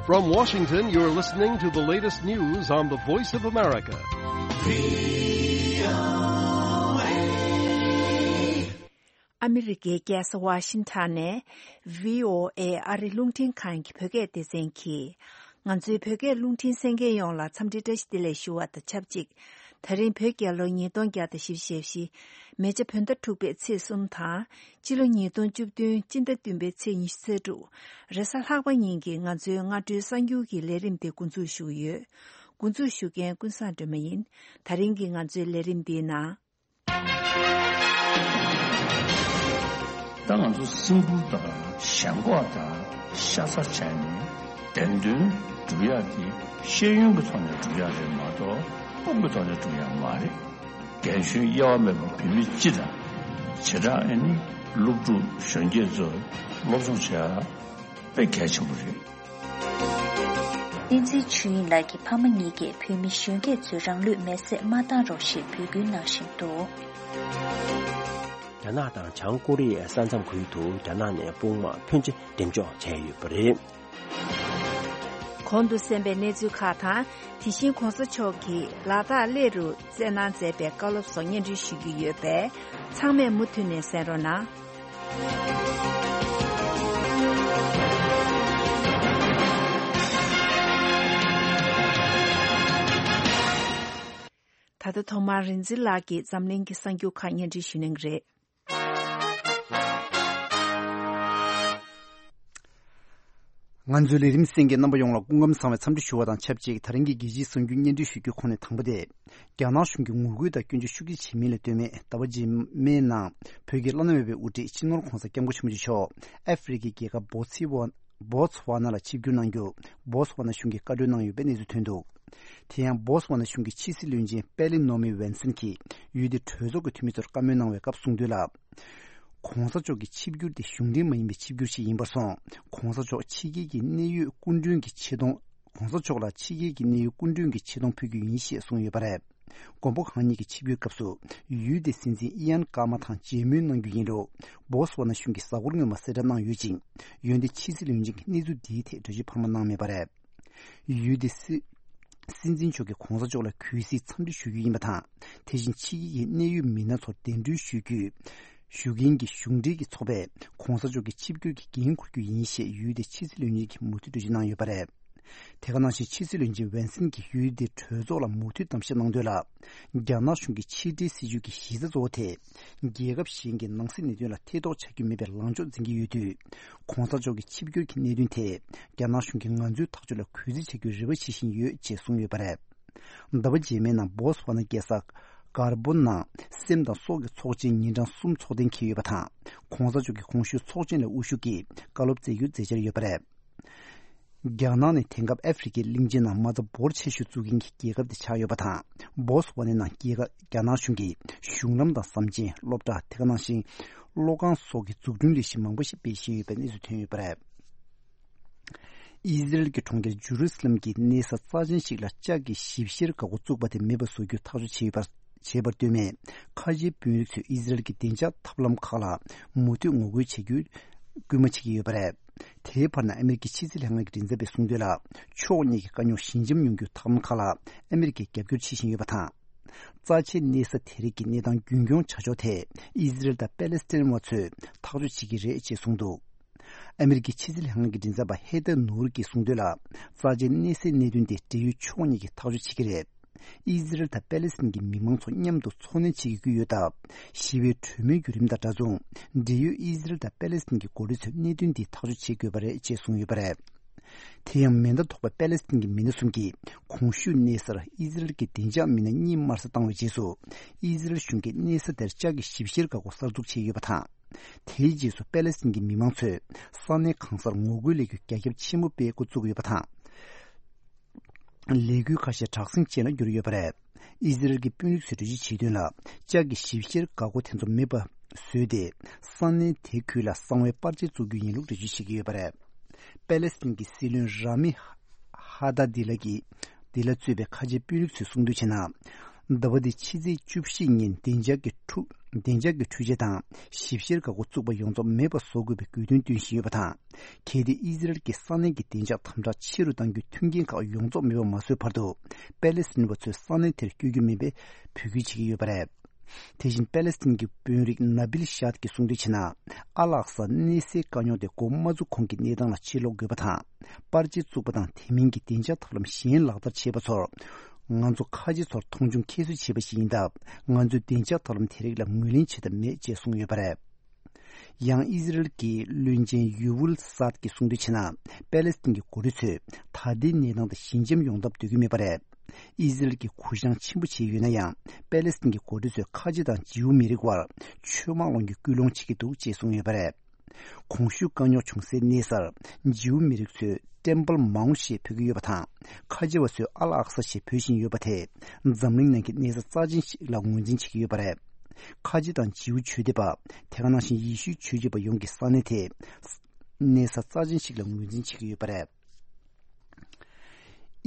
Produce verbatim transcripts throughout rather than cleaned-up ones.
From Washington, you're listening to the latest news on the Voice of America. ཨ་མི་རི་ཀའི་རྒྱལ་ས་ཝ་ཤིང་ཊོན་ནས་བྷི་ཨོ་ཨེ་ཨ་རི་རླུང་འཕྲིན་ཁང་གི་བོད་སྐད་སྡེ་ཚན་གྱིས། ང་ཚོའི་བོད་སྐད་རླུང་འཕྲིན་གསན་མཁན་ཡོངས་ལ་འཚམས་འདྲི་བཀྲ་ཤིས་བདེ་ལེགས་ཞུ་བ་དང་ཆབས་ཅིག་ད་རིང་བོད་རྒྱལ་ལོ་ཉིས་སྟོང་བརྒྱ་དང་བཞི་བཅུ་ཞེ་བཞི། མེ་བྱ་བོད་ཟླ་དྲུག་པའི་ཚེས་གསུམ་དང་། སྤྱི་ལོ་ཉིས་སྟོང་བཅུ་བདུན་སྤྱི་ཟླ་བདུན་པའི་ཚེས་ཉི་ཤུ་རྩ་དྲུག་རེས་གཟའ་ལྷག་པ་ཉིན་གྱི་ང་ཚོའི་སྔ་དྲོའི་གསར་འགྱུར་གྱི་ལས་རིམ་དེ་འགོ་འཛུགས་ཞུ་གི་ཡོད། འགོ་འཛུགས་ཞུ་མཁན་ཀུན་བཟང་སྒྲོལ་མ་ཡིན། ད་རིང་གི་ང་ཚོའི་ལས་རིམ་འདིའི་ནང་། ད་ང་ཚོ་སིམ་པུལ་དང་ཞེན་ཁོག་དང་ཤ་ཚ་བྱས་ནས་བདེན་དོན་སྒྲུབ་ཡག་དེ་ཤེས་ཡོན་གྱི་ཐོག་ནས་སྒྲུབ་ཡག་རེད་མ་གཏོགས་དཔུང་གི་ཐོག་ནས་སྒྲུབ་ཡག་མ་རེད། རྒན་གཞོན་དབྱེ་བ་མེད་པར་བོད་མི་སྤྱི་དང་། བྱེ་བྲག་ཨ་ནི་སློབ་ཕྲུག་གཞོན་སྐྱེས་ཚོས་སློབ་སྦྱོང་བྱེད་ཡག་དཔེ་གལ་ཆེན་པོ་རེད། བསྟན་འཛིན་ཆོས་དབྱིངས་ལགས་ཀྱི་ཕ་མ་གཉིས་ཀས་བོད་མི་གཞོན་སྐྱེས་ཚོས་རང་ལུས་མེར་སྲེག་མ་བཏང་རོགས་ཞེས་འབོད་སྐུལ་གནང་བཞིན་འདུག་རྒྱ་ནག་དང་བྱང་ཀོ་རི་ཡའི་ས་མཚམས་ཁུལ་དུ་རྒྱ་ནག་ནས་དཔུང་དམག་ཕོན་ཆེ་འགྲེམས་འཇོག་བྱས་ཡོད་པ་རེད། གོང་དུ་གསན་པའི་གནས་ཚུལ་ཁག་དང་། དེ་བཞིན་གོང་ས་མཆོག་གིས་ལ་དྭགས་གླེ་རུ་སྩལ་གནང་མཛད་པའི་བཀའ་སློབ་སོགས་སྙན་སྒྲོན་ཞུ་རྒྱུ་ཡོད་པས། ཚང་མས་མུ་མཐུད་ནས་གསན་རོགས་གནང་། ད་ལྟ་ཐོག་མར་རིག་འཛིན་ལགས་ཀྱིས་འཛམ་གླིང་གི་གསར་འགྱུར་ཁག་སྙན་སྒྲོན་ཞུ་གནང་གི་རེད། ང་ཚོའི་ལས་རིམ་གསན་མཁན་རྣམ་པ་ཡོངས་ལ་སྐུ་ཁམས་བཟང་བའི་འཚམས་འདྲི་ཞུ་བ་དང་ཆབས་ཅིག་ད་རིང་གི་རྒྱལ་སྤྱིའི་གསར་འགྱུར་སྙན་སྒྲོན་ཞུ་རྒྱུའི་ཁོངས་ནས་དང་པོ་དེ། རྒྱ་ནག་གཞུང་གིས་ངོ་རྒོལ་དང་སྐྱོན་བརྗོད་ཤུགས་ཆེ་བྱེད་མིན་ལ་ལྟོས་མེད་ཟླ་བ་རྗེས་མའི་ནང་བོད་ཀྱི་བླ་ན་མེད་པའི་དབུ་ཁྲིད་སྤྱི་ནོར་༧གོང་ས་༧སྐྱབས་མགོན་ཆེན་པོ་མཆོག་ཨ་ཧྥེ་རི་ཁའི་རྒྱལ་ཁབ་བོ་ཚི་ཝ་བོ་ཚི་ཝ་ན་ལ་ཆིབས་བསྒྱུར་གནང་རྒྱུ་བོ་ཚི་ཝ་ན་གཞུང་གིས་བཀའ་འཁྲོལ་གནང་ཡོད་པའི་གནས་ཚུལ་ཐོན་འདུག་དེ་ཡང་བོ་ཚི་ཝ་ན་གཞུང་གི་ཕྱི་སྲིད་བློན་ཆེན་པེ་ལི་ནོ་མི་ཝན་སན་གྱིས་ཡུལ་དེའི་གྲོས་ཚོགས་ཀྱི་འཐུས་མི་ཚོར་བཀའ་མོལ་གནང་བའི་སྐབས་གསུངས་དོན་ལ། གོང་ས་མཆོག་གི་ཆིབས་བསྒྱུར་དེ་གཞུང་འབྲེལ་མ་ཡིན་པའི་ཆིབས་བསྒྱུར་ཞིག་ཡིན་པར་སོང་། གོང་ས་མཆོག་ཕྱི་རྒྱལ་གྱི་གནད་ཡོད་སྐུ་མགྲོན་གྱི་ཆེ་མཐོང་། གོང་ས་མཆོག་ལ་ཕྱི་རྒྱལ་གྱི་གནད་ཡོད་སྐུ་མགྲོན་གྱི་ཆེ་མཐོང་ཕུལ་རྒྱུ་ཡིན་ཞེས་གསུངས་ཡོད་པ་རེད། མགོན་པོ་གང་ཉིད་ཀྱི་ཆིབས་བསྒྱུར་སྐབས་སུ་ཡུལ་དེའི་སྲིད་འཛིན་ཨི་ཡན་ཀར་མ་དང་མཇལ་མོལ་གནང་རྒྱུ་ཡིན་ལུགས་བོ་སི་ཝ་ན་གཞུང་གིས་གཟའ་འཁོར་སྔོན་མ་གསལ་བསྒྲགས་གནང་ཡོད་ཅིང་། འོན་ཏེ་ཕྱི་སྲིད་བློན་ཆེན་གྱིས་གནས་ཚུལ་འདིའི་ཐད་གྲོས་ཆོད་འཕར་མ་གནང་མེད་པ་རེད། ཡུལ་དེའི་སྲིད་སྲིད་འཛིན་མཆོག་གིས་གོང་ས་མཆོག་ལ་གུས་བརྩི་འཚམས་འདྲི་ཞུ་རྒྱུ་ཡིན་པ་དང་། དེ་བཞིན་ཕྱི་རྒྱལ་གྱི་གནད་ཡོད་མི་སྣ་ཚོར་གདན་འདྲེན་ཞུ་རྒྱུ། ཞུ་མཁན་གྱི་གཞུང་འབྲེལ་གྱི་ཚོགས་པས་གོང་ས་མཆོག་གི་ཆིབས་བསྒྱུར་གྱི་འགན་འཁུར་རྒྱུ་ཡིན་ཞེས་ཡུལ་དེའི་ཕྱི་སྲིད་བློན་ཆེན་གྱིས་མུ་མཐུད་གྲོས་ཆོད་གནང་ཡོད་པ་རེད། དེ་ག་ནང་བཞིན་ཕྱི་སྲིད་བློན་ཆེན་ཝན་སན་གྱིས་ཡུལ་དེའི་གྲོས་ཚོགས་ལ་མུ་མཐུད་གཏམ་བཤད་གནང་དོན་ལ། རྒྱ་ནག་གཞུང་གི་ཕྱི་འབྲེལ་སྲིད་ཇུས་ཀྱི་གཞི་རྩ་གཙོ་བོ་དེ། རྒྱལ་ཁབ་གཞན་གྱི་ནང་སྲིད་གནད་དོན་ལ་ཐེ་གཏོགས་བྱ་རྒྱུ་མེད་པའི་ལངས་ཕྱོགས་འཛིན་གྱི་ཡོད་དུས། གོང་ས་མཆོག་གི་ཆིབས་བསྒྱུར་གྱི་གནད་དོན་དེ་རྒྱ་ནག་གཞུང་གིས་ང་ཚོའི་ཐག་གཅོད་ལ་གུས་བརྩི་བྱ་རྒྱུའི་རེ་བ་བྱེད་བཞིན་ཡོད་ཅེས་གསུངས་ཡོད་པ་རེད། ཟླ་བ་རྗེས་མའི་ནང་བོ་སི་ཝ་ན་རྒྱལ་ས་གར་བོ་ནང་སེམས་དང་སྲོག་གི་ཚོགས་ཆེན་ཉིན་གྲངས་གསུམ་འཚོགས་གཏན་འཁེལ་ཡོད་པ་དང་། གོང་ས་མཆོག་གིས་གོང་ཞུས་ཚོགས་ཆེན་ལ་དབུ་བཞུགས་ཀྱིས་བཀའ་སློབ་སྩལ་རྒྱུ་མཛད་འཆར་ཡོད་པ་རེད། རྒྱ་ནག་ནི་དེང་སྐབས་ཨ་ཧྥེ་རི་ཁའི་གླིང་ཆེན་ནང་མ་རྩ་འབོར་ཆེ་ཤོས་བཙུགས་མཁན་གྱི་རྒྱལ་ཁབ་དེ་ཆགས་ཡོད་པ་དང་། བོ་སི་ཝ་ནའི་ནང་རྒྱལ་ཁབ་རྒྱ་ནག་གཞུང་གིས་གཞུང་ལམ་དང་ཟམ་ཆེན། སློབ་གྲྭ། དེ་ག་ནང་བཞིན་གློག་ཁང་སོགས་ཀྱི་འཛུགས་སྐྲུན་ལས་གཞི་མང་པོ་ཞིག་སྤེལ་བཞིན་ཡོད་པའི་གནས་ཚུལ་ཐོན་ཡོད་པ་རེད། ཨི་ཟི་རལ་གྱི་གྲོང་ཁྱེར་ཇུ་རུ་སི་ལམ་གྱི་གནས་ས་རྩ་ཆེན་ཞིག་ལ་ལྕགས་ཀྱི་ཞིབ་བཤེར་འགག་སྒོ་བཙུགས་པ་དེ་མེད་པ་བཟོ་རྒྱུ་ཐག་གཅོད་བྱས་ཡོད་པར། བྱས་པར་ལྟོས་མེད། ཁ་ཆེའི་དཔོན་རིགས་ཚོས་ཨི་ཟི་རལ་གྱི་བདེ་འཇགས་ཐབས་ལམ་ཁག་ལ་མུ་མཐུད་ངོ་རྒོལ་བྱ་རྒྱུའི་སྐུལ་མ་བྱེད་ཀྱི་ཡོད་པ་རེད། དེའི་བར་ན་ཨ་མེ་རི་ཀའི་ཕྱི་སྲིད་ལྷན་ཁང་གི་མགྲིན་ཚབ་པས་གསུངས་དོན་ལ། ཕྱོགས་གཉིས་ཀྱི་དཀའ་རྙོག་ཞི་འཇམ་ཡོང་རྒྱུའི་ཐབས་ལམ་ཁག་ལ་ཨ་མེ་རི་ཀས་རྒྱབ་སྐྱོར་བྱེད་བཞིན་ཡོད་པ་དང་། རྩ་ཆེའི་གནས་ས་དེ་རིགས་ཀྱི་གནས་སྟངས་རྒྱུན་འཁྱོངས་བྱ་ཕྱོགས་ཐད་ཨི་ཟི་རལ་དང་པེ་ལེ་སི་ཐན་བ་ཚོས་ཐག་གཅོད་བྱེད་ཀྱི་རེད་ཅེས་གསུངས་འདུག་ཨ་མེ་རི་ཀའི་ཕྱི་སྲིད་ལྷན་ཁང་གི་མགྲིན་ཚབ་པ་ཧེ་ཐར་ནུར་གྱིས་གསུངས་དོན་ལ། རྩ་ཆེའི་གནས་སའི་གནད་དོན་དེ་འབྲེལ་ཡོད་ཕྱོགས་གཉིས་ཀྱིས་ཐག་གཅོད་བྱེད་ཀྱི་རེད། ཨི་ཟི་རལ་དང་པེ་ལེ་སི་ཐན་གྱི་མི་མང་ཚོ་མཉམ་དུ་འཚོ་གནས་བྱེད་ཀྱི་ཀུན་ཡོད་སྟབས། ཞི་བའི་གྲོས་མོལ་བརྒྱུད་རིམ་དང་འདྲ་མཚུངས། འབྲེལ་ཡོད་ཨི་ཟི་རལ་དང་པེ་ལེ་སི་ཐན་གྱི་འགོ་ཁྲིད་ཚོས་གནད་དོན་འདི་ཐག་གཅོད་བྱེད་དགོས་པ་རེད་ཅེས་གསུངས་ཡོད་པ་རེད། དེ་ཡང་མེ་མདའ་ཐོགས་པ་པེ་ལེ་སི་ཐན་གྱི་མི་སྣ་གསུམ་གྱིས་གོང་ཞུས་གནས་སར་ཨི་ཟི་རལ་གྱི་བདེ་འཇགས་མི་སྣ་གཉིས་དམར་གསོད་བཏང་བའི་རྗེས་སུ། ཨི་ཟི་རལ་གཞུང་གིས་གནས་ས་དེར་ལྕགས་ཀྱི་ཞིབ་བཤེར་འགག་སྒོ་གསར་འཛུགས་བྱས་ཡོད་པ་དང་། དེའི་རྗེས་སུ་པེ་ལེ་སི་ཐན་གྱི་མི་མང་ཚོས་ས་གནས་གང་སར་ངོ་རྒོལ་ལས་འགུལ་རྒྱ་ཁྱབ་ཆེན་པོ་སྤེལ་འགོ་བཙུགས་ཡོད་པ་དང་། ལས་འགུལ་ཁ་ཤས་དྲག་ཟིང་ཅན་ལ་གྱུར་ཡོད་པ་རེད། ཨི་ཟི་རལ་གྱི་དཔོན་རིགས་ཚོས་འགྲེལ་བརྗོད་བྱས་དོན་ལ། ལྕགས་ཀྱི་ཞིབ་བཤེར་འགག་སྒོ་དེ་ཚོ་མེད་པ་བཟོས་ཏེ། ས་གནས་དེ་ཁུལ་ལ་གསང་བའི་པར་ཆས་བཙུགས་རྒྱུ་ཡིན་ལུགས་འགྲེལ་བརྗོད་བྱེད་ཀྱི་ཡོད་པ་རེད། པེ་ལེ་སི་ཐན་གྱི་སྲིད་བློན་ར་མི་ཧ་ད་དི་ལ་གིས་དི་ལ་གཙོས་པའི་ཁ་ཆེའི་དཔོན་རིགས་ཚོས་གསུངས་དོན་བྱས་ན། ཟླ་བ་འདིའི་ཕྱི་ཚེས་བཅུ་བཞི་ཉིན་བདེ་འཇགས་ཀྱི་འཕྲུལ་བདེ་འཇགས་ཀྱི་འཕྲུལ་ཆས་དང་ཞིབ་བཤེར་འགག་སྒོ་བཙུགས་པ་ཡོངས་རྫོགས་མེད་པ་བཟོ་དགོས་པའི་དགོས་འདུན་བཏོན་བཞིན་ཡོད་པ་དང་། གལ་ཏེ་ཨི་ཟི་རལ་གྱིས་ས་གནས་ཀྱི་བདེ་འཇགས་དམ་དྲག་ཆེ་རུ་གཏང་རྒྱུའི་མཐུན་རྐྱེན་ཁག་ཡོངས་རྫོགས་མེད་པ་མ་བཟོས་བར་དུ། པེ་ལེ་སི་ཐན་པ་ཚོས་ས་གནས་དེར་བསྐྱོད་རྒྱུ་མིན་པའི་འབོད་སྐུལ་བྱེད་ཀྱི་ཡོད་པ་རེད། དེ་བཞིན་པེ་ལེ་སི་ཐན་གྱི་དཔོན་རིགས་ན་བིལ་ཤཱད་ཀྱིས་གསུངས་དོན་བྱས་ན། ཨ་ལ་ཨག་ས་གནས་སའི་དཀའ་རྙོག་དེ་འགོ་མ་བཙུགས་གོང་གི་གནས་སྟངས་ལ་ཕྱིར་ལོག་དགོས་པ་དང་། པར་ཆས་བཙུགས་པ་དང་དེ་མིན་གྱི་བདེ་འཇགས་ཐབས་ལམ་གཞན་ལག་བསྟར་བྱས་པ་ཚོར། ང་ཚོ་ཁ་ཆེ་ཚོར་མཐོང་ཆུང་ཁྱད་གསོད་བྱས་པ་ཞིག་ཡིན་སྟབས། ང་ཚོས་བདེ་འཇགས་ཐབས་ལམ་དེ་རིགས་ལ་ངོས་ལེན་བྱེད་ཐབས་མེད་ཅེས་གསུངས་ཡོད་པ་རེད། ཡང་ཨི་ཟི་རལ་གྱི་བློན་ཆེན་ཡུ་ཝུལ་སཱད་ཀྱིས་གསུངས་དོན་བྱས་ན། པེ་ལེ་སི་ཐན་གྱི་འགོ་ཁྲིད་ཚོས་ད་ལྟའི་གནས་སྟངས་དེ་ཞི་འཇམ་ཡོང་ཐབས་འདོད་ཀྱི་མེད་པ་རེད། ཨི་ཟི་རལ་གྱིས་གུ་བཤངས་ཆེན་པོ་བྱས་ཡོད་ན་ཡང་། པེ་ལེ་སི་ཐན་གྱི་འགོ་ཁྲིད་ཚོས་ཁ་ཆེ་དང་ཇིའུ་མི་རིགས་དབར་ཆོས་དམག་སློང་རྒྱུའི་སྐུལ་སློང་བྱེད་ཀྱི་འདུག་ཅེས་གསུངས་ཡོད་པ་རེད། གོང་ཞུས་དཀའ་རྙོག་བྱུང་སའི་གནས་སར་ཇིའུ་མི་རིགས་ཚོས་ཊེམ་པལ་མའུན་ཞེས་འབོད་ཀྱི་ཡོད་པ་དང་། ཁ་ཆེ་བ་ཚོས་ཨ་ལ་ཨག་ས་ཞེས་འབོད་བཞིན་ཡོད་པ་དེས་འཛམ་གླིང་ནང་གི་གནས་ས་རྩ་ཆེན་ཞིག་ལ་ངོས་འཛིན་བྱེད་ཀྱི་ཡོད་པ་རེད། ཁ་ཆེ་དང་ཇིའུ་ཆོས་དད་པ། དེ་ག་ནང་བཞིན་ཡེ་ཤུའི་ཆོས་བྱེད་པ་ཡོངས་ཀྱིས་ས་གནས་དེ་གནས་ས་རྩ་ཆེན་ཞིག་ལ་ངོས་འཛིན་བྱེད་ཀྱི་ཡོད་པ་རེད།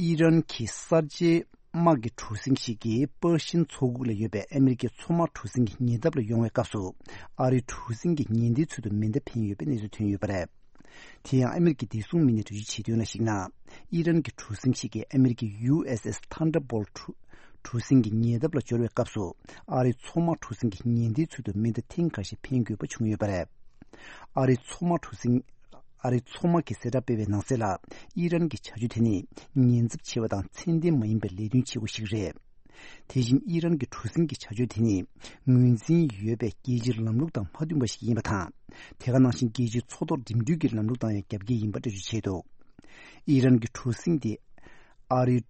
ཨི་རན་གྱི་གསར་བརྗེའི་དམག་གི་གྲུ་གཟིངས་ཤིག་གིས་པར་ཤིན་མཚོ་ཁུག་ལ་ཡོད་པའི་ཨ་མེ་རི་ཀའི་མཚོ་དམག་གྲུ་གཟིངས་ཀྱི་ཉེ་འདབས་ལ་ཡོང་བའི་སྐབས་སུ། ཨ་རིའི་གྲུ་གཟིངས་ཀྱི་ཉེན་བརྡའི་ཚུལ་དུ་མེ་མདའ་འཕེན་ཡོད་པའི་གནས་ཚུལ་ཐོན་ཡོད་པ་རེད། དེ་ཡང་ཨ་མེ་རི་ཀའི་བདེ་སྲུང་མི་སྣས་འགྲེལ་བརྗོད་བྱས་དོན་ལ་གཞིགས་ན། ཨི་རན་གྱི་གྲུ་གཟིངས་ཤིག་གིས་ཨ་མེ་རི་ཀའི་ཡུ་ཨེས་ཨེས་ཐན་ཌར་བོལ་ཊི་གྲུ་གཟིངས་ཀྱི་ཉེ་འདབས་ལ་འབྱོར་བའི་སྐབས་སུ། ཨ་རིའི་མཚོ་དམག་གྲུ་གཟིངས་ཀྱི་ཉེན་བརྡའི་ཚུལ་དུ་མེ་མདའ་ཐེངས་འགའ་ཤས་འཕེན་དགོས་པ་བྱུང་ཡོད་པ་རེད། ཨ་རིའི་མཚོ་དམག་གྲུ་གཟིངས། ཨ་རིའི་མཚོ་དམག་གིས་གསལ་བསྒྲགས་སྤེལ་བའི་ནང་གསལ་ལ། ཨི་རན་གྱི་བྱ་སྤྱོད་དེ་ནི་ཉེན་ཚབས་ཆེ་བ་དང་ཚད་ལྡན་མ་ཡིན་པའི་ལས་དོན་བྱེད་སྒོ་ཞིག་རེད། དེ་བཞིན་ཨི་རན་གྱི་གྲུ་གཟིངས་ཀྱི་བྱ་སྤྱོད་དེ་ནི་ངོས་འཛིན་ཡོད་པའི་རྒྱལ་སྤྱིའི་ལམ་ལུགས་དང་མ་མཐུན་པ་ཞིག་ཡིན་པ་དང་། དེ་ག་ནང་བཞིན་རྒྱལ་སྤྱིའི་མཚོ་ཐོག་འགྲིམ་འགྲུལ་གྱི་ལམ་ལུགས་དང་ཡང་རྒྱབ་འགལ་ཡིན་པ་འགྲེལ་བརྗོད་བྱས་འདུག་ཨི་རན་གྱི་གྲུ་གཟིངས་དེ་ཨ་རིའི་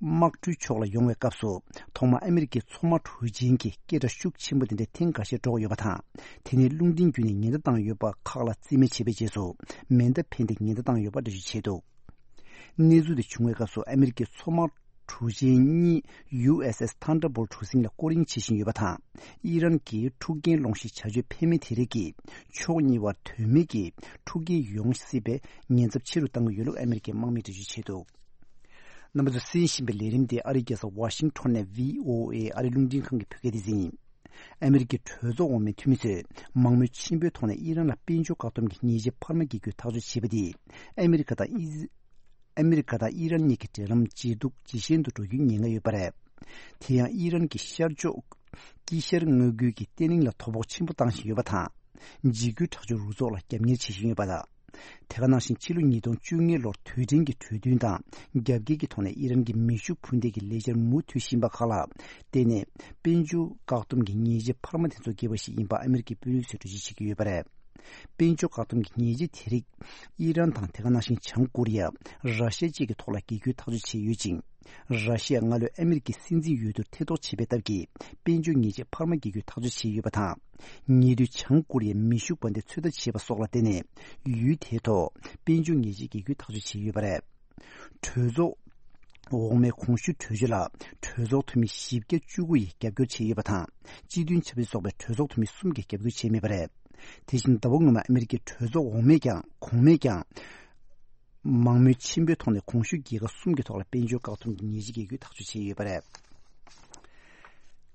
དམག་གྲུའི་ཕྱོགས་ལ་ཡོང་བའི་སྐབས་སུ། ཐོག་མར་ཨ་མེ་རི་ཀའི་མཚོ་དམག་གྲུ་ཆེན་གྱི་སྐད་སྒྲ་ཤུགས་ཆེན་པོ་དེ་འདྲ་ཐེངས་འགའ་ཤས་སྒྲོག་ཡོད་པ་དང་། དེ་ནས་རླུང་འཕྲིན་བརྒྱུད་ནས་ཉེན་བརྡ་བཏང་ཡོད་པ་ཁག་ལ་རྩིས་མེད་བྱས་པའི་རྗེས་སུ། མེ་མདའ་འཕེན་ཏེ་ཉེན་བརྡ་བཏང་ཡོད་པ་འགྲེལ་བརྗོད་བྱས་འདུག་གནས་ཚུལ་དེ་བྱུང་བའི་སྐབས་སུ་ཨ་མེ་རི་ཀའི་མཚོ་དམག་གྲུ་ཆེན་གཉིས་ཡུ་ཨེས་ཨེས་ཐན་ཌར་བོལ་གྲུ་གཟིངས་ལ་སྐོར་གཡེང་བྱེད་བཞིན་ཡོད་པ་དང་། ཨི་རན་གྱི་འཁྲུག་རྐྱེན་སློང་གཞིའི་བྱ་སྤྱོད་འཕེལ་མིན་དེ་རིགས་ཀྱིས་ཕྱོགས་གཉིས་བར་དོན་མེད་ཀྱི་འཁྲུག་རྐྱེན་ཡོང་སྲིད་པའི་ཉེན་ཚབས་ཆེ་རུ་གཏང་གི་ཡོད་ལུགས་ཨ་མེ་རི་ཀའི་དམག་མིས་འགྲེལ་བརྗོད་བྱས་འདུག་རྣམ་པ་ཚོས་གསན་བཞིན་པའི་ལས་རིམ་དེ་ཨ་རིའི་རྒྱལ་ས་ཝ་ཤིང་ཊོན་ནས་བྷི་ཨོ་ཨེ་ཨ་རིའི་རླུང་འཕྲིན་ཁང་གིས་ཕུལ་གྱི་ཡིན། ཨ་མེ་རི་ཀའི་གྲོས་ཚོགས་འོག་མའི་འཐུས་མི་ཚོས་མང་མོས་ཆེན་པོའི་ཐོག་ནས་ཨི་རན་ལ་དཔལ་འབྱོར་བཀག་སྡོམ་གྱི་ཉེས་ཆད་འཕར་མ་འགེལ་རྒྱུའི་ཐག་གཅོད་བྱས་པ་དེས། ཨ་མེ་རི་ཀ་དང་ཨི་ཨ་མེ་རི་ཀ་དང་ཨི་རན་གཉིས་ཀྱི་འབྲེལ་ལམ་ཇེ་སྡུག་ཇེ་ཞན་དུ་འགྲོ་རྒྱུའི་ཉེན་ཁ་ཡོད་པ་རེད། དེ་ཡང་ཨི་རན་གྱི་ཤར་ཕྱོགས་དཀྱིལ་ཤར་མངའ་ཁུལ་གྱི་བརྟན་ལྷིང་ལ་དོ་ཕོག་ཆེན་པོ་བཏང་བཞིན་ཡོད་པ་དང་། འཇིགས་སྐུལ་དྲག་སྤྱོད་རུ་ཚོགས་ལ་རྒྱབ་གཉེར་བྱེད་བཞིན་ཡོད་པ་དང་། དེ་ག་ནང་བཞིན་ཕྱི་ལོ་ཉིས་སྟོང་བཅོ་ལྔ་ལོར་དུས་དྲན་གྱི་གྲོས་མཐུན་དང་རྒྱབ་འགལ་གྱི་ཐོག་ནས་ཨི་རན་གྱི་མེ་ཤུགས་འཕུར་མདེལ་གྱི་ལས་འཆར་མུ་མཐུད་བཞིན་པ་ཁག་ལ་བརྟེན་ནས་དཔལ་འབྱོར་བཀག་སྡོམ་གྱི་ཉེས་ཆད་འཕར་མ་དེ་ཚོ་འགེལ་བ་ཞིག་ཡིན་པ་ཨ་མེ་རི་ཀའི་དཔོན་རིགས་ཚོས་འགྲེལ་བརྗོད་བྱེད་ཀྱི་ཡོད་པ་རེད། དཔལ་འབྱོར་བཀག་སྡོམ་གྱི་ཉེས་ཆད་དེ་རིགས་ཨི་རན་དང་དེ་ག་ནང་བཞིན་བྱང་ཀོ་རི་ཡ། ར་ཤི་ཡ་བཅས་ཀྱི་ཐོག་ལ་འགེལ་རྒྱུའི་ཐག་གཅོད་བྱས་ཡོད་ཅིང་། ར་ཤི་ཡ་སྔ་ལོས་ཨ་མེ་རི་ཀའི་སྲིད་འཛིན་འོས་བསྡུར་ཐེ་གཏོགས་བྱས་པའི་སྟབས་ཀྱིས་དཔལ་འབྱོར་ཉེས་ཆད་འཕར་མ་འགེལ་རྒྱུའི་ཐག་གཅོད་བྱས་ཡོད་པ་དང་། ཉེ་དུས་བྱང་ཀོ་རི་ཡས་མེ་ཤུགས་འབར་མདེལ་ཚོད་ལྟ་བྱས་པ་སོགས་ལ་བརྟེན་ནས་ཡུལ་དེའི་ཐོག་དཔལ་འབྱོར་ཉེས་ཆད་འགེལ་རྒྱུའི་ཐག་གཅོད་བྱས་ཡོད་པ་རེད། གྲོས་ཚོགས་འོག་མའི་གོང་ཞུས་གྲོས་ཆོད་ལ་གྲོས་ཚོགས་འཐུས་མི་བཞི་བརྒྱ་བཅུ་དགུ་ཡིས་རྒྱབ་སྐྱོར་བྱས་ཡོད་པ་དང་། སྤྱི་མཐུན་ཆབ་སྲིད་ཚོགས་པའི་གྲོས་ཚོགས་འཐུས་མི་གསུམ་གྱིས་རྒྱབ་སྐྱོར་བྱས་མེད་པ་རེད། དེ་བཞིན་ཟླ་བ་སྔོན་མ་ཨ་མེ་རི་ཀའི་གྲོས་ཚོགས་འོག་མས་ཀྱང་གོང་མས་ཀྱང་། མང་མོས་ཆེན་པོའི་ཐོག་ནས་གོང་ཞུས་རྒྱལ་ཁབ་གསུམ་གྱི་ཐོག་ལ་དཔལ་འབྱོར་བཀག་སྡོམ་གྱི་ཉེས་ཆད་འགེལ་རྒྱུའི་ཐག་གཅོད་བྱས་ཡོད་པ་རེད།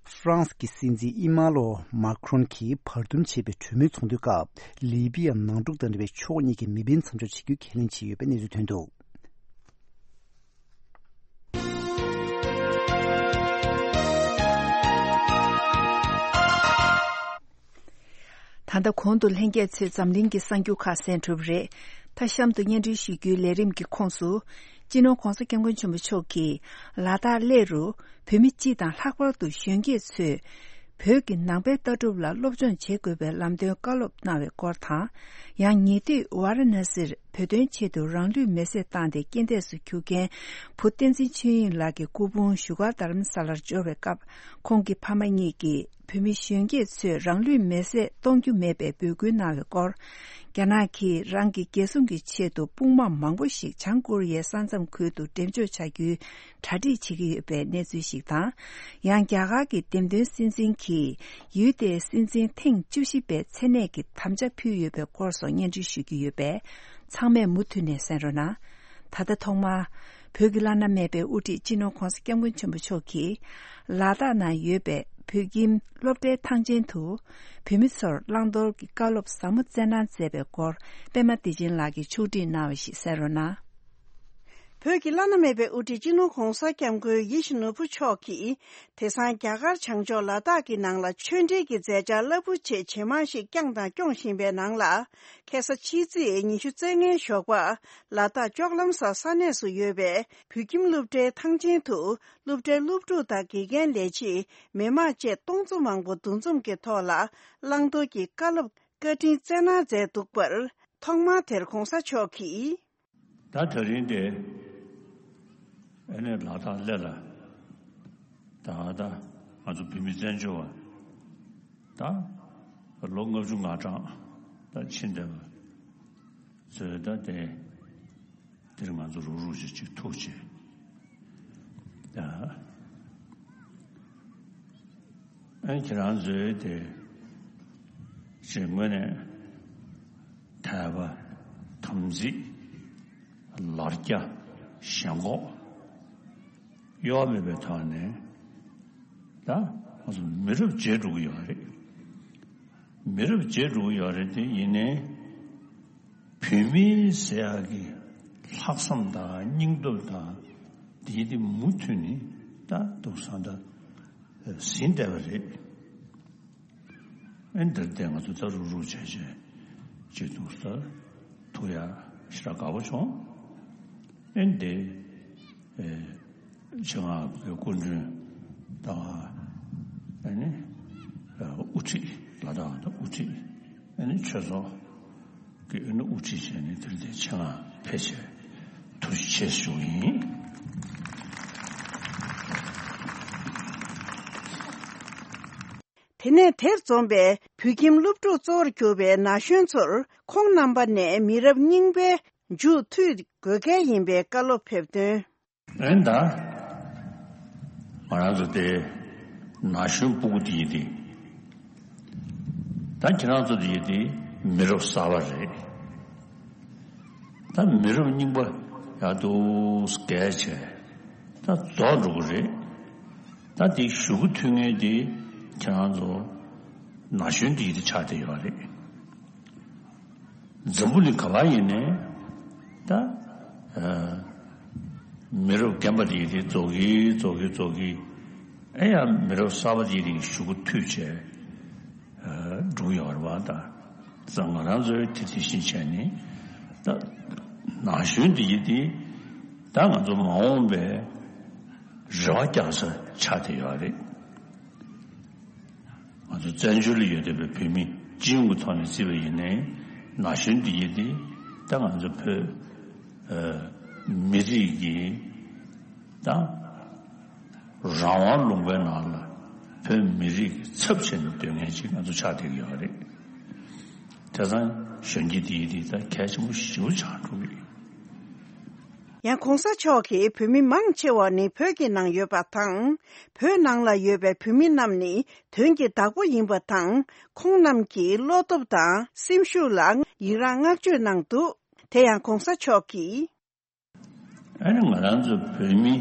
ཧྥ་རན་སི་གི་སྲིད་འཛིན་ཨི་མ་ལོ་མཱ་ཁྲོན་གྱིས་བར་འདུམ་བྱས་པའི་གྲོས་མོལ་ཚོགས་འདུའི་སྐབས་ལི་པི་ཡ་ནང་འཁྲུག་དང་འབྲེལ་བའི་ཕྱོགས་གཉིས་ཀྱི་མི་འབེན་མཚམས་འཇོག་བྱེད་རྒྱུའི་ཁས་ལེན་བྱས་ཡོད་པའི་གནས་ཚུལ་ཐོན་འདུག་ད་ལྟ་གོང་དུ་ལྷན་རྒྱས་ཚོས་འཛམ་གླིང་གི་གསར་འགྱུར་ཁག་གསན་གྲུབ་རེད། ད་གཤམ་དུ་སྙན་སྒྲོན་ཞུ་རྒྱུའི་ལས་རིམ་གྱི་ཁོངས་སུ། སྤྱི་ནོར་༧གོང་ས་༧སྐྱབས་མགོན་ཆེན་པོ་མཆོག་གིས་ལ་དྭགས་གླེ་རུ་བོད་མི་སྤྱི་དང་ལྷག་པར་དུ་གཞོན་སྐྱེས་ཚོས་བོད་ཀྱི་ནང་པའི་ལྟ་གྲུབ་ལ་སློབ་སྦྱོང་བྱེད་དགོས་པའི་ལམ་སྟོན་བཀའ་སློབ་གནང་བའི་སྐོར་དང་། ཡང་ཉེ་དུས་ཝཱ་ར་ཎ་སིར་བོད་དོན་ཆེད་དུ་རང་ལུས་མེར་སྲེག་བཏང་སྟེ་རྐྱེན་འདས་སུ་གྱུར་མཁན་བུ་བསྟན་འཛིན་ཆོས་དབྱིངས་ལགས་ཀྱི་སྐུ་ཕུང་བཞུགས་སྒར་རྡ་རམ་ས་ལར་འབྱོར་བའི་སྐབས་ཁོང་གི་ཕ་མ་གཉིས་ཀྱིས། བོད་མི་གཞོན་སྐྱེས་ཚོས་རང་ལུས་མེར་སྲེག་གཏོང་རྒྱུ་མེད་པའི་འབོད་སྐུལ་གནང་བའི་སྐོར། རྒྱ་ནག་གིས་རང་གི་རྒྱལ་སྲུང་གི་ཆེད་དུ་དཔུང་དམག་མང་པོ་ཞིག་བྱང་ཀོ་རི་ཡའི་ས་མཚམས་ཁུལ་དུ་འགྲེམས་འཇོག་བྱ་རྒྱུའི་གྲ་སྒྲིག་བྱེད་ཀྱི་ཡོད་པའི་གནས་ཚུལ་ཞིག་དང་། ཡང་རྒྱ་གར་གྱི་འདེམས་ཐོན་སྲིད་འཛིན་གྱིས་ཡུལ་དེའི་སྲིད་འཛིན་ཐེངས་བཅུ་བཞི་པའི་མཚན་གནས་ཀྱི་དམ་བཅའ་ཕུལ་ཡོད་པའི་སྐོར་སོགས་སྙན་སྒྲོན་ཞུ་རྒྱུ་ཡོད་པས། ཚང་མས་མུ་མཐུད་ནས་གསན་རོགས་གནང་། ད་ལྟ་ཐོག་མར། བོད་ཀྱི་བླ་ན་མེད་པའི་དབུ་ཁྲིད་སྤྱི་ནོར་༧གོང་ས་༧སྐྱབས་མགོན་ཆེན་པོ་མཆོག་གིས་ལ་དྭགས་ནང་ཡོད་པའི་བོད་ཁྱིམ་སློབ་གྲྭའི་ཐང་ཆེན་དུ་བོད་མི་ཚོར་བླང་དོར་གྱི་བཀའ་སློབ་ཟབ་མོ་སྩལ་གནང་མཛད་པའི་སྐོར་པད་མ་བདེ་ཆེན་ལགས་ཀྱིས་ཕྱོགས་སྒྲིག་གནང་བ་ཞིག་གསན་རོགས་གནང་། བོད་ཀྱི་བླ་ན་མེད་པའི་དབུ་ཁྲིད་སྤྱི་ནོར་༧གོང་ས་༧སྐྱབས་མགོན་ཡིད་བཞིན་ནོར་བུ་མཆོག་གིས་དེང་སང་རྒྱ་གར་བྱང་ཕྱོགས་ལ་དྭགས་ཀྱི་ནང་ལ་ཆོས་འབྲེལ་གྱི་མཛད་འཆར་རླབས་པོ་ཆེ་ཇེ་མང་ཞིག་བསྐྱངས་དང་སྐྱོང་བཞིན་པའི་ནང་ལ། ཁ་སང་ཕྱི་ཚེས་ཉི་ཤུ་རྩ་ལྔའི་ཞོགས་པ། ལ་དྭགས་ལྕོག་ལམ་ས་ས་གནས་སུ་ཡོད་པའི་བོད་ཁྱིམ་སློབ་གྲྭའི་ཐང་ཆེན་དུ། སློབ་གྲྭའི་སློབ་ཕྲུག་དང་དགེ་རྒན་ལས་བྱེད། མི་མང་བཅས་སྟོང་ཚོ་མང་པོ་འདུ་འཛོམས་ཀྱི་ཐོག་ལ། བླང་དོར་གྱི་བཀའ་སློབ་བཀའ་དྲིན་སྩལ་གནང་མཛད་འདུག་པར། ཐོག་མར་དེར་༧གོང་ས་མཆོག་གིས། ད་དེ་རིང་དེ་ཨ་ནི་ལ་དྭགས་སླེ་ལ་ད་ད་ང་ཚོ་བོད་མི་བཙན་བྱོལ་བ་ད་ལོ་ལྔ་བཅུ་ང་གྲངས་ད་ཕྱིན་བསྡད་པ་ཚོས་ད་དེ་དེར་ང་ཚོ་རུག་རུག་ཅིག་ཅིག་ཐུག་ཅིག་ད། ཨ་ཁྱེད་རང་ཚོའི་དེ་ཞེས་ངོས་ནས་དད་པ་དམ་ཚིག་ལར་རྒྱ་ཞེན་ཁོག་གཡོ་བ་མེད་པའི་ཐོག་ནས་ད་ང་ཚོ་མི་རབས་བརྗེ་འགྲོ་གི་ཡོད་རེད། མི་རབས་བརྗེ་འགྲོ་གི་ཡོད་རེད་དེ་ཡིན་ནའི། བོད་མི་ཟེར་ཡག་གི་ལྷག་བསམ་དང་སྙིང་སྟོབས་དང་དེ་དེ་མུ་མཐུད་ནས་ད་འདུག་ས་ད་ཟིན་བསྡད་པ་རེད། ཨེ་འདིར་བསྡད་ང་ཚོ་ད་རུག་རུག་བྱས་བྱས་ཅིག་འདུག་ས་ཐུག་ཡ་ཞེ་དྲག་དགའ་པོ་བྱུང་། ཨེ་འདི་ཨེ། ཆེད་མངགས་ཀྱི་སྐུ་མགྲོན་དང་ཨ་ནི་དབུ་ཁྲིད་ལ་དྭགས་དང་དབུ་ཁྲིད་ཨ་ནི་ཆོས་ཚོགས་ཀྱི་ཨ་ནི་དབུ་ཁྲིད་བྱས་ནས་དེར་དེ་ཆེད་མངགས་ཕེབས་བྱས་ཐུགས་རྗེ་ཆེ་ཞུ་གི་ཡིན། དེ་ནས་དེར་འཛོམས་པའི་བོད་ཁྱིམ་སློབ་ཕྲུག་གཙོ་བོར་གྱུར་པའི་ན་གཞོན་ཚོར་ཁོང་རྣམ་པ་ནས་མི་རབས་རྙིང་པའི་མཇུག་མཐུད་དགོས་གལ་ཡིན་པའི་བཀའ་སློབ་ཕེབས་དོན། ཨེ་ད། ང་རང་ཚོ་དེ་ན་གཞོན་སྤུ་གུ་དེ་ཡིན་ཏེ། ད་ཁྱེད་རང་ཚོ་དེ་ཡིན་ཏེ་མི་རབས་གསར་པ་རེད། ད་མི་རབས་རྙིང་པ་ཡག་ཏུ་བརྒལ་བྱས་ད་རྫོགས་འགྲོ་གི་རེད། ད་དེ་གཞུག་གུ་མཐུད་མཁན་དེ་ཁྱེད་རང་ཚོ་ན་གཞོན་དེ་ཡིན་ཏེ་ཆགས་བསྡད་ཡོད་རེད། འཛམ་བུ་གླིང་ག་པར་ཡིན་ནའི་ད་ཨ་མི་རབས་རྒན་པ་དེ་དེ་རྫོགས་ཀྱི་རྫོགས་ཀྱི་རྫོགས་ཀྱི་ཨེ་ཡང་མི་རབས་གསར་པ་དེ་དེ་གཞུག་གུ་མཐུད་བྱས་ཨ་འགྲོ་གི་ཡོད་རེད་པ། ད་ང་རང་ཚོའི་དེ་དེ་བཞིན་བྱས་ནས་ད་ན་གཞོན་དེ་ཡིན་དེ་ད་ང་ཚོ་མ་འོངས་པའི་རེ་བ་རྒྱག་ས་ཆགས་བསྡད་ཡོད་རེད། ང་ཚོ་བཙན་བྱོལ་ལ་ཡོད་བསྡད་པའི་བོད་མི་སྤྱི་ཡོངས་ཀྱི་ཐོག་ནས་བརྩིས་པ་ཡིན་ནའི་ན་གཞོན་འདི་ཡིན་ཏེ་ད་ང་ཚོ་བོད་ཨ་མི་རིགས་ཀྱི་ད་རང་དབང་ལུང་པའི་ནང་ལ་བོད་མི་རིགས་ཀྱི་ཚབ་བྱས་ནས་སྡོད་མཁན་ཅིག་ང་ཚོ་ཆགས་བསྡད་ཀྱི་ཡོད་རེད། དེ་ཙང་གཞོན་སྐྱེས་འདི་ཡིན་ཏེ་ད་གལ་ཆེན་པོ་ཞེ་པོ་ཆགས་འགྲོ་གི་ཡོད། ཡང་གོང་ས་མཆོག་གིས་བོད་མི་མང་ཆེ་བ་ནི་བོད་ཀྱི་ནང་ཡོད་པ་དང་། བོད་ནང་ལ་ཡོད་པའི་བོད་མི་རྣམས་ནི་དོན་གྱི་བདག་པོ་ཡིན་པ་དང་། ཁོང་རྣམས་ཀྱི་བློ་སྟོབས་དང་སེམས་ཤུགས་ལ་ཡི་རངས་བསྔགས་བརྗོད་གནང་འདུག་དེ་ཡང་གོང་ས་མཆོག་གིས། ཨ་ནི་ང་རང་ཚོ་བོད་མི་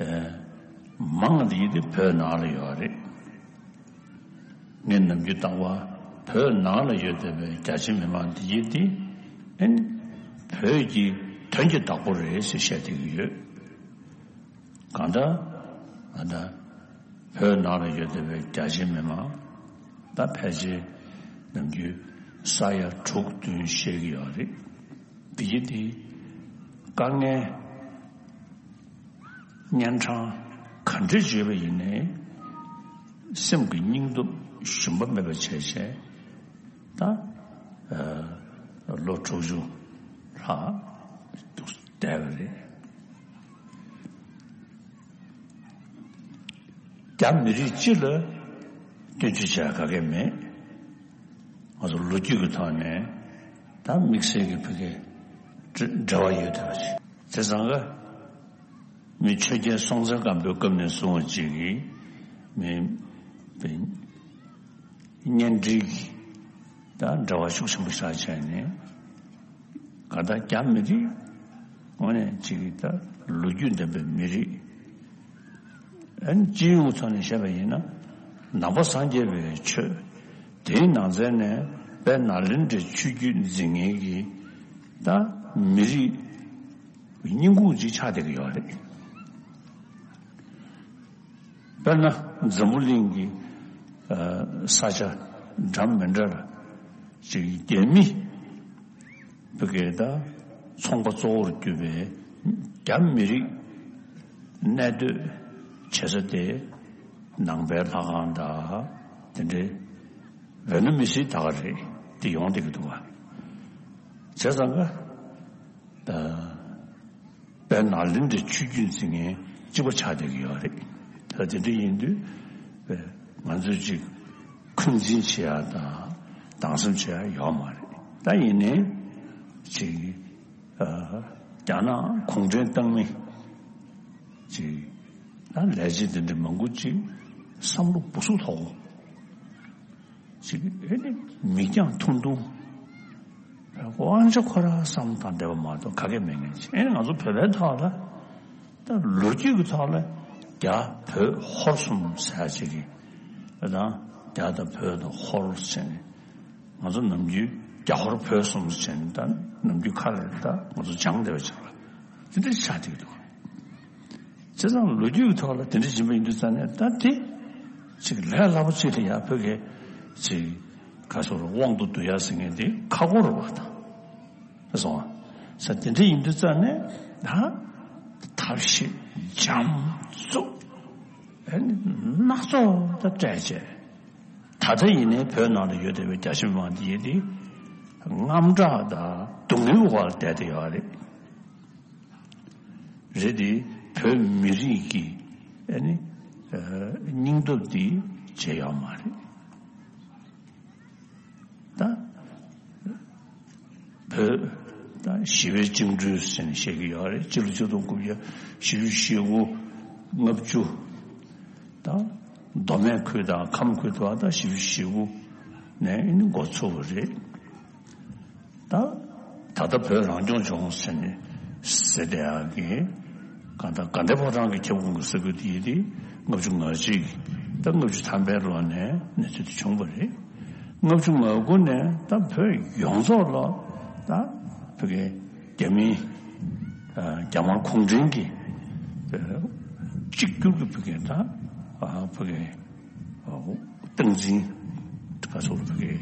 ཨེ་མང་དེ་དེ་བོད་ནང་ལ་ཡོད་རེད། ངས་ནམ་རྒྱུན་ལྟ་བ་བོད་ནང་ལ་ཡོད་བསྡད་པའི་རྒྱ་ཆེ་མི་མང་འདི་ཡིན་ཏེ་ཨེ་བོད་ཀྱི་དོན་གྱི་བདག་པོ་རེད་ཟེར་བཤད་བསྡད་ཀྱི་ཡོད། གང་ལྟར་ཨ་ད་བོད་ནང་ལ་ཡོད་བསྡད་པའི་རྒྱ་ཆེ་མི་མང་ད་ཕལ་ཆེར་ནམ་རྒྱུན་ས་ཡ་དྲུག་བདུན་བཤད་ཀྱི་ཡོད་རེད། འདི་ཡིན་ཏེ་དཀའ་ངལ། གཉན་འཕྲང་ག་འདྲ་བརྗོད་པ་ཡིན་ནའི་སེམས་ཀྱི་སྙིང་སྟོབས་ཞུམ་པ་མེད་པ་བྱས་བྱས་ད་ལོ་དྲུག་ཅུ་ལྷག་འདུག་བསྡད་པ་རེད། རྒྱ་མི་རིགས་སྤྱི་ལ་སྐྱོན་བརྗོད་བྱ་ག་གེ་མེད། ང་ཚོ་ལོ་རྒྱུས་ཀྱི་ཐོག་ནས་ད་དམིགས་བསལ་གྱི་བོད་སྐད་འབྲེལ་བ་ཡོད་བསྡད་པ་ཞིག་དེ་ཙང་ག་མི་ཆོས་རྒྱལ་སྲོང་བཙན་སྒམ་པོའི་སྐབས་ནས་བཟུང་བ་ཅིག་གིས་མི་གཉེན་སྒྲིག་གི་ད་འབྲེལ་བ་ཤུགས་ཆེན་པོ་ཞིག་བྱས་ནས་ག་ད་རྒྱ་མི་རིགས་ དངོས་གནས་ཅིག་ད་ལོ་རྒྱུས་ལྡན་པའི་མི་རིགས། ཨ་ནི་སྤྱི་ཡོངས་ཀྱི་ཐོག་ནས་བཤད་པ་ཡིན་ན། ནང་པ་སངས་རྒྱས་པའི་ཆོས་དེའི་ནང་ཚན་ནས་དཔལ་ནཱ་ལེནྡྲའི་ཆོས་བརྒྱུད་འཛིན་མཁན་གྱི་ད་མི་རིགས་རྙིང་ཁུངས་ཅིག་ཆགས་བསྡད་ཀྱི་ཡོད་རེད། དཔེར་ན་འཛམ་བུ་གླིང་གི་ཨ་ས་ཆ་འདྲ་མི་འདྲ་ལ་ཅིག་རྒྱ་མི་བོད་སྐད་དང་ཚོང་པ་གཙོ་བོར་གྱུར་པའི་རྒྱ་མི་རིགས་གནས་སྡོད་བྱེད་ས་དེ་ནང་པའི་ལྷ་ཁང་དང་དེ་འདྲའི་བོད་ན་མི་སྲིད་ད་ག་རེད་དེ་ཡོང་བསྡད་ཀྱི་འདུག་བ། བྱས་ཙང་ཀ་ད་དཔལ་ནཱ་ལེནྡྲའི་ཆོས་བརྒྱུད་འཛིན་མཁན་གཅིག་པ་ཆགས་བསྡད་ཀྱི་ཡོད་རེད། ད་དེ་འདྲ་ཡིན་དུས་ང་ཚོས་ཅིག་འཁོན་འཛིན་བྱེད་ཡ་དང་སྡང་སེམས་བྱེད་ཡ་ཡོད་མ་རེད། ད་ཡིན་ནའི་ཅིག་ཨ་རྒྱ་ནག་གུང་ཁྲན་ཏང་མི་ཅིག་ད་ལས་བྱེད་དེ་འདྲ་མང་པོ་ཅིག་བསམ་བློ་སྦུ་སུབ་ཐོག་ཅིག་ཨེ་ནི་མིག་རྒྱང་ཐུང་ཐུང་། དབང་ཆ་ཁོ་རང་བསམ་དང་འདས་པ་མ་གཏོགས་ག་གེ་མེད་མཁན་ཅིག་ཨེ་ནི་ང་ཚོ་བོད་པའི་ཐོག་ལ་ད་ལོ་རྒྱུས་ཀྱི་ཐོག་ལ་རྒྱ་བོད་ཧོར་གསུམ་ཟེར་ཅིག་གི་ཨ་དང་རྒྱ་དང་བོད་དང་ཧོར་ཟེར་ནས་ང་ཚོ་ནམ་རྒྱུན་རྒྱ་ཧོར་བོད་གསུམ་ཟེར་ནས་ད་ནམ་རྒྱུན་ཁ་ལ་ད་ང་ཚོ་སྦྱང་བསྡད་པ་ཅིག་ལ་དེ་འདྲ་ཆགས་བསྡད་ཀྱི་འདུག་བྱས་ཙང་ལོ་རྒྱུས་ཀྱི་ཐོག་ལ་དེ་འདྲ་ཡིན་པ་ཡིན་དུས་ཙང་ནས་ད་དེ་ཅིག་ལས་སླ་པོ་ཅིག་ལ་ཡ་བོད་སྐད་ཅིག་ག་སོགས་དབང་དུ་བསྡུ་ཡ་ཟེར་མཁན་དེ་ཁག་པོ་རེད་བ་དང་། སོང་ས་དེ་འདྲ་ཡིན་དུས་ཙང་ནས་ད་ཐབས་ཤེས་འཇམ་རྩུབ་ཨ་ནི་སྣ་ཚོགས་ད་སྤྲད་བྱས། ད་ལྟ་ཡིན་ནའི་བོད་ནང་ལ་ཡོད་བསྡད་པའི་རྒྱ་ཆེ་མི་མང་འདི་ཡིན་དེ་དངངས་སྐྲག་དང་སྡུག་བསྔལ་འོག་ལ་བསྡད་བསྡད་ཡོད་རེད། རེད་དེ་བོད་མི་རིགས་ཀྱི་ཨ་ནི་ཨ་སྙིང་སྟོབས་འདི་བརྗེད་ཡོད་མ་རེད། ད་བོད་ད་ཞི་བའི་བཅིངས་འགྲོལ་ཟེར་ནས་བཤད་ཀྱི་ཡོད་རེད། སྤྱི་ལོ་ཆིག་སྟོང་དགུ་བརྒྱ་བཞི་བཅུ་ཞེ་དགུ་ལྔ་བཅུ་ད་མདོ་སྨད་ཁུལ་དང་ཁམས་ཁུལ་དུ་ད་བཞི་བཅུ་ཞེ་དགུ་ནས་ཨ་ནི་འགོ་ཚུགས་པ་རེད། ད་ད་ལྟ་བོད་རང་སྐྱོང་ལྗོངས་ཟེར་ནས་ཟེར་བསྡད་ཡག་གི་གང་ལྟར་དགའ་ལྡན་ཕོ་བྲང་གི་ཁྱབ་ཁོངས་ཀྱི་ས་ཁུལ་དེ་ཡིན་དེ་ལྔ་བཅུ་ང་གཅིག་ད་ལྔ་བཅུ་ཐམ་པའི་ལོ་ནས་གནས་ཚུལ་དེ་བྱུང་བ་རེད། ལྔ་བཅུ་ང་དགུ་ནས་ད་བོད་ཡོངས་རྫོགས་ལ་ད་བོད་ཀྱི་རྒྱ་མིའི་རྒྱ་དམར་གུང་ཁྲན་གྱི་གཅིག་གྱུར་གྱི་བོད་ཀྱི་ད་བོད་ཀྱི་སྟངས་འཛིན་ག་ཚོད་ལ་ཕ་གི་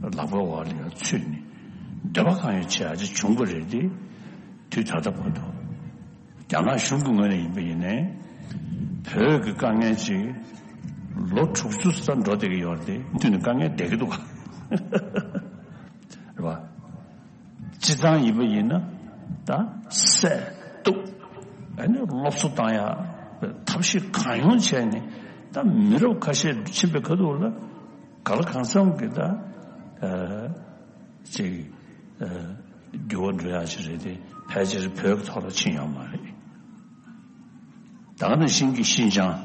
ལག་པའི་འོག་ལ་ཡང་ཚུད་ནས་འདོད་པ་གང་ཡོད་བྱེད་ཡ་ཅིག་བྱུང་བ་རེད་དེ། དུས་ད་ལྟ་བར་དུ་རྒྱ་ནག་གཞུང་གི་ངོས་ནས་ཡིན་པ་ཡིན་ནའི་བོད་ཀྱི་དཀའ་ངལ་ཅིག་ལོ་དྲུག་ཅུ་ཙམ་འགྲོ་བསྡད་ཀྱི་ཡོད་རེད་དེ་མུ་མཐུད་ནས་དཀའ་ངལ་བསྡད་ཀྱི་འདུག་ག་རེད་བ། སྤྱི་བཏང་ཡིན་པ་ཡིན་ན་ད་སྲས་གཏུག་ཨ་ནི་སློབ་གསོ་བཏང་ཡ་ཐབས་ཤེས་གང་ཡོང་བྱས་ནས་ད་མི་རབས་ཁ་ཤས་ཕྱིན་པའི་ཁ་ཐུག་ལ་ག་ལ་གང་འཚམ་གྱི་ད་ཅིག་འགྱུར་བ་འགྲོ་ཡ་ཅིག་རེད་དེ་ཕལ་ཆེར་བོད་ཀྱི་ཐོག་ལ་ཕྱིན་ཡོད་མ་རེད། ད་ག་ནང་བཞིན་གྱི་ཤིན་ཅང་།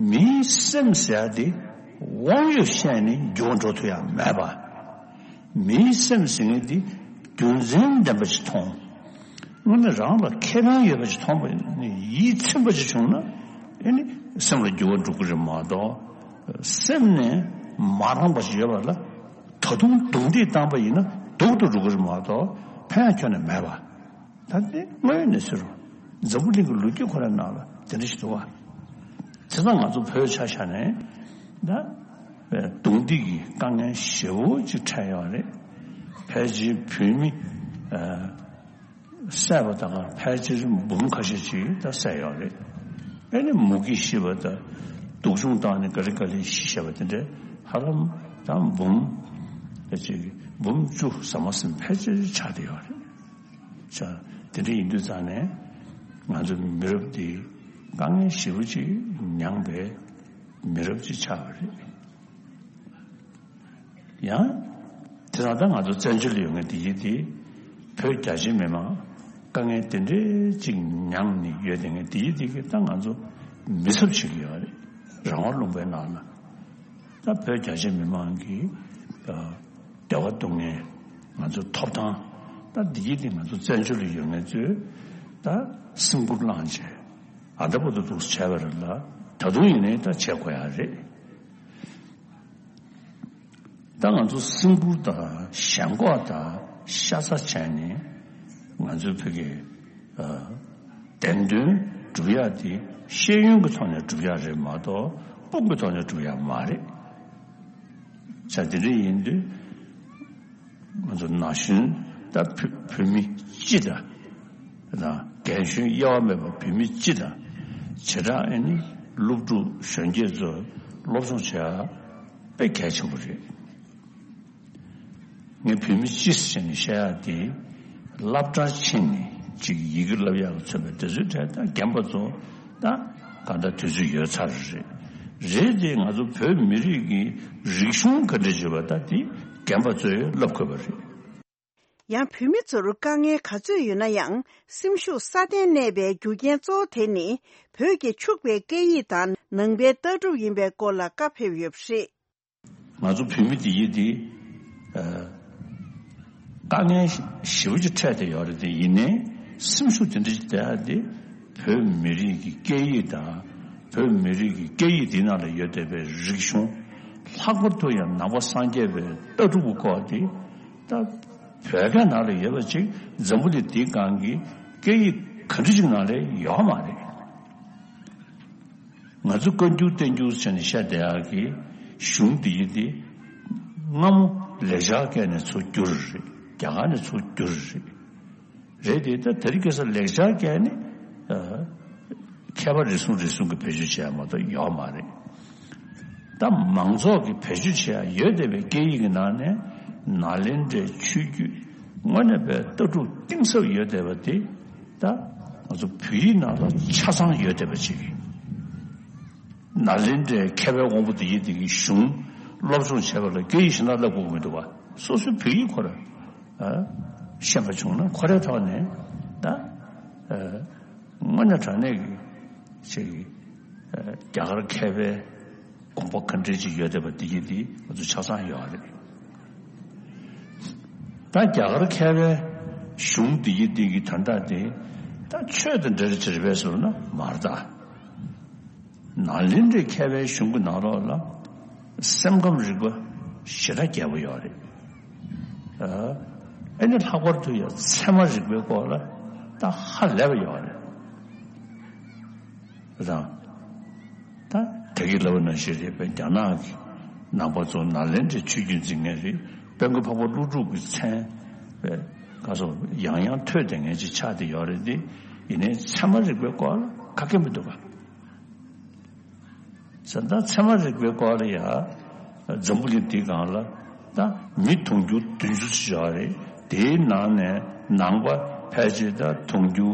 མིའི་སེམས་ཟེར་ཡ་དེ་དབང་ཡོད་བཤད་ནས་འགྱུར་བ་འགྲོ་ཐུབ་ཡ་མེད་པ། མིའི་སེམས་ཟེར་མཁན་དེ་རྒྱུ་མཚན་ལྡན་པ་ཞིག་མཐོང་། དངོས་གནས་རང་ལ་ཁེ་ཕན་ཡོད་པ་ཞིག་མཐོང་བ་ནི་ཡིད་ཚིམ་པ་ཞིག་བྱུང་ན་ཨེ་ནི་སེམས་ལ་འགྱུར་བ་འགྲོ་གི་རེད་མ་གཏོགས། སེམས་ནས་མ་རངས་པ་ཞིག་ཡོད་པ་ལ་ད་དུང་རྡུང་རྡེག་བཏང་པ་ཡིན་ན་སྡུག་ཏུ་འགྲོ་གི་རེད་མ་གཏོགས་ཕན་ཡ་ཁྱོན་ནས་མེད་པ། ད་དེ་དངོས་ཡོད་གནས་ཚུལ་རོ། འཛམ་བུ་གླིང་གི་ལོ་རྒྱུས་ཁོ་རའི་ནང་ལ་དེ་འདྲ་ཞིག་འདུག་བ། བྱས་ཙང་ང་ཚོ་བོད་ཆ་བཞག་ནས་ད་རྡུང་རྡེག་གི་དཀའ་ངལ་ཞེ་པོ་ཅིག་འཕྲད་ཡོད་རེད། ཕལ་ཆེར་བོད་མི་བསད་པ་དང་ཕལ་ཆེར་འབུམ་ཁ་ཤས་ཅིག་ད་བསད་ཡོད་རེད། ཨེ་ནི་མུ་གེ་ཤི་བ་དང་སྡུག་སྦྱོང་བཏང་ནས་ག་ལེ་ག་ལེ་ཤི་བ་དེ་འདྲ་ཧ་ལམ་ད་འབུམ་ད་ཅིག་འབུམ་བཅུ་ཟ་མ་ཟིན་ཕལ་ཆེར་ཆགས་བསྡད་ཡོད་རེད། ཤ་དེ་འདྲ་ཡིན་དུས་ཙང་ནས་ང་ཚོ་མི་རབས་འདི་དཀའ་ངལ་ཞེ་པོ་ཅིག་མྱངས་པའི་མི་རབས་ཅིག་ཆགས་པ་རེད། ཡང་དེ་དང་ད་ང་ཚོ་བཙན་བྱོལ་ལ་ཡོད་མཁན་འདི་ཡིན་དེ་བོད་རྒྱ་ཆེ་མི་མང་དཀའ་ངལ་དེ་འདྲའི་ཅིག་མྱངས་ནས་ཡོད་དེ་ངས་འདི་ཡིན་དེ་གི་ད་ང་ཚོ་མི་ཚབ་བྱེད་ཀྱི་ཡོད་རེད། རང་དབང་ལུང་པའི་ནང་ལ། ད་བོད་རྒྱ་ཆེ་མི་མང་གི་ཨ་བདེ་བ་སྡུག་བསྔལ་ང་ཚོ་ཐོབ་ཐང་ ད་འདི་ཡིན་དེ་ང་ཚོ་བཙན་བྱོལ་ལ་ཡོད་མཁན་ཚོས་ད་སེམས་ཁུར་བླངས་བྱས་ཨ་ད་བར་དུ་འདུག་བྱས་པ་རེད་ལ། ད་དུང་ཡིན་ནའི་ད་བྱེད་དགོས་ཡ་རེད། ད་ང་ཚོ་སེམས་ཁུར་དང་ཞེན་ཁོག་དང་ཤ་ཚ་བྱས་ནས་ང་ཚོའི་ཕ་གི་བདེན་དོན་སྒྲུབ་ཡག་དེ་ཤེས་ཡོན་གྱི་ཐོག་ནས་སྒྲུབ་ཡག་རེད་མ་གཏོགས་དཔུང་གི་ཐོག་ནས་སྒྲུབ་ཡག་མ་རེད། ས་དེ་འདྲ་ཡིན་དུས་ང་ཚོ་ན་གཞོན་ད་བོད་བོད་མི་སྤྱི་དང་དང་རྒན་གཞོན་དབྱེ་བ་མེད་པར་བོད་མི་སྤྱི་དང་བྱེ་བྲག་ཨེ་ནི་སློབ་ཕྲུག་གཞོན་སྐྱེས་ཚོ་སློབ་སྦྱོང་བྱེད་ཡ་དཔེ་གལ་ཆེན་པོ་རེད། ངས་བོད་མི་སྤྱི་ཟེར་ནས་བཤད་ཡ་དེ་སློབ་གྲྭར་ཕྱིན་ནས་ཅིག་ཡི་གེ་བསླབ་ཡག་གི་མཚོན་པའི་དེ་ཚོའི་གྲས་དང་རྒན་པ་ཚོ་ད་གང་ལྟར་དུས་ཚོད་ཡོལ་ཚར་རེད། རེད་དེ་ང་ཚོ་བོད་མི་རིགས་ཀྱི་རིག་གཞུང་ག་འདྲ་བྱེད་པ་ད་དེ་རྒན་པ་ཚོས་བསླབ་དགོས་པ་རེད། ཡང་བོད་མི་ཚོར་དཀའ་ངལ་ག་ཚོད་ཡོད་ན་ཡང་སེམས་ཤུགས་སྲ་བརྟན་གནས་པའི་རྒྱུ་རྐྱེན་གཙོ་བོ་དེ་ནི་བོད་ཀྱི་ཕྱུག་པའི་སྐད་ཡིག་དང་ནང་པའི་ལྟ་གྲུབ་ཡིན་པའི་སྐོར་ལ་བཀའ་ཕེབས་ཡོད་པ་རེད། ང་ཚོ་བོད་མི་དེ་ཡིན་དེ་དཀའ་ངལ་ཞེ་པོ་ཅིག་འཕྲད་དེ་ཡོད་རེད་དེ། ཡིན་ནའི་སེམས་ཤུགས་དེ་འདྲ་ཞིག་བསྡད་ཡ་དེ་བོད་མི་རིགས་ཀྱི་སྐད་ཡིག་དང་བོད་མི་རིགས་ཀྱི་སྐད་ཡིག་དེ་ནང་ལ་ཡོད་བསྡད་པའི་རིག་གཞུང་། ལྷག་པར་དུ་ཡང་ནང་པ་སངས་རྒྱས་པའི་ལྟ་གྲུབ་ཀྱི་སྐོར་དེ་ད་བོད་སྐད་ནང་ལ་ཡོད་པ་ཅིག་འཛམ་བུ་གླིང་འདིའི་སྒང་གི་སྐད་ཡིག་ག་འདྲ་ཅིག་ནང་ལ་ཡོད་མ་རེད། ང་ཚོ་བཀའ་འགྱུར་བསྟན་འགྱུར་ཟེར་ནས་བཤད་བསྡད་ཡག་གི་གཞུང་འདི་ཡིན་ཏེ། སྔ་མོ་ལེགས་སྦྱར་སྐད་ནས་ཚུར་བསྒྱུར་རེད། རྒྱ་གར་ནས་ཚུར་བསྒྱུར་རེད། རེད་དེ་ད་དེ་རིང་ཁ་སང་ལེགས་སྦྱར་སྐད་ནི་མཁས་པ་རེ་ཟུང་རེ་ཟུང་གིས་བེད་སྤྱོད་བྱས་ཡ་མ་གཏོགས་ཡོད་མ་རེད། ད་མང་ཚོགས་ཀྱིས་བེད་སྤྱོད་བྱས་ཡ་ཡོད་བསྡད་པའི་སྐད་ཡིག་གི་ནང་ནས་ནཱ་ལེནྡྲའི་ཆོས་བརྒྱུད་དངོས་གནས་པའི་ལྟ་གྲུབ་གཏིང་ཟབ་ཡོད་བསྡད་པ་དེ་ད་ང་ཚོ་བོད་ཡིག་ནང་ལ་ཆ་ཚང་ཡོད་བསྡད་པ་ཅིག་ནཱ་ལེནྡྲའི་མཁས་པའི་དབང་པོ་དེ་ཡིན་དེ་གི་གཞུང་སློབ་སྦྱོང་བྱས་པ་ལ་སྐད་ཡིག་གཞན་དག་བསླབ་དགོས་ཀྱི་མི་འདུག་བ། སོ་སོའི་བོད་ཡིག་ཁོ་ར་ཤེས་པ་བྱུང་ན་ཁོ་རའི་ཐོག་ནས་ད་དངོས་གནས་དྲང་གནས་ཀྱི་ཅིག་རྒྱ་གར་མཁས་པའི་དགོངས་པ་ག་འདྲ་ཅིག་ཡོད་བསྡད་པ་འདི་གི་འདི་ང་ཚོ་ཆ་ཚང་ཡོད་རེད། ད་རྒྱ་གར་མཁས་པའི་གཞུང་འདི་གི་འདི་གི་དོན་དག་དེ་ད་ཆོས་དང་འབྲེལ་བ་ཅིག་རེད་པས་ཟེར་ན་མ་རེད་ད། ནཱ་ལེནྡྲའི་མཁས་པའི་གཞུང་གི་ནང་ལོགས་ལ་སེམས་ཁམས་རིག་པ་ཞེ་དྲག་རྒྱས་པོ་ཡོད་རེད། ཨ་ཨེ་ནི་ལྷག་པར་དུ་ཡང་ཚད་མ་རིག་པའི་སྐོར་ལ་ད་ཧ་ལས་པ་ཡོད་རེད། རང་། ད་དེ་གི་ལབ་ནང་བཞིན་རེད་པས། རྒྱ་ནག་གི་ནང་པ་ཚོ་ནཱ་ལེནྡྲའི་ཆོས་བརྒྱུད་འཛིན་མཁན་རེད། དཔལ་མགོན་འཕགས་པ་ཀླུ་སྒྲུབ་ཀྱི་མཚན་པས་ག་སོ་ཡང་ཡང་ཐོས་བསྡད་མཁན་ཅིག་ཆགས་བསྡད་ཡོད་རེད་དེ། ཡིན་ནའི་ཚད་མ་རིག་པའི་སྐོར་ལ་ག་གེ་མི་འདུག་ག་ས་ད་ཚད་མ་རིག་པའི་སྐོར་ལ་ཡ་འཛམ་བུ་གླིང་འདིའི་སྒང་ལ་ད་མི་དུང་ཕྱུར་བདུན་ཅུ་ཙམ་ཡོད་རེད། དེའི་ནང་ནས་ནང་པ་ཕལ་ཆེར་ད་དུང་ཕྱུར་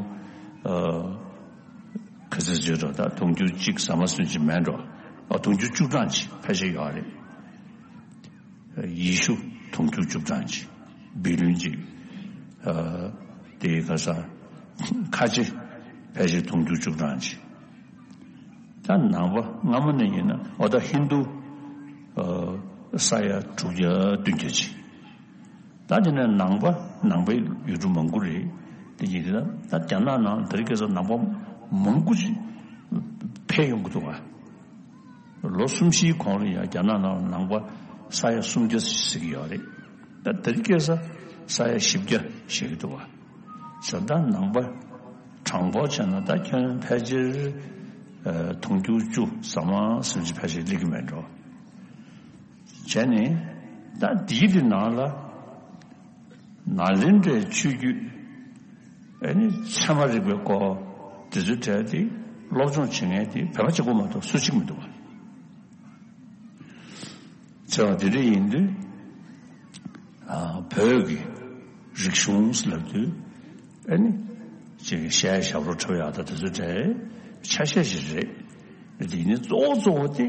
ཨ། ག་ཚོད་བརྗོད་འགྲོ། ད་དུང་ཕྱུར་གཅིག་ཟ་མ་ཟིན་གྱི་མེད་འགྲོ། ཨ་དུང་ཕྱུར་བཅུ་གྲངས་ཅིག་ཕལ་ཆེར་ཡོད་རེད། ཡེ་ཤུ་དུང་ཕྱུར་བཅུ་གྲངས་ཅིག་བི་ལིན་ཅིག་ཨ་དེ་ག་ས་ཁ་ཆེ་ཕལ་ཆེར་དུང་ཕྱུར་བཅུ་གྲངས་ཅིག་ད་ནང་པ་སྔ་མོ་ནས་ཡིན་ན་འོ་ད་ཧིན་རྡུ་ཨ་ས་ཡ་དྲུག་བརྒྱ་བདུན་བརྒྱ་ཅིག་ད་དེ་ནས་ནང་པ་ནང་པའི་ཡུལ་གྲུ་མང་པོ་རེད། དེ་ཡིན་ན་ད་རྒྱ་ནག་ནང་དེ་རིང་ཁ་སང་ནང་པ་མང་པོ་ཞིག་འཕེལ་ཡོང་གི་འདུག་ག་ལོ་གསུམ་བཞིའི་གོང་ལ་ཡང་རྒྱ་ནག་ནང་ནང་པ་ས་ཡ་སུམ་བརྒྱ་ཟེར་གྱི་ཡོད་རེད། ད་དེ་རིང་ཁ་སང་ས་ཡ་བཞི་བརྒྱ་བཞེས་ཀྱི་འདུག་ག་ས་ད་ནང་པ་གྲངས་འབོར་བྱས་ན་ད་ཁྱོན་ཕལ་ཆེར་ཨ་དུང་ཕྱུར་བཅུ་ཟ་མ་ཟིན་གྱི་ཕལ་ཆེར་སླེབས་ཀྱི་མེད་འགྲོ། བྱས་ནས་ད་འདིའི་དེ་ནང་ལ་ནཱ་ལེནྡྲའི་ཆོས་བརྒྱུད་ཨ་ནི་ཚད་མ་རིག་པའི་སྐོར་དེ་ཚོའི་གྲས་དེ་སློབ་སྦྱོང་བྱེད་མཁན་དེ་བོད་པ་གཅིག་པོ་མ་གཏོགས་སུ་གཅིག་མི་འདུག་བ། བྱས་པ་དེ་འདྲ་ཡིན་དུས་ཨ་བོད་ཀྱི་རིག་གཞུང་ལབ་དུས་ཨ་ནི་ཅིག་གཞས་ཞབས་བྲོ་འཁྲབ་ཡག་དང་དེ་ཚོའི་གྲས་ཆ་ཤས་ཤིག་རེད། དེ་ནི་གཙོ་བོ་གཙོ་བོ་དེ་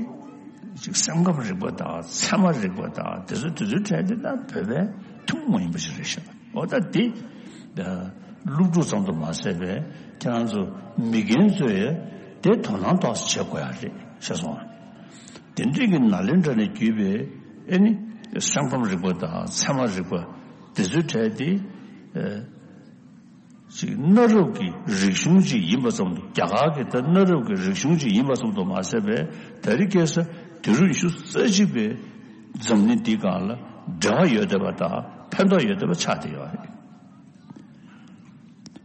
ཅིག་སེམས་ཁམས་རིག་པ་དང་ཚད་མ་རིག་པ་དང་དེ་ཚོ་དེ་ཚོའི་གྲས་དེ་ད་བོད་པའི་ཐུན་མོང་མ་ཡིན་པ་ཞིག་རེད་ཤག་འོ་ད་དེ་སློབ་ཕྲུག་ཙམ་དུ་མ་ཟད་པའི་ཁྱེད་རང་ཚོ་མི་རྒན་ཚོས་དེ་དོ་སྣང་ཏོག་ཙམ་བྱེད་དགོས་ཡ་རེད་ཤག་སོང་ང་། དེ་འདྲའི་གི་ནཱ་ལེནྡྲ་ནས་བརྒྱུད་པའི་ཨེ་ནི་སེམས་ཁམས་རིག་པ་དང་ཚད་མ་རིག་པ་དེ་ཚོའི་གྲས་དེ་ ཨེ། ཅིག་གནའ་རབས་ཀྱི་རིག་གཞུང་ཅིག་ཡིན་པ་ཙམ་དུ། རྒྱ་གར་གྱི་ད་གནའ་རབས་ཀྱི་རིག་གཞུང་ཅིག་ཡིན་པ་ཙམ་དུ་མ་ཟད་པའི། ད་རེས་ཁ་སང་དུས་རབས་ཉི་ཤུ་རྩ་གཅིག་པའི་འཛམ་གླིང་འདིའི་སྒང་ལ་འབྲེལ་བ་ཡོད་བསྡད་པ་དང་ཕན་ཐོགས་ཡོད་བསྡད་པ་ཆགས་བསྡད་ཡོད་རེད།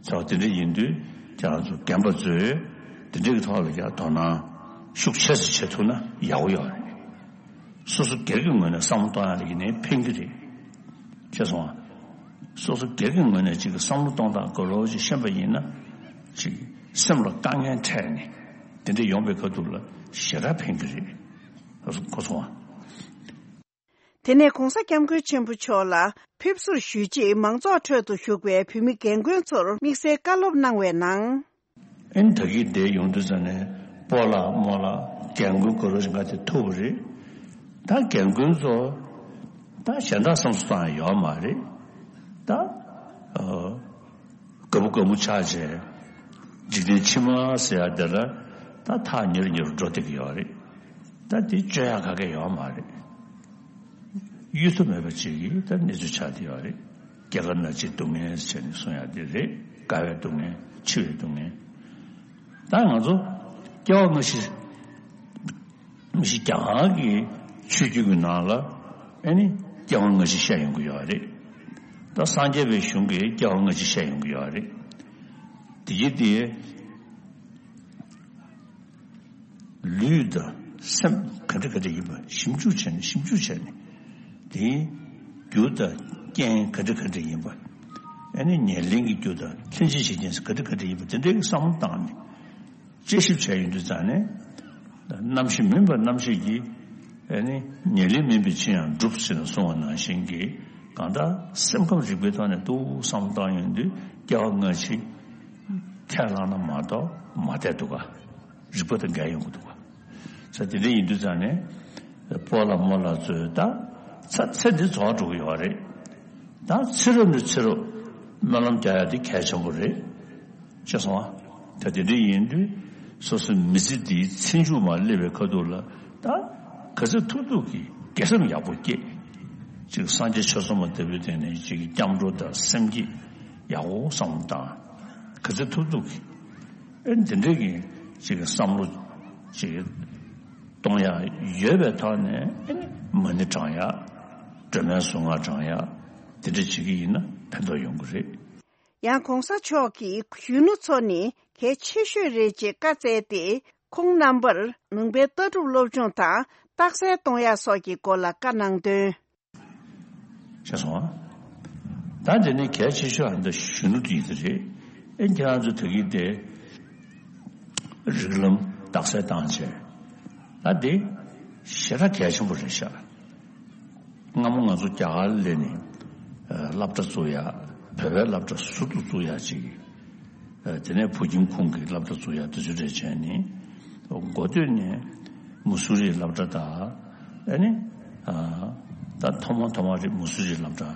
ཚ་བ་དེ་འདྲ་ཡིན་དུས་ཁྱེད་རང་ཚོ་རྒན་པ་ཚོས་དེ་འདྲའི་ཐོག་ལ་ཡང་དོ་སྣང་ཤུགས་ཆེ་ཙམ་བྱེད་ཐུབ་ན་ཡག་པོ་ཡོད་རེད། སོ་སོ་སྒེར་གྱི་ངོས་ནས་བསམ་བློ་གཏོང་ཡག་ལ་ཡིན་ནའི་ཕན་གྱི་རེད། ཤེས་སོང་ང་། སོ་སོ་སྒེར་གྱི་ངོས་ནས་ཅིག་བསམ་བློ་གཏོང་སྟངས་ག་རེ་ཅིག་ཤེས་པ་ཡིན་ན། ཅིག་སེམས་ལ་དཀའ་ངལ་འཕྲད་ནས་དེ་འདྲ་ཡོང་པའི་ཁ་ཐུག་ལ་ཞེ་དྲག་ཕན་གྱི་རེད། གོ་སོང་ང་། དེ་ནས་༧གོང་ས་༧སྐྱབས་མགོན་ཆེན་པོ་མཆོག་ལ་ཕེབས་བསུར་ཞུས་རྗེས། མང་ཚོགས་ཁྲོད་དུ་བཞུགས་པའི་བོད་མི་རྒན་རྒོན་ཚོར་དམིགས་བསལ་བཀའ་སློབ་གནང་བའི་ནང་། ཨེ་ནི་ད་གིན་དེ་ཡོང་དུས་ཙ་ནས་སྤོ་ལགས་རྨོ་ལགས་རྒན་རྒོན་ག་རེ་ཞིག་ང་དེ་ཐུག་པ་རེད། ད་རྒན་རྒོན་ཚོ་ད་གཞན་དག་བསམ་བློ་གཏོང་ཡ་ཡོད་མ་རེད། ད་ཨ་དགའ་པོ་དགའ་མོ་ཆགས་བྱས། འཇིག་རྟེན་ཕྱི་མ་ཟེར་ཡ་དེ་ལ་ད་ཐག་ཉེ་རུ་ཉེ་རུ་འགྲོ་བསྡད་ཀྱི་ཡོད་རེད། ད་དེ་བཅོས་ཡ་ག་གེ་ཡོད་མ་རེད། གཡོལ་ཐབས་མེད་པ་ཅིག་གི་ད་གནས་ཚུལ་ཆགས་བསྡད་ཡོད་རེད། སྐྱེ་རྒ་ན་འཆིའི་སྡུག་བསྔལ་བྱས་ནས་གསུང་ཡ་དེ་རེད། རྒ་བའི་སྡུག་བསྔལ། འཆི་བའི་སྡུག་བསྔལ། ད་ང་ཚོ་སྐྱེ་བ་སྔ་ཕྱི། སྔ་ཕྱི་རྒྱ་གར་གྱི་ཆོས་བརྒྱུད་ཀྱི་ནང་ལ་ཨེ་ནི་སྐྱེ་བ་སྔ་ཕྱི་བཤད་ཡོང་གི་ཡོད་རེད། ད་སངས་རྒྱས་པའི་གཞུང་གིས་སྐྱེ་བ་སྔ་ཕྱི་བཤད་ཡོང་གི་ཡོད་རེད། དེ་ཡིན་དེ། ལུས་དང་སེམས་ག་འདྲ་ག་འདྲ་ཡིན་པ་ཞིབ་འཇུག་བྱས་ནས། ཞིབ་འཇུག་བྱས་ནས། དེའི་རྒྱུ་དང་རྐྱེན་ག་འདྲ་ག་འདྲ་ཡིན་པ། ཨ་ནི་ཉེར་ལེན་གྱི་རྒྱུ་དང་ལྷན་ཅིག་བྱེད་རྐྱེན་ག་འདྲ་ག་འདྲ་ཡིན་པ། དེ་འདྲའི་བསམ་བློ་བཏང་ནས། དཔྱད་ཞིབ་བྱས་ཡོང་དུས་ཙ་ནས། རྣམ་ཤེས་མིན་པ་རྣམ་ཤེས་ཀྱིས། ཨ་ནི་ཉེར་ལེན་མིན་པའི་ཕྱིར་ཡང་འགྲུབ་ཟེར་ནས་གསུངས་པ་ནང་བཞིན་གྱི། གང་ལྟར་སེམས་ཁམས་རིག་པའི་ཐོག་ནས་ཏོག་བསམ་བློ་བཏང་ཡོང་དུས་སྐྱེ་བ་སྔ་ཕྱི་ཁས་བླངས་ན་མ་གཏོགས་མ་བསྡད་འདུག་ག་རིག་པ་དང་འགལ་ཡོང་གི་འདུག་ག་ས་དེ་འདྲ་ཡིན་དུས་ཙང་ནས། སྤོ་ལགས་རྨོ་ལགས་ཚོས་ད་ཚ་ཚེ་འདི་རྫོགས་འགྲོ་གི་ཡོད་རེད། ད་ཚེ་རབས་ནས་ཚེ་རབས་སྨོན་ལམ་རྒྱག་ཡ་དེ་གལ་ཆེན་པོ་རེད། ཤེས་སོང་ང་། ད་དེ་འདྲ་ཡིན་དུས་སོ་སོའི་མི་ཚེ་འདིའི་ཚེ་མཇུག་མར་སླེབས་པའི་ཁ་ཐུག་ལ། ད་ག་ཚོད་ཐུབ་ཐུབ་ཀྱིས་དགེ་སེམས་ཡག་པོ་བསྐྱེད། ཅིག་སངས་རྒྱས་ཆོས་ཚོགས་མ་ལྟ་བུའི་སྟེང་ནས་ཅིག་སྐྱབས་འགྲོ་དང་སེམས་བསྐྱེད་ཡག་པོ་བསམ་བློ་བཏང་། ག་ཚོད་ཐུབ་ཐུབ་ཀྱིས། ཨེ་འདི་འདྲའི་གི་ཅིག་བསམ་བློ་ཅིག་གཏོང་ཡ་ཡོད་པའི་ཐོག་ནས། ཨེ་མ་ཎི་བགྲང་ཡ། སྒྲོལ་མའི་གཟུངས་སྔགས་བགྲང་ཡ། དེ་འདྲ་བྱེད་ཀྱི་ཡིན་ན་ཕན་ཐོགས་ཡོང་གི་རེད། ཡང་༧གོང་ས་མཆོག་གིས་གཞོན་ནུ་ཚོ་ནི་གལ་ཆེ་ཤོས་རེད་ཅེས་བཀའ་སྩལ་ཏེ། ཁོང་རྣམ་པར་ལུང་པའི་ལྟ་གྲུབ་སློབ་སྦྱོང་དང་རྟགས་གསལ་གཏོང་ཡ་སོགས་ཀྱི་སྐོར་ལ་བཀའ་གནང་དོན། ཤེས་སོང་ང་། ད་དེ་ནི་གལ་ཆེ་ཤོས་ཨ་འདི་གཞོན་ནུ་དེ་ཡིན་ས་རེད། ཨེ་ཁྱེད་རང་ཚོ་ད་གིན་དེ་རིགས་ལམ་རྟགས་གསལ་བཏང་བྱས། ད་དེ་ཞེ་དྲག་གལ་ཆེན་པོ་རེད་ཤག་སྔ་མོ་ང་ཚོ་རྒྱ་གར་སླེབས་ནས་སློབ་གྲྭ་བཙུགས་ཡ། བོད་པའི་སློབ་གྲྭ་ཟུར་དུ་བཙུགས་ཡ་ཅིག་དེ་ནས་བོད་ཁྱིམ་ཁོངས་ཀྱི་སློབ་གྲྭ་བཙུགས་ཡ་དེ་ཚོ་རེད་བྱས་ནས། འགོ་སྟོད་ནས་མུ་སུ་རིའི་སློབ་གྲྭ་དང་། ཨ་ནི་ད་ཐོག་མ་ཐོག་མ་རེད། མུ་སུ་རིའི་སློབ་གྲྭ་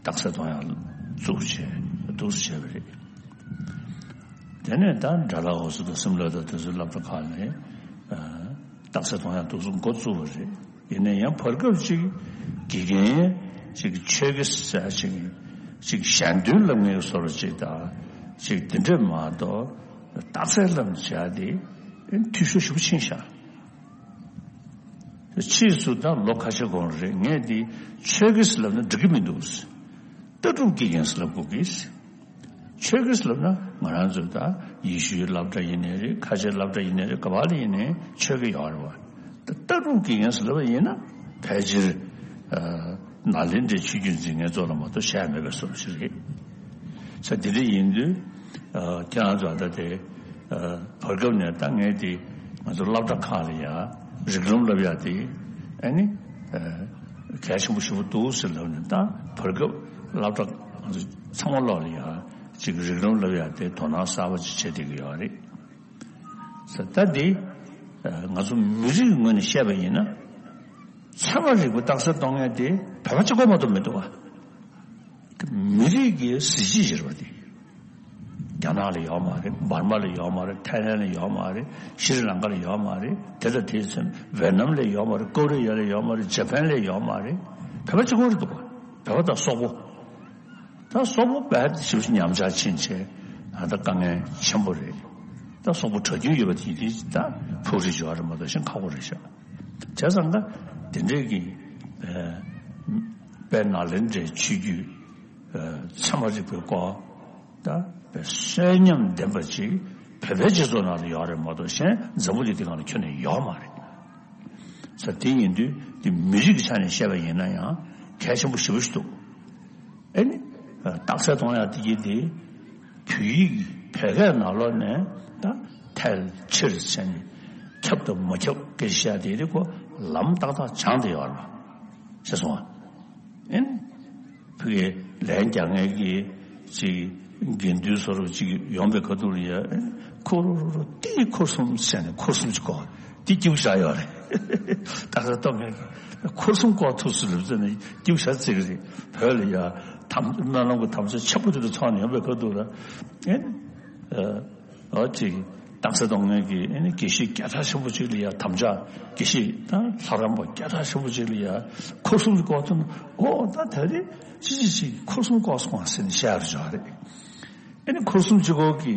རྟགས་གསལ་གཏོང་ཡ་བཙུགས་བྱས་འདུག་སེ་བྱས་པ་རེད། དེ་ནས་ད་དགྲ་ལྷ་འོད་ཟེར་དང་སིམ་ལ་དང་དེ་ཚོའི་སློབ་གྲྭ་ཁག་ནས་རྟགས་གསལ་གཏོང་ཡ་འདུག་སེ་འགོ་བཙུགས་པ་རེད། ཡིན་ན་ཡང་བར་སྐབས་ཅིག་དགེ་རྒན་ཅིག་ཆོས་དགེ་ཟེར་ཅིག་ཅིག་གཞན་དོན་ལམ་ངེས་སོར་ཅིག་དང་ཅིག་དེ་འདྲས་མ་གཏོགས་རྟགས་གསལ་ལམ་བྱ་དེ་འཐུས་ཤོར་ཞེ་པོ་ཕྱིན་ཤག་ཕྱིས་སུ་ད་ལོ་ཁ་ཤས་གོང་རེད། ངས་འདི་ཆོས་དགེ་ཟེར་ལབ་ན་འགྲིག་གི་མི་འདུག་ལྟ་གྲུབ་དགེ་རྒན་ཟེར་ལབ་དགོས་ཀྱི། ཆོས་དགེ་ཟེར་ལབ་ན་ང་རང་ཚོའི་ད་ཡེ་ཤུའི་སློབ་གྲྭ་ཡིན་ནའི་རེད། ཁ་ཆེའི་སློབ་གྲྭ་ཡིན་ནའི་རེད། ག་པ་ལ་ཡིན་ནའི་ཆོས་དགེ་ཡོད་རེད་བ། ད་ལྟ་གྲུབ་དགེ་རྒན་ཟེར་ལབ་པ་ཡིན་ན་ཕལ་ཆེར་ཨ་ནཱ་ལེནྡྲའི་ཆོས་བརྒྱུད་འཛིན་མཁན་ཚོ་ལ་མ་གཏོགས་བཤད་ཡ་མེད་པའི་བཟོ་འདྲ་ཞིག་རེད། ས་དེ་འདྲ་ཡིན་དུས་ཨ་ཁྱེད་རང་ཚོ་ད་ལྟ་དེ་ཨ་བར་སྐབས་ནས་ད་ངས་དེ་ང་ཚོ་སློབ་གྲྭ་ཁག་ལ་ཡ་རིགས་ལམ་བསླབ་ཡ་དེ་ཨ་ནི་ཨ་གལ་ཆེན་པོ་ཞེ་པོ་འདུག་ཟེར་ལབ་ནས། ད་བར་སྐབས་སློབ་གྲྭ་ང་ཚོ་ཚང་མ་ལོག་ལ་ཡ་ཅིག་རིགས་ལམ་བསླབ་ཡ་དེ་དོ་སྣང་གསར་པ་ཅིག་བྱེད་བསྡད་ཀྱི་ཡོད་རེད། ས་ད་དེ་ང་ཚོ་མི་རིགས་ངོས་ནས་བཤད་པ་ཡིན་ན། ཚད་མ་རིག་པ་རྟགས་གསལ་གཏོང་མཁན་དེ་བོད་པ་གཅིག་པོ་མ་གཏོགས་མི་འདུག་ག་མི་རིགས་ཀྱི་གཟི་བརྗིད་ཟེར་བ་དེ། རྒྱ་ནག་ལ་ཡོད་མ་རེད། འབར་མ་ལ་ཡོད་མ་རེད། ཐའི་ལན་ལ་ཡོད་མ་རེད། ཤྲི་ལང་ཀ་ལ་ཡོད་མ་རེད། དེ་དང་དེའི་མཚུངས་ཝེ་ནམ་ལ་ཡོད་མ་རེད། ཀོ་རི་ཡ་ལ་ཡོད་མ་རེད། ཇ་པན་ལ་ཡོད་མ་རེད། བོད་པ་གཅིག་པོ་རེད་འདུག་ག་བོད་པ་དང་སོག་པོ། ད་སོག་པོ་བས་ཞིབ་ཞིབ་ཉམས་ཆག་ཕྱིན་ཆད་ད་དཀའ་ངལ་ཆེན་པོ་རེད། ད་སོག་པོ་གྲགས་རྒྱུན་ཡོད་པ་དེ་དེ་ད་ཕུགས་རེ་ཞུ་བ་རེད་མ་གཏོགས་གཞན་ཁག་པོ་རེད་ཤག་བྱས་ཙང་ད་དེ་འདྲས་ཀྱི་དཔལ་ནཱ་ལེནྡྲའི་ཆོས་བརྒྱུད་ཚད་མ་རིག་པའི་སྐོར་ད་དཔེ་གསོན་ཉམས་ལྡན་པ་ཅིག་བོད་པའི་སྤྱི་ཚོགས་ནང་ལ་ཡོད་རེད་མ་གཏོགས་གཞན་འཛམ་བུ་གླིང་འདི་སྒང་ལ་ཁྱོན་ནས་ཡོད་མ་རེད། ས་དེ་ཡིན་དུས་དེ་མི་རིགས་ཀྱི་ཆ་ནས་བཤད་པ་ཡིན་ན་ཡང་གལ་ཆེན་པོ་ཞེ་པོ་ཞིག་འདུག་ཨེ་ནི། རྟགས་གསལ་གཏོང་ཡག་དེ་གྱིས་དེ་བོད་ཡིག་བོད་སྐད་ནང་ལོགས་ནས་ད་ཐལ་ཕྱིར་ཟེར་ནས་ཁྱབ་དང་མ་ཁྱབ་སྐད་ཆ་བཤད་དེ་རེད་ཁོ་ལམ་ཏག་ཏག་སྦྱངས་ཏེ་ཡོད་རེད་པ། ཤེས་སོང་ཨ། ཨེ་ནི། ཕ་གིའི་ལན་རྒྱག་མཁན་གྱི་ཅིག་དགེ་འདུན་སོ་སོ་ཅིག་ཡོང་པའི་ཁ་ཐུག་ལ་ཡ་ཨེ་ནི་ཁོ་རུ་རུ་རུ་ཏི་འཁོར་གསུམ་ཟེར་ནས་འཁོར་གསུམ་ཅིག་སྐོར་དེ་སྐྱིད་པོ་ཞེ་དྲག་ཡོད་རེད། རྟགས་གསལ་གཏོང་མཁན་གྱི་འཁོར་གསུམ་སྐོར་ཐུབ་སོང་ལབ་ཟེར་ནས་སྐྱིད་པོ་ཞེ་དྲག་བརྩི་གི་རེད། བོད་ལ་ཡ་ཐམ་སྨོན་ལམ་གྱི་དམ་བཅའ་ཆེན་པོ་དེ་འདྲ་ཚོགས་ནས་ཡོང་པའི་ཁ་ཐུག་ལ་ཨེ་ནི། ཨ་ཅིག་རྟགས་གསལ་གཏོང་མཁན་གྱི་ཨེ་ནི་དགེ་བཤེས་སྐད་གྲགས་ཆེན་པོ་ཅིག་ལ་ཡ་དམ་བཅའ་དགེ་བཤེས་དང་ལྷ་རམས་པ་སྐད་གྲགས་ཆེན་པོ་ཅིག་ལ་ཡ་འཁོར་གསུམ་གྱི་སྐོར་ཐོན་ཨོ་ད་ད་རེས་ཅི་ཅི་ཅིག་འཁོར་གསུམ་སྐོར་སོང་བ་ཟེར་ནས་བཤད་ཡག་རེད། ཨེ་ནི་འཁོར་གསུམ་གཅིག་པོ་གི་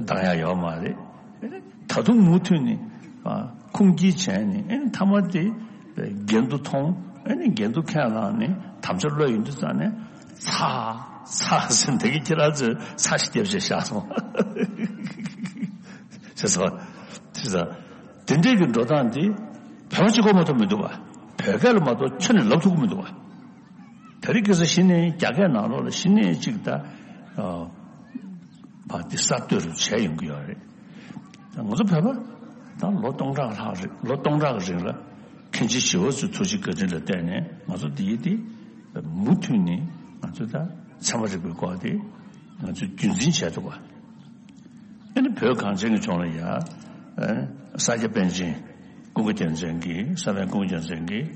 འདང་ཡག་ཡོད་མ་རེད། ཨེ་ནི་ད་དུང་མུ་མཐུད་ནས་ཁུངས་སྐྱེལ་བྱས་ནས་ཨེ་ནི་མཐའ་མ་དེ་འགལ་འདུ་མཐོང་ཨེ་ནི་འགལ་འདུ་ཁས་བླངས་ནས་དམ་བཅའ་བློ་ཡོད་དུས་ཙང་ནས་ཚ་ཚ་ཟེར་འདི་གི་ཁྱེད་རང་ཚོས་ཚ་ཞིག་བརྒྱབ་བྱས་བཞག་སོང་། ཤེས་སོང་། ཤེས་སོང་། དེ་འདྲའི་གི་འགྲོ་སྟངས་འདི་བོད་པ་གཅིག་པོ་མ་གཏོགས་མི་འདུག་པ། བོད་སྐད་ལ་མ་གཏོགས་ཁྱོན་ནས་ལབ་ཐུབ་ཀྱི་མི་འདུག་པ། དེ་རིང་ཁ་སང་གཞི་ནས་རྒྱ་སྐད་ནང་ལོགས་ལ་གཞི་ནས་གཅིག་ད་ཨ་བ་འདི་གསར་གཏོད་རུ་བྱས་ཡོང་གི་ཡོད་རེད། ང་ཚོ་བོད་པ་ད་ལོ་སྟོང་ཕྲག་ལྷག་རེད། ལོ་སྟོང་ཕྲག་གི་རིང་ལ་མཁན་ཆེན་ཞི་བ་འཚོའི་ཐུགས་རྗེ་བཀའ་དྲིན་ལ་བརྟེན་ནས་ང་ཚོ་འདི་ཡི་འདི་མུ་མཐུད་ནས་ང་ཚོ་ད་ཚད་མ་རིག་པའི་སྐོར་དེ་ང་ཚོས་རྒྱུན་འཛིན་བྱས་འདུག་པ། ཨ་ནི་བོད་གངས་ཅན་གྱི་ལྗོངས་ལ་ཡ་ཨ་ས་སྐྱ་པཎ་ཆེན་ཀུན་དགའ་རྒྱལ་མཚན་གྱིས་ས་པཎ་ཀུན་དགའ་རྒྱལ་མཚན་གྱིས་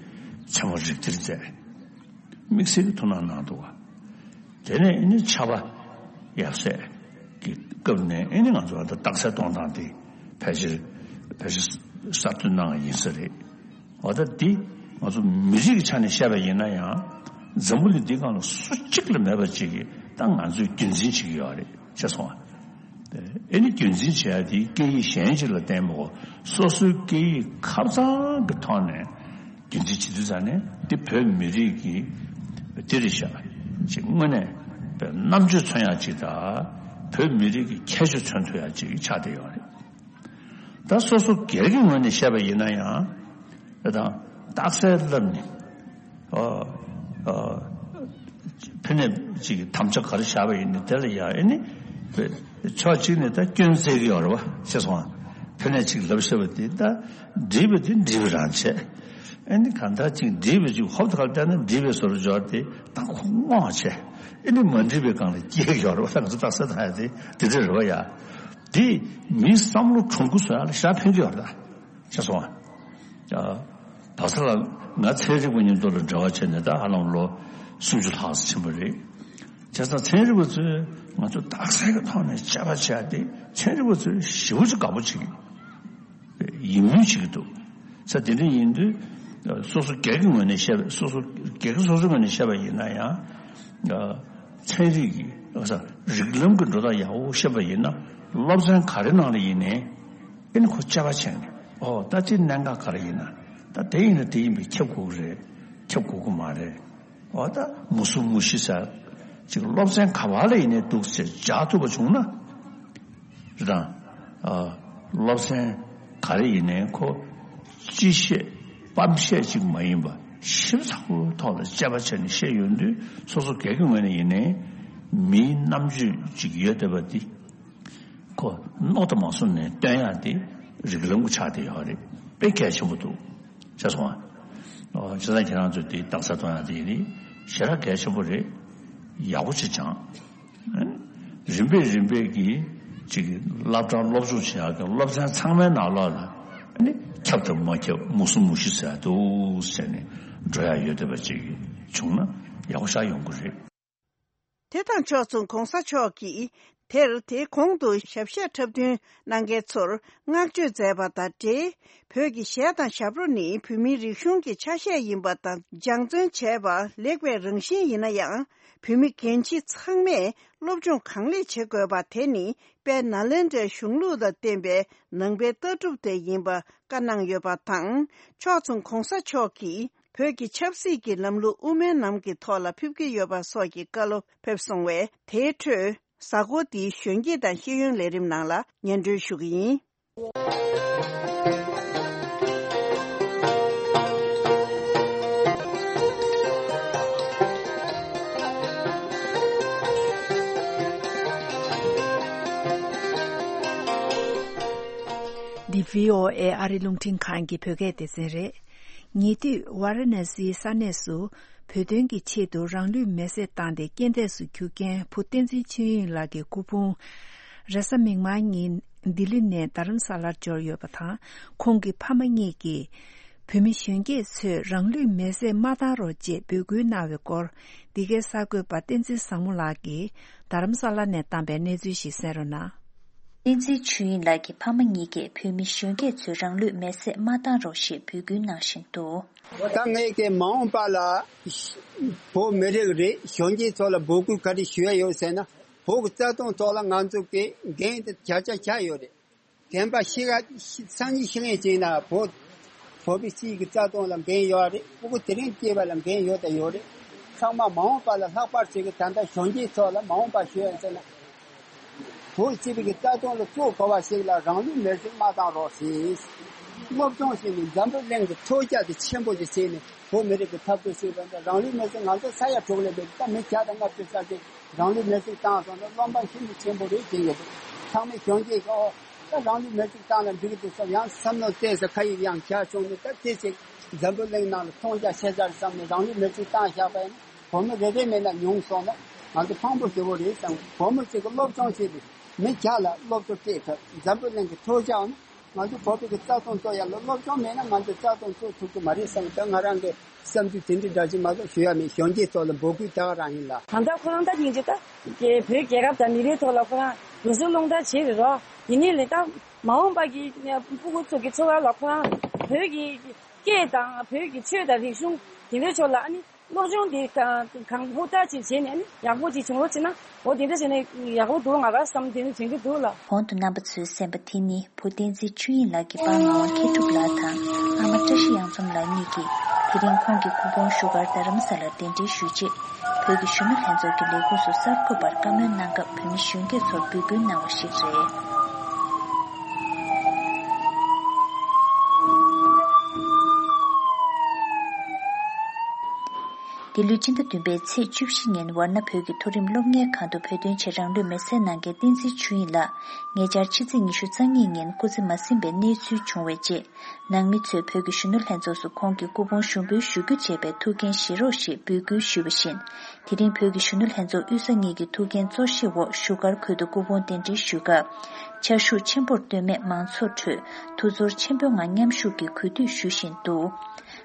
ཚད་མ་རིགས་གཏེར་མཛད། དམིགས་བསལ་གྱི་ཐུགས་སྣང་གནང་འདུག་པ། དེ་ནས་ཨ་ནི་ཕྱྭ་པ་ཡབ་སྲས་ཀྱི་སྐབས་ནས་ཨ་ནི་ང་ཚོ་ད་རྟགས་གསལ་གཏོང་སྟངས་དེ་ཕལ་ཆེར་ཕལ་ཆེར་གསར་གཏོད་གནང་བ་ཡིན་ས་རེད། འོ་ད་འདི་ང་ཚོ་མི་རིགས་ཀྱི་ཆ་ནས་བཤད་པ་ཡིན་ན་ཡང་འཛམ་བུ་གླིང་འདིའི་སྒང་ལ་སུ་གཅིག་ལ་མེད་པ་ཅིག་གིས་ད་ང་ཚོས་རྒྱུན་འཛིན་བྱེད་ཀྱི་ཡོད་རེད་ཤེས་སོང་ཨ། ཨེ་ནི་རྒྱུན་འཛིན་བྱེད་ཡ་དེ་སྐད་ཡིག་གཞན་ཅིག་ལ་བརྟེན་པའི་སོ་སོའི་སྐད་ཡིག་ཁ་གཙང་གི་ཐོག་ནས་རྒྱུན་འཛིན་བྱེད་དུས་ཙང་ནས་དེ་བོད་མི་རིགས་ཀྱི་དེ་རེད་ཤག་ཅིག་དངོས་གནས་བོད་རྣམ་དཔྱོད་མཚོན་ཡ་ཅིག་དང་བོད་མི་རིགས་ཀྱི་ཁྱད་ཆོས་མཚོན་ཐུབ་ཡ་ཅིག་ཆགས་བསྡད་ཡོད་རེད། ད་སོ་སོ་སྒེར་གྱི་ངོས་ནས་བཤད་པ་ཡིན་ན་ཡང་ད་རྟགས་གསལ་བསླབ་ནས་ཨ་ཨ་ཕ་ནས་ཅིག་དམ་བཅའ་ག་རེ་བཞག་པ་ཡིན་ན་དེ་ལ་ཡང་ཨེ་ནི་ཕྱོགས་གཅིག་ནས་ད་སྐྱོན་བཙལ་གྱི་ཡོད་རེད་པ་ཤེས་སོང་ཨ། ཕ་ནས་ཅིག་ལབ་ཤེས་པ་དེ་ད་འགྲིག་པ་དེ་འགྲིག་པ་རང་བྱས། ཨེ་ནི་གང་ལྟར་ཅིག་འགྲིག་པ་ཅིག་ཧོབ་ཏེ་ག་ལ་བལྟས་ན་འགྲིག་པའི་བཟོ་འདྲ་འཇོག་དེ་ད་ཁོ་བསྔོགས་བྱས། ཨེ་ནི་མ་འགྲིག་པའི་སྒང་ལ་སྐྱེལ་གྱི་ཡོད་རེད་པ། ད་ང་ཚོ་རྟགས་གསལ་བཏང་ཡ་དེ་དེ་འདྲ་རེད་པ་ཡ། དེ་མིའི་བསམ་བློ་གྲུང་པོ་བཟོ་ཡ་ལ་ཞེ་དྲག་ཕན་གྱི་ཡོད་རེད་ད། ཤེས་སོང་ཨ། ཨ། བག་ཚ་ལ་ང་ཚན་རིག་པ་མཉམ་དུ་ལ་འབྲེལ་བ་བྱས་ནས་ད་ཧ་ལམ་ལོ་སུམ་ཅུ་ལྷག་ཙམ་ཕྱིན་པ་རེད། བྱས་ཙང་ཚན་རིག་པ་ཚོས་ང་ཚོ་རྟགས་གསལ་གྱི་ཐོག་ནས་དཔྱད་པ་བྱས་ཏེ་ཚན་རིག་པ་ཚོས་ཞེ་པོ་ཅིག་དགའ་པོ་བྱེད་ཀྱི་ཡིད་སྨོན་བྱེད་ཀྱི་འདུག་ས་དེ་འདྲ་ཡིན་དུས་སོ་སོ་སྒེར་གྱི་ངོས་ནས་བཤད་པ་སོ་སོ་སྒེར་གྱི་སོ་སོའི་ངོས་ནས་བཤད་པ་ཡིན་ན་ཡང་ཚན་རིག་གི་རིགས་ལམ་གྱི་འགྲོ་སྟངས་ཡག་པོ་ཤེས་པ་ཡིན་ན་སློབ་ཚན་ག་རེ་ནང་ལ་ཡིན་ནའི། ཨེ་ནི་ཁོ་དཔྱད་པ་བྱས་ནས་ཨོ་ད་ཅི་གནད་འགག་ག་རེ་ཡིན་ན་ད་དེ་ཡིན་ན་དེ་ཡིན་པས་ཁྱབ་དགོས་ཀྱི་རེད། ཁྱབ་དགོས་ཀྱི་མ་རེད། ཨོ་ད་མུ་གསུམ་མུ་བཞི་ཟེར་ཅིག་སློབ་ཚན་ག་པ་ལ་ཡིན་ནའི་འདུག་ཟེར་སྦྱར་ཐུབ་པ་བྱུང་ན་རེད་དང་། ཨ་སློབ་ཚན་ག་རེ་ཡིན་ནའི་ཁོ་སྤྱི་བཤད་སྤམ་བཤད་ཅིག་མ་ཡིན་པ་ཞིབ་ཚགས་པོའི་ཐོག་ལ་དཔྱད་པ་བྱས་ནས་བཤད་ཡོང་དུས་སོ་སོ་སྒེར་གྱི་ངོས་ནས་ཡིན་ནའི་མིའི་རྣམ་དཔྱོད་ཅིག་ཡོད་བསྡད་པ་འདི། ཁོ་མནོ་དང་མ་བཟུང་ནས་སྟོན་ཡག་དེ་རིགས་ལམ་གྱི་ཆ་དེ་ཡོད་རེད། དཔེ་གལ་ཆེན་པོ་འདུག་ཤེས་སོང་ཨ། བྱས་ཙང་ཁྱེད་རང་ཚོས་དེ་རྟགས་གསལ་གཏོང་ཡག་དེ་ཡིན་ནི་ཞེ་དྲག་གལ་ཆེན་པོ་རེད། ཡག་པོ་ཅིག་སྦྱངས། རིམ་པས་རིམ་པས་ཀྱིས་ཅིག་སློབ་གྲྭ་སློབ་སྦྱོང་བྱེད་ཡག་གི་སློབ་ཚན་ཚང་མའི་ནང་ལོགས་ལ་ནི་ཁྱབ་དང་མ་ཁྱབ་མུ་གསུམ་མུ་བཞི་ཟེར་འདུག་ཟེར་ནས་འགྲོ་ཡག་ཡོད་བསྡད་པ་ཅིག་བྱུང་ན་ཡག་པོ་ཞེ་དྲག་ཡོང་གི་རེད། དེ་དང་ཕྱོགས་མཚུངས་གོང་ས་མཆོག་གིས་ དེར་དེའི་གོང་དུ་ཞབས་ཞུ་འཁྲབ་སྟོན་གནང་མཁན་ཚོར་བསྔགས་བརྗོད་མཛད་པ་དང་འབྲེལ། བོད་ཀྱི་གཞས་དང་ཞབས་བྲོ་ནི་བོད་མིའི་རིག་གཞུང་གི་ཆ་ཤས་ཡིན་པ་དང་སྦྱང་བརྩོན་བྱས་པ་ལེགས་པའི་རང་བཞིན་ཡིན་ན་ཡང་། བོད་མི་རྒན་བྱིས་ཚང་མས་སློབ་སྦྱོང་གང་ལེགས་བྱེད་དགོས་པ་དེ་ནི་དཔལ་ནཱ་ལེནྡྲའི་གཞུང་ལུགས་དང་བསྟན་པའི་ནང་པའི་ལྟ་གྲུབ་དེ་ཡིན་པ་བཀའ་གནང་ཡོད་པ་དང་། ཕྱོགས་མཚུངས་གོང་ས་མཆོག་གིས་བོད་ཀྱི་ཆབ་སྲིད་ཀྱི་ལམ་ལུགས་དབུ་མའི་ལམ་གྱི་ཐོག་ལ་ཕེབས་ཀྱི་ཡོད་པ་སོགས་ཀྱི་བཀའ་སློབ་ཕེབས་སོང་བས། དེའི་ཁྲོད་གཟའ་འཁོར་འདིའི་གཞོན་སྐྱེས་དང་ཤེས་ཡོན་ལས་རིམ་ནང་ལ་སྙན་སྒྲོན་ཞུ་གི་ཡིན། འདི་བྷི་ཨོ་ཨེ་ཨ་རི་རླུང་འཕྲིན་ཁང་གི་བོད་སྐད་སྡེ་ཚན་རེད། ཉེ་དུས་ཝཱ་ར་ཎ་སིའི་ས་གནས་སུ་བོད་དོན་གྱི་ཆེད་དུ་རང་ལུས་མེར་སྲེག་བཏང་སྟེ་རྐྱེན་འདས་སུ་གྱུར་མཁན་བུ་བསྟན་འཛིན་ཆོས་དབྱིངས་ལགས་ཀྱི་སྐུ་ཕུང་རེས་གཟའ་མིག་དམར་ཉིན་ལྡི་ལི་ནས་རྡ་རམ་ས་ལར་འབྱོར་ཡོད་པ་དང་། ཁོང་གི་ཕ་མ་གཉིས་ཀྱིས་བོད་མི་གཞོན་སྐྱེས་ཚོས་རང་ལུས་མེར་སྲེག་མ་བཏང་རོགས་ཅེས་འབོད་སྐུལ་གནང་བའི་སྐོར། འདི་གའི་གསར་འགོད་པ་བསྟན་འཛིན་བཟང་མོ་ལགས་ཀྱིས་རྡ་རམ་ས་ལ་ནས་བཏང་པའི་གནས་ཚུལ་ཞིག་གསན་རོགས་གནང་། བསྟན་འཛིན་ཆོས་དབྱིངས་ལགས་ཀྱི་ཕ་མ་གཉིས་ཀས་བོད་མི་གཞོན་སྐྱེས་ཚོས་རང་ལུས་མེར་སྲེག་མ་བཏང་རོགས་ཞེས་འབོད་སྐུལ་གནང་བཞིན་འདུག། ད་ངས་ཀྱི་མ་འོངས་པ་ལ་བོད་མི་རིགས་རེད། གཞོན་སྐྱེས་ཚོ་ལ་འབོད་སྐུལ་ག་རེ་ཞུ་ཡ་ཡོད་ཟེར་ན། བོད་ཀྱི་རྩ་དོན་ཐོག་ལ་ང་ཚོ་གི་འགན་དེ་བརྒྱ་ཆ་བརྒྱ་ཡོད་རེད། རྒན་པ་ཤི་ཁ་སང་ཉིན་ཤི་ལན་བྱས་ན་བོད་བོད་པའི་སྤྱི་ཡི་གི་རྩ་དོན་ལ་འགན་ཡོད་རེད། སྤུ་གུ་དེ་རིང་སྐྱེས་པ་ལ་འགན་ཡོད་དང་ཡོད་རེད། ཚང་མ་མ་འོངས་པ་ལ་ལྷག་པར་ཅིག་གི་ད་ལྟ་གཞོན་སྐྱེས་ཚོ་ལ་མ་འོངས་པ་ཞུ་ཡ་ཟེར་ན། བོད་སྤྱི་པའི་གི་རྩ་དོན་ལ་གཙོ་གོ་བ་ཞིག་ལ་རང་ལུས་མེར་སྲེག་མ་བཏང་རོགས་ཞེས། སློབ་སྦྱོང་བྱས་ནས་འཛམ་བུ་གླིང་གི་ཐོས་རྒྱ་དེ་ཆེན་པོ་ཞིག་བྱས་ནས་བོད་མི་རིགས་ཀྱི་འཐབ་རྩོད་བྱས་པ་འདི་རང་ལུས་མེར་སྲེག་ང་ཚོ་ས་ཡ་དྲུག་ལས་མེད་ད་མི་བརྒྱ་དང་ལྔ་བཅུ་ཙམ་ཞིག་རང་ལུས་མེར་སྲེག་བཏང་སོང་ན་བློ་འབབ་ཤིན་ཏུ་ཆེན་པོ་རེད་ཅེས་ཡོད། ཚང་མས་གཞོན་སྐྱེས་ཀྱིས་ཨོ་ད་རང་ལུས་མེར་སྲེག་བཏང་ན་འགྲིག་གི་འདུག་བསམ་ཡང་བསམ་བློ་བཏང་ས་ཁ་ཡིག་ཡང་བཞག་བྱུང་ནས་ད་དེ་ཅིག་འཛམ་བུ་གླིང་ནང་ལ་མཐོང་རྒྱ་ཆེ་ས་རེད་བསམ་ནས་རང་ལུས་མེར་སྲེག་བཏང་བཞག་པ་ཡིན་ན་བོད་མི་རེ་རེ་མེད་ན་ཉུང་སོང་ན་ང་ཚོ་ཕངས་པོ་ཞེ་པོ་རེད་བསམ། བོད་མི་ཅིག་གིས་སློབ་སྦྱོང་བྱས་ཏེ་མི་བརྒྱ་ལ་སློབ་གསོ་སྤྲད་ཐུབ་འཛམ་བུ་གླིང་གི་ཐོས་རྒྱ་ཡོང་ན། ང་ཚོ་བོད་པའི་གི་རྩ་དོན་རྩོད་ཡ་ལ་སློབ་སྦྱོང་མེད་ན་ང་ཚོ་རྩ་དོན་རྩོད་ཐུབ་ཀྱི་མ་རེད་བསམ། ད་ང་རང་གི་བསམ་ཚུལ་དེ་འདྲ་འདྲ་ཅིག་མ་གཏོགས་ཞུ་ཡ་མེད། གཞོན་སྐྱེས་ཚོ་ལ་འབོད་སྐུལ་ད་ག་རང་ཡིན་ལ། ད་ལྟ་ཁོ་རང་ད་སྙིང་རྗེ་ད་རྒྱལ་བོད་རྒྱལ་ཁབ་དང་མི་རིགས་ཐོག་ལ་ཁོ་རང་རུ་སུ་རླུང་རྟ་བྱེད་རེད་རོ། ཡིན་ནའི་ལས་ད་མ་འོངས་པ་གི་སྤུ་གུ་ཚོ་གི་འཚོ་བ་ལ་ཁོ་རང་བོད་ཀྱི་སྐད་དང་བོད་ཀྱི་ཆོས་དང་རིག་གཞུང་དེ་འདྲའི་ཕྱོགས་ལ་ཨ་ནི། སློབ་སྦྱོང་འདི་གང་གང་ཧུར་ཐག་ཅིག་བྱས་ནས་ནི་ཡག་པོ་ཅིག་བྱུང་རོགས་བྱས་ན་འོ་དེ་འདྲ་བྱས་ནས་ཡག་པོ་འདུག་ང་རང་བསམ་དེ་ནི་དྲན་གྱི་འདུག་ལ། གོང་དུ་རྣམ་པ་ཚོས་གསན་པ་དེ་ནི་བུ་བསྟན་འཛིན་ཆོས་དབྱིངས་ལགས་ཀྱི་པར་ངག་དབང་མཁས་གྲུབ་ལགས་དང་ཨ་མ་བཀྲ་ཤིས་གཡང་འཛོམས་ལགས་གཉིས་ཀྱིས་དེ་རིང་ཁོང་གི་སྐུ་ཕུང་བཞུགས་སྒར་རྡ་རམ་ས་ལར་གདན་འདྲེན་ཞུས་རྗེས་བོད་ཀྱི་གཞོན་ནུ་ལྷན་ཚོགས་ཀྱི་ལས་ཁུངས་སུ་གསར་འགོད་པར་བཀའ་མོལ་གནང་སྐབས་བོད་མི་གཞོན་སྐྱེས་ཚོར་འབོད་སྐུལ་གནང་བ་ཞིག་རེད། འདི་ལོའི་སྤྱི་ཟླ་བདུན་པའི་ཚེས་བཅུ་བཞི་ཉིན་ཝར་ཎ་བོད་ཀྱི་མཐོ་རིམ་སློབ་གཉེར་ཁང་དུ་བོད་དོན་ཆེད་རང་ལུས་མེར་སྲེག་གནང་མཁན་བསྟན་འཛིན་ཆོས་དབྱིངས་ལགས་ཉེ་ཆར་ཕྱི་ཚེས་ཉི་ཤུ་རྩ་གཉིས་ཉིན་སྐུ་ཚེ་མ་ཟིན་པའི་གནས་ཚུལ་བྱུང་བའི་རྗེས། ནང་མི་ཚོས་བོད་ཀྱི་གཞོན་ནུ་ལྷན་ཚོགས་སུ་ཁོང་གི་སྐུ་ཕུང་ཞུགས་འབུལ་ཞུ་རྒྱུ་བྱས་པའི་ཐུགས་འགན་བཞེས་རོགས་ཞེས་འབོད་སྐུལ་ཞུས་པ་བཞིན། དེ་རིང་བོད་ཀྱི་གཞོན་ནུ་ལྷན་ཚོགས་དབུས་ས་གཉིས་ཀྱི་ཐུགས་འགན་གཙོ་བཞེས་འོག་བཞུགས་སྒར་ཁུལ་དུ་སྐུ་ཕུང་གདན་འདྲེན་ཞུས་སྐབས། ཕྱར་བཞུགས་ཆེན་པོར་བསྟོད་སྨད་མང་ཚོགས་ཁྲོད་ཐུགས་ཚོར་ཆེན་པོའི་ངང་མཉམ་ཞུགས་ཀྱིས་གུས་འདུད་ཞུ་བཞིན་འདུག།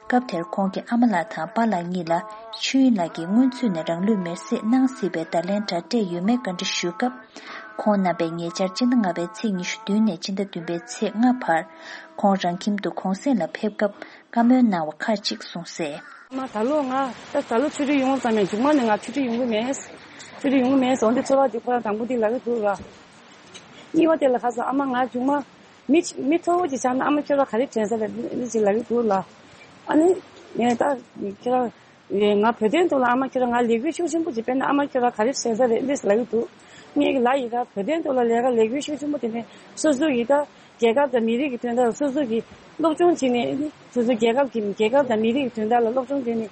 སྐབས་དེར་ཁོང་གི་ཨ་མ་ལགས་དང་པཱ་ལགས་གཉིས་ལ་ཆོས་དབྱིངས་ལགས་ཀྱིས་སྔོན་ཚུད་ནས་རང་ལུས་མེར་སྲེག་གནང་སྲིད་པའི་བརྡ་ལན་དྲ་སྤྲད་ཡོད་མེད་བཀའ་འདྲི་ཞུས་སྐབས། ཁོང་རྣམ་པས་ཉེ་ཆར་སྤྱི་ཟླ་ལྔ་པའི་ཚེས་ཉི་ཤུ་བདུན་ནས་སྤྱི་ཟླ་བདུན་པའི་ཚེས་ལྔ་བར་ཁོང་རང་ཁྱིམ་དུ་གུང་གསེང་ལ་ཕེབས་སྐབས་བཀའ་མོལ་གནང་བ་ཁག་ཅིག་གསུངས་གསལ། ཨ་མ་ད་ལོ་ང་ད་ད་ལོ་ཆོས་ཁྲིད་ཡོང་ཙམ་ཡང་མཇུག་མ་ནས་ང་ཆོས་ཁྲིད་ཡོང་གི་མེད། ཆོས་ཁྲིད་ཡོང་གི་མེད་ཟེར་འདི་ཚོར་བ་འདི་ཁོ་རང་དང་པོ་འདི་ལབ་ཀྱི་འདུག་ལ། གཉིས་པ་དེ་ལ་ཁ་སང་ཨ་མ་ང་མཇུག་མ། མི་མི་མཐོ་བོ་ཅིག་ཆགས་ན་ཨ་མ་ཁྱོད་རང་ག་རེ་དྲན་ས་རེད་འདི་ཅིག་ལབ་ཀྱི་འདུག་ལ། ཨ་ནི་ངས་ད་ཁྱོད་རང་ང་བོད་དོན་ཐོག་ལ་ཨ་མ་ཁྱོད་རང་ང་ལས་འགུལ་ཤུགས་ཆེན་པོ་ཅིག་སྤེལ་ན་ཨ་མ་ཁྱོད་རང་ག་རེ་དྲན་ས་རེད་འདི་ལབ་ཀྱི་འདུག་ངས་ལབ་ཡི་ད་བོད་དོན་ཐོག་ལ་ལས་ཀ་ལས་འགུལ་ཤུགས་ཆེན་པོ་དེ་ནས་སོ་སོ་ཡི་ད་རྒྱལ་ཁབ་དང་མི་རིགས་ཀྱི་དོན་དག་སོ་སོ་གི་སློབ་སྦྱོང་བྱས་ནས་སོ་སོ་རྒྱལ་ཁབ་ཀྱི་རྒྱལ་ཁབ་དང་མི་རིགས་ཀྱི་དོན་དག་ལ་སློབ་སྦྱོང་བྱས་ནས་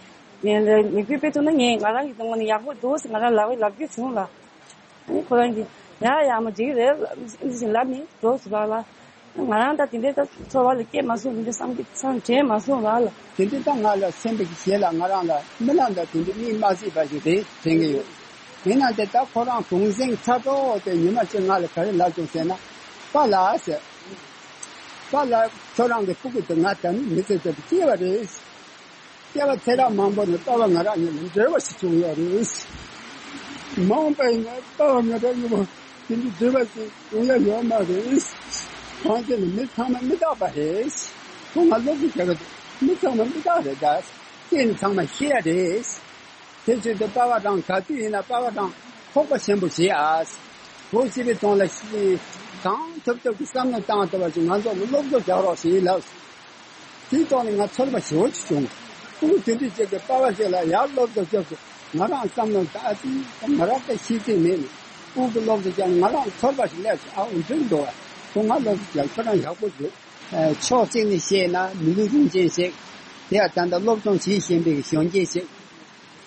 ལས་འགུལ་སྤེལ་ཐུབ་ན་ངས་ང་རང་གི་ངོས་ནས་ཡག་པོ་འདུག་ཟེར་ང་རང་ལབ་ལབ་རྒྱུ་བྱུང་ལ། ཨ་ནི་ཁོ་རང་གིས་ཡ་ཡ་མ་འགྲིག་རེད་ཨ་ནི་ལབ་ནས་འགྲོ་ཟེར་བ་ལ། ང་རང་ད་དེ་འདྲའི་ད་ཚོར་བ་ལ་སྐྱེས་མ་སོང་དེ་འདྲ་བསམ་གྱི་བསམ་དྲན་མ་སོང་བ་ལ། དེ་འདྲའི་ད་ང་ལ་སེམས་པའི་གཞས་ལ་ང་རང་ལ་མི་ལ་ད་དེ་འདྲའི་མིག་མ་གཟིགས་པ་ཞིག་རེད་དྲན་གྱི་ཡོད། ཡིན་ན་དེ་ད་ཁོ་རང་གུང་གསེང་ཚར་ཐོག་དེ་ཉི་མ་གཅིག་ང་ལ་ག་རེ་ལབ་བྱུང་ཟེར་ན། པཱ་ལགས་ཟེར། པཱ་ལགས་ཁྱོད་རང་གི་སྤུ་གུ་དེ་ང་ད་ནི་མི་ཚེ་དེ་སྐྱེལ་བ་རེད། སྐྱེ་བ་ཚེ་རབས་མང་པོ་ནས་པ་ཕ་ང་རང་གཉིས་ལ་འབྲེལ་བ་ཞིག་བྱུང་ཡོད་རེད། མ་འོངས་པ་ཡིན་ན་པ་ཕ་ང་རང་གཉིས་པོ་ དེ་འདྲ་བཟོས་པ་ཅིག་ཡོང་ཡ་ཡོད་མ་རེད། གང་ཅི་ནི་མི་ཚང་མ་མི་རྟག་པ་རེད། ཁོ་ང་སློབ་གསོ་རྒྱག་གི་འདུག་མི་ཚང་མ་མི་རྟག་རེད་ད། སྐྱེས་ནི་ཚང་མ་ཤི་ཡ་རེད། དེ་ཚོའི་དུ་པ་བ་རང་ག་དུས་ཡིན་ན་པ་བ་རང་ཁོག་པ་ཆེན་པོ་བྱེད་ཨ། སྒོ་ཕྱེ་བའི་དོན་ལ་ཤི་གང་ཐུབ་ཐུབ་ཀྱི་བསམ་བློ་བཏང་ཐུབ་པ་ཅིག་ང་ཚོ་ལ་སློབ་གསོ་རྒྱག་རོགས་ཞེས་ལབ། དེའི་ཐོག་ནས་ང་ཚོར་བ་ཞེ་པོ་ཅིག་བྱུང་། ཨུ་དེ་འདྲ་ཅིག་གི་པ་བ་ཅིག་ལ་ཡར་སློབ་གསོ་རྒྱབ་ཏུ་ང་རང་བསམ་བློ་ད་ཨ་ཙི་ང་རང་ད་ཤེས་ཚད་མེད་ནས་ཨུ་གི་སློབ་གསོ་རྒྱབ་ང་རང་ཚོར་བ་ཞིག་སླེབས་སོང་། ཨ་འུ་འདྲ་འདུག་བ། ཁོ་ང་སློབ་གསོ་རྒྱབ་ཁྱོད་རང་ཡག་པོ་འདུག་ཕྱོགས་གཅིག་ནས་བཤད་ན་མི་ལུས་རིན་ཆེན་ཞིག་དེ་ཡང་ད་ལྟ་སློབ་སྦྱོང་བྱེད་བཞིན་པའི་གཞོན་སྐྱེས་ཤིག་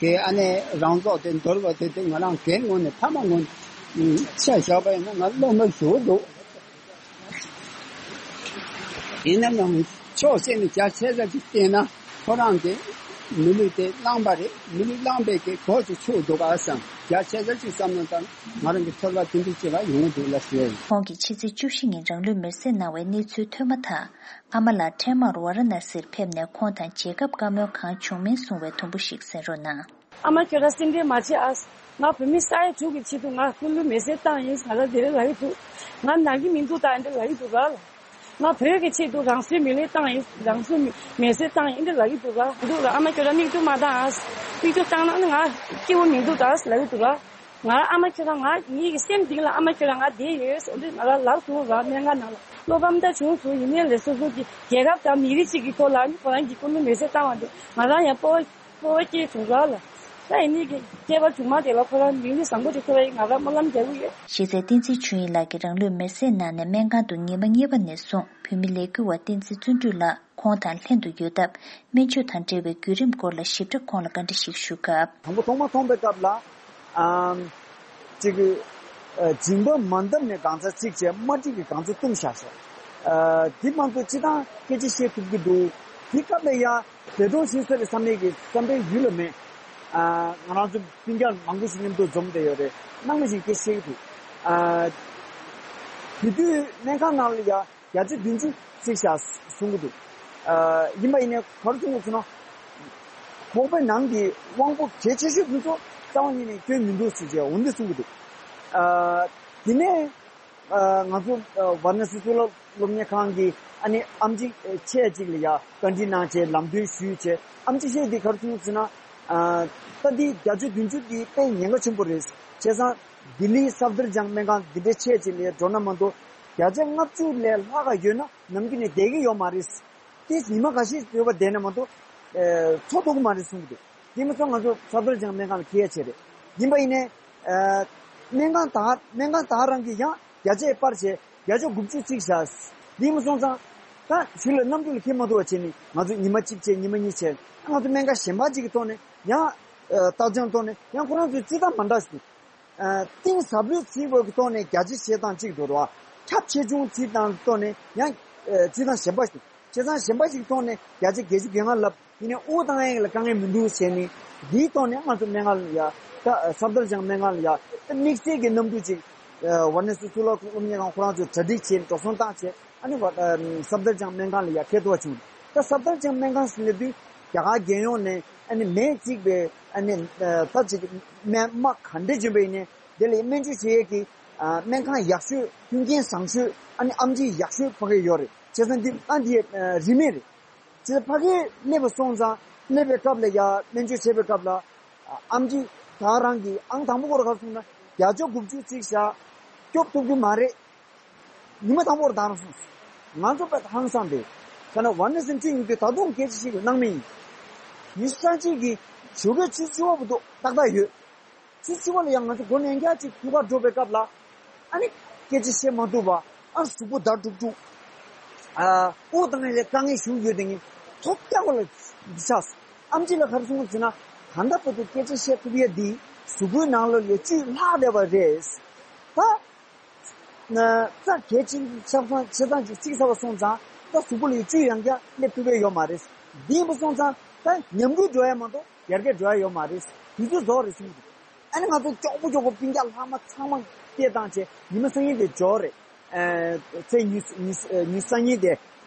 གི་ཨ་ནེ་རང་རྫོགས་དེ་འདོར་བ་དེ་དེ་ང་རང་གའི་ངོས་ནས་ཕ་མ་ངོས་ནས་ཆ་བཞག་པ་ཡིན་ན་ང་བློ་མ་ཞུ་འདུག་ཡིན་ན་ཡང་ཕྱོགས་གཅིག་ནས་རྒྱ་ཆེ་ས་ཅིག་བལྟས་ན་ཁོ་རང་གི་མི་ལུས་དེ་བླངས་པ་རེད། མི་ལུས་བླངས་པའི་གི་གོ་ཅིག་ཆོད་འདུག་ག་བསམ། རྒྱ་ཆེ་ས་ཅིག་བསམ་ན་ད་ང་རང་གི་ཚོར་བ་དེ་འདྲ་ཅིག་ལ་ཡོང་གི་འདུག་ལ་ཞུ་ཡ་ཡིན། ཁོང་གིས་ཕྱི་ཚེས་བཅུ་བཞི་ཉིན་རང་ལུས་མེར་སྲེག་གནང་བའི་གནས་ཚུལ་ཐོས་མ་ཐག་ཨ་མ་ལགས་འཕྲལ་མར་ཝཱ་ར་ཎ་སིར་ཕེབས་ནས་ཁོང་དང་མཇལ་ཁ་བཀའ་མོལ་གང་བྱུང་མིན་གསུང་བའི་དུམ་བུ་ཞིག་གསན་རོགས་གནང་། ཨ་མ་ཁྱོད་རང་སེམས་ཁྲལ་མ་བྱེད་ཨ། ང་བོད་མི་ས་ཡ་དྲུག་གི་ཆེད་དུ་ང་སྐུ་ལུས་མེར་སྲེག་བཏང་ཡིན། ང་རང་དེ་རིང་ལབ་ཀྱི་འདུག་ང་ན་གི་མི་འདུག་ད་འདི་ལབ་ཀྱི་འདུག་ར། ང་བོད་ཀྱི་ཆེད་དུ་རང་སྲོག་མེ་ལེན་བཏང་ཡིན། རང་སྲོག་མེ་མེར་སྲེག་བཏང་ཡིན་འདི་ལབ་ཀྱི་འདུག་ར། འདུག་ར། ཨ་མ་ཁྱོད་རང་མིག་ཆུ་མ་བཏང་ཨ། མིག་ཆུ་བཏང་ན་ནི་ང་སྐྱིད་པོ་མི་འདུག་ད་ལབ་ཀྱི་འདུག་ར། ང་ཨ་མ་ཁྱོད་རང་ང་ངེད་ཀྱི་སེམས་གཏིང་ལ་ཨ་མ་ཁྱོད་རང་ང་བསྡད་ཡོད་ཟེར་འདི་ང་ལ་ལབ་སོང་ར། སྨན་ཁང་ནང་ལ་བློ་ཕམ་ད་བྱུང་སོང་། ཡིན་ནའི་ལས་སོ་སོ་གི་རྒྱལ་ཁབ་དང་མི་རིགས་གཅིག་གི་ཐོག་ལ་ནི་ཁོ་རང་གི་སྐུ་ལུས་མེར་སྲེག་བཏང་བ་འདི་ང་རང་ཡང་སྤོབས་པ་སྤོབས་པ་སྐྱེས་བྱུང་ར་ལ། ད་ཡིན་ནའི་གི་སྐྱེས་པ་གྲོངས་མ་དེ་ལ་ཁོ་རང་མིག་ལུས་བཟང་པོ་ཅིག་ཐོབ་ཡ་ཡིན་ང་རང་སྨོན་ལམ་རྒྱག་གི་ཡོད། གཞི་རྩའི་བསྟན་འཛིན་ཆོས་དབྱིངས་ལགས་ཀྱིས་རང་ལུས་མེར་སྲེག་གནང་ནས་སྨན་ཁང་དུ་ཉི་མ་གཉིས་པ་ནས་བཟུང་བོད་མི་ལས་འགུལ་བ་བསྟན་འཛིན་བརྩོན་འགྲུས་ལགས་ཁོང་དང་ལྷན་དུ་ཡོད་སྟབས་སྨན་བཅོས་དང་འབྲེལ་བའི་བརྒྱུད་རིམ་སྐོར་ལ་ཞིབ་ཕྲ་ཁོང་ལ་བཀའ་འདྲི་ཞིག་ཞུ་སྐབས། དང་པོ་ཐོག་མ་མཐོང་པའི་སྐབས་ལ་ཨམ་ཅིག་ཨ་སྦྱིན་པ་མ་འདེབས་ནས་གང་ཚ་གཅིག་བྱས། མ་འགྲིག་གི་གང་ཚ་བཏུམ་བཞག་ཤག་ཨ་དེ་མ་གཏོགས་སྤྱི་བཏང་སྐད་ཆ་བཤད་ཐུབ་ཀྱི་འདུག་དེ་སྐབས་ལ་ཡ་འདས་གྲོངས་ཤི་ས་རེད་བསམ་ཡས་ཀྱི་བསམ་པའི་ཡུལ་ལ་མེད། ཨ་ང་རང་ཚོ་སྤུན་ཀྱག་མང་པོ་ཞིག་མཉམ་དུ་འཛོམས་བསྡད་ཡོད་རེད། ནང་མི་ཞིག་སྐད་བཤད་ཀྱི་འདུག་ཨ་དེ་དུས་སྨན་ཁང་ནང་ལ་ཡ་བརྒྱ་ཆ་བདུན་ཅུ་བརྩིས་བཞག་གསུང་གི་འདུག་ཨ་ཡིན་པ་ཡིན་ནའི་ག་རེ་གསུང་གི་འདུག་ཟེར་ན། ཁོག་པའི་ནང་གི་དབང་པོ་གལ་ཆེ་ཤོས་དེ་ཚོ་རྩ་བ་ཉིད་ནས་སྐྱོན་མི་འདུག་ཟེར་བྱས་འོ་འདི་གསུང་གི་འདུག་ཨ་དེ་ནས་ཨ་ང་ཚོ་ཨ་ཝཱ་ར་ཎ་སི་གཙུག་ལག་སློབ་གཉེར་ཁང་གི་ཨ་ནི་ཨེམ་ཆི་ཆེ་གཅིག་ལ་ཡ་བཀའ་འདྲི་གནང་བྱས་ལམ་སྟོན་ཞུས་བྱས། ཨེམ་ཆི་ཆེ་འདི་ག་རེ་གསུང་གི་འདུག་ཟེར་ན། ཨ་ད་འདི་བརྒྱ་ཆ་བདུན་ཅུ་འདི་དཔེ་ཉེན་ཁ་ཆེན་པོ་རེད། བྱས་ཙང་ལྡི་ལི་སབ་དར་ཇང་སྨན་ཁང་འདི་འདྲའི་ཆེ་ཆེ་ལ་འགྲོ་ན་མ་གཏོགས་བརྒྱ་ཆ་ལྔ་བཅུ་ལས་ལྷག་ག་ཡོད་ན་ནམ་རྒྱུན་ནས་བསྡད་ཀྱི་ཡོད་མ་རེད། དེ་ཉི་མ་འགའ་ཤས་ཡོད་པ་བསྡད་ན་མ་གཏོགས་ཨ་འཚོ་ཐུབ་ཀྱི་མ་རེད་གསུང་གི་འདུག་དེ་མ་ཚད་ང་ཚོ་སབ་དར་ཇང་སྨན་ཁང་ལ་ཁྱེད་ཡ་བྱས་རེད། ཡིན་པ་ཡིན་ནའི་ཨ་སྨན་ཁང་དག་སྨན་ཁང་དག་རང་གིས་ཡང་བརྒྱ་ཆ་སྤར་བྱས་བརྒྱ་ཆ་དགུ་བཅུ་བརྩིས་བཞག་དེ་མ་སོང་ཙང་ད་གཞུག་ལ་གནམ་གྲུ་ལ་འཁྱེར་མ་ཐུབ་པ་བྱས་ནས་ང་ཚོ་ཉི་མ་གཅིག་བྱས་ཉི་མ་གཉིས་བྱས་ང་ཚོ་སྨན་ཁང་གཞན་པ་ཅིག་གི་ཐོག་ནས་ཡང་ཨ་ལྟ་སྦྱོང་ཐོག་ནས་ཡང་ཁོ་རང་ཚོའི་རྩིས་ཐང་མ་འདྲ་ཞིག་འདུག་ཨ་གཏིང་ཟབ་ལོས་བརྩིས་པའི་ཐོག་ནས་བརྒྱ་ཆ་བཞི་དང་གཅིག་འགྲོ་རོགས། ཁྱབ་ཆེ་ཆུང་བརྩིས་དང་ཐོག་ནས་ཡང་ཨ་བརྩི་སྟངས་གཞན་པ་ཞིག་བྱས་ཙང་གཞན་པ་ཞིག་ཐོག་ནས་བརྒྱ་ཆ་བརྒྱད་ཅུ་གྱ་ལྔ་ལབ་ཡིན་ནའི་དབུགས་གཏོང་ཡས་ལ་དཀའ་ངལ་མི་འདུག་ཟེར་ནས་འདིའི་ཐོག་ནས་ང་ཚོ་སྨན་ཁང་ལ་ཡ་ད་སབ་དར་ཇང་སྨན་ཁང་ལ་ཡ་ད་དམིགས་བསལ་གྱི་གནམ་གྲུ་ཅིག་ཝཱ་ར་ཎ་སི་གཙུག་ལག་སློབ་གཉེར་ཁང་ཁོ་རང་ཚོས་གྲ་སྒྲིག་བྱས་འགྲོ་སོང་བཏང་བྱས། ཨ་ནི་ཝ་ཨ་སབ་དར་ཇང་སྨན་ཁང་ལ་ཡ་ཁེ་ཐོག་བྱུང་། ད་སབ་དར་ཇང་སྨན་ཁང་ཟེར་ལབ་དུས་རྒྱ་གར་རྒྱལ་ཡོངས་ནས་ཨ་ནི་མེས་བརྩིགས་པའི་ཨ་ནི་ཨ་ད་ཅིག་སྨན་དམག་ག་འདྲས་བྱོན་པ་ཡིན་ནའི་དེ་ལ་སྨན་བཅོས་བྱེད་ཡས་ཀྱི་ཨ་སྨན་ཁང་ཡག་ཤོས་མཐུན་རྐྱེན་བཟང་ཤོས་ཨ་ནི་ཨེམ་ཆི་ཡག་ཤོས་ཕ་གིར་ཡོད་རེད། བྱས་ཙང་འདི་ཨ་འདི་ཨ་རིན་མེད་རེད། བྱས་ཙང་ཕ་གིར་སླེབས་པ་སོང་ཙང་སླེབས་པའི་སྐབས་ལ་ཡ་སྨན་བཅོས་བྱེད་པའི་སྐབས་ལ་ཨ་ཨེམ་ཆི་ད་རང་གི་ཨང་དང་པོ་སྐོར་ག་རེ་གསུངས་ན་བརྒྱ་ཆ་དགུ་བཅུ་བརྩིས་བཞག་སྐྱོབ་ཐུབ་རྒྱུ་མ་རེད། ཉི་མ་དང་པོར་བདག་རང་སོང་། ང་ཚོ་དཔེ་ཧང་སངས་ཏེ། ཁ་ན་ཝཱ་ར་ཎ་སིར་ཁྲིད་ཡོང་དུས་ད་དུང་སྐད་ཆ་བཤད་ཀྱི་སྣང་མེད་ཡིན། ཉི་ཤུ་རྩ་གཅིག་གི་ཞོགས་ཀས་ཆུ་ཚོད་བཅུ་པ་བར་དུ་ཏག་ཏག་ཡོད། ཆུ་ཚོད་བཅུ་པ་ལ་ཡང་ང་ཚོ་སྒོ་ནས་ཡང་བསྐྱར་ཅིག་ཐུག་གར་འགྲོ་བའི་སྐབས་ལ། ཨ་ནི་སྐད་ཆ་བཤད་མ་ཐུབ་པ། ཨ་གཟུགས་པོ་འདར་དཀྲུག་དཀྲུག་ཨ་དབུགས་གཏོང་ཡས་ལ་དཀའ་ངལ་ཞིག་ཡོད་དེ་ངས་ཐོབ་རྒྱག་པ་ལ་འདི་ཆགས་སོང་། ཨེམ་ཆི་ལ་ག་རེ་གསུངས་པ་ཟེར་ན། ད་ལྟ་བར་དུ་སྐད་ཆ་བཤད་ཐུབ་ཡས་འདི་གཟུགས་པོའི་ནང་ལོགས་ལ་བཅུད་ལྷག་བསྡད་པ་རེད། ད་ན་རྩ་གལ་ཆེན་ཆ་ཚང་ཆ་ཚང་ཅིག་བརྩིགས་ཚར་བ་སོང་ཙང་ད་གཟུགས་པོ་ལ་བཅུད་ཡང་བསྐྱར་སླེབས་ཐུབ་ཡས་ཡོད་མ་རེད། འདི་ཡིན་པ་སོང་ཙང་ད་ཉམས་རྒུད་འགྲོ་ཡས་མ་གཏོགས་ཡར་རྒྱས་འགྲོ་ཡས་ཡོད་མ་རེད། དུས་ཚོད་རྫོགས་རེད་གསུངས་འདུག་ཨ་ནི་ང་ཚོ་མགྱོགས་པོ་མགྱོགས་པོ་སྤུན་ཀྱག་ལྷག་མ་ཚང་མ་སྐད་བཏང་བྱས་ཉི་མ་སང་ཉིན་དེ་འབྱོར་རེད། ཨ་ཚེས་ཉི་ཉི་ཉི་སང་ཉིན་དེ།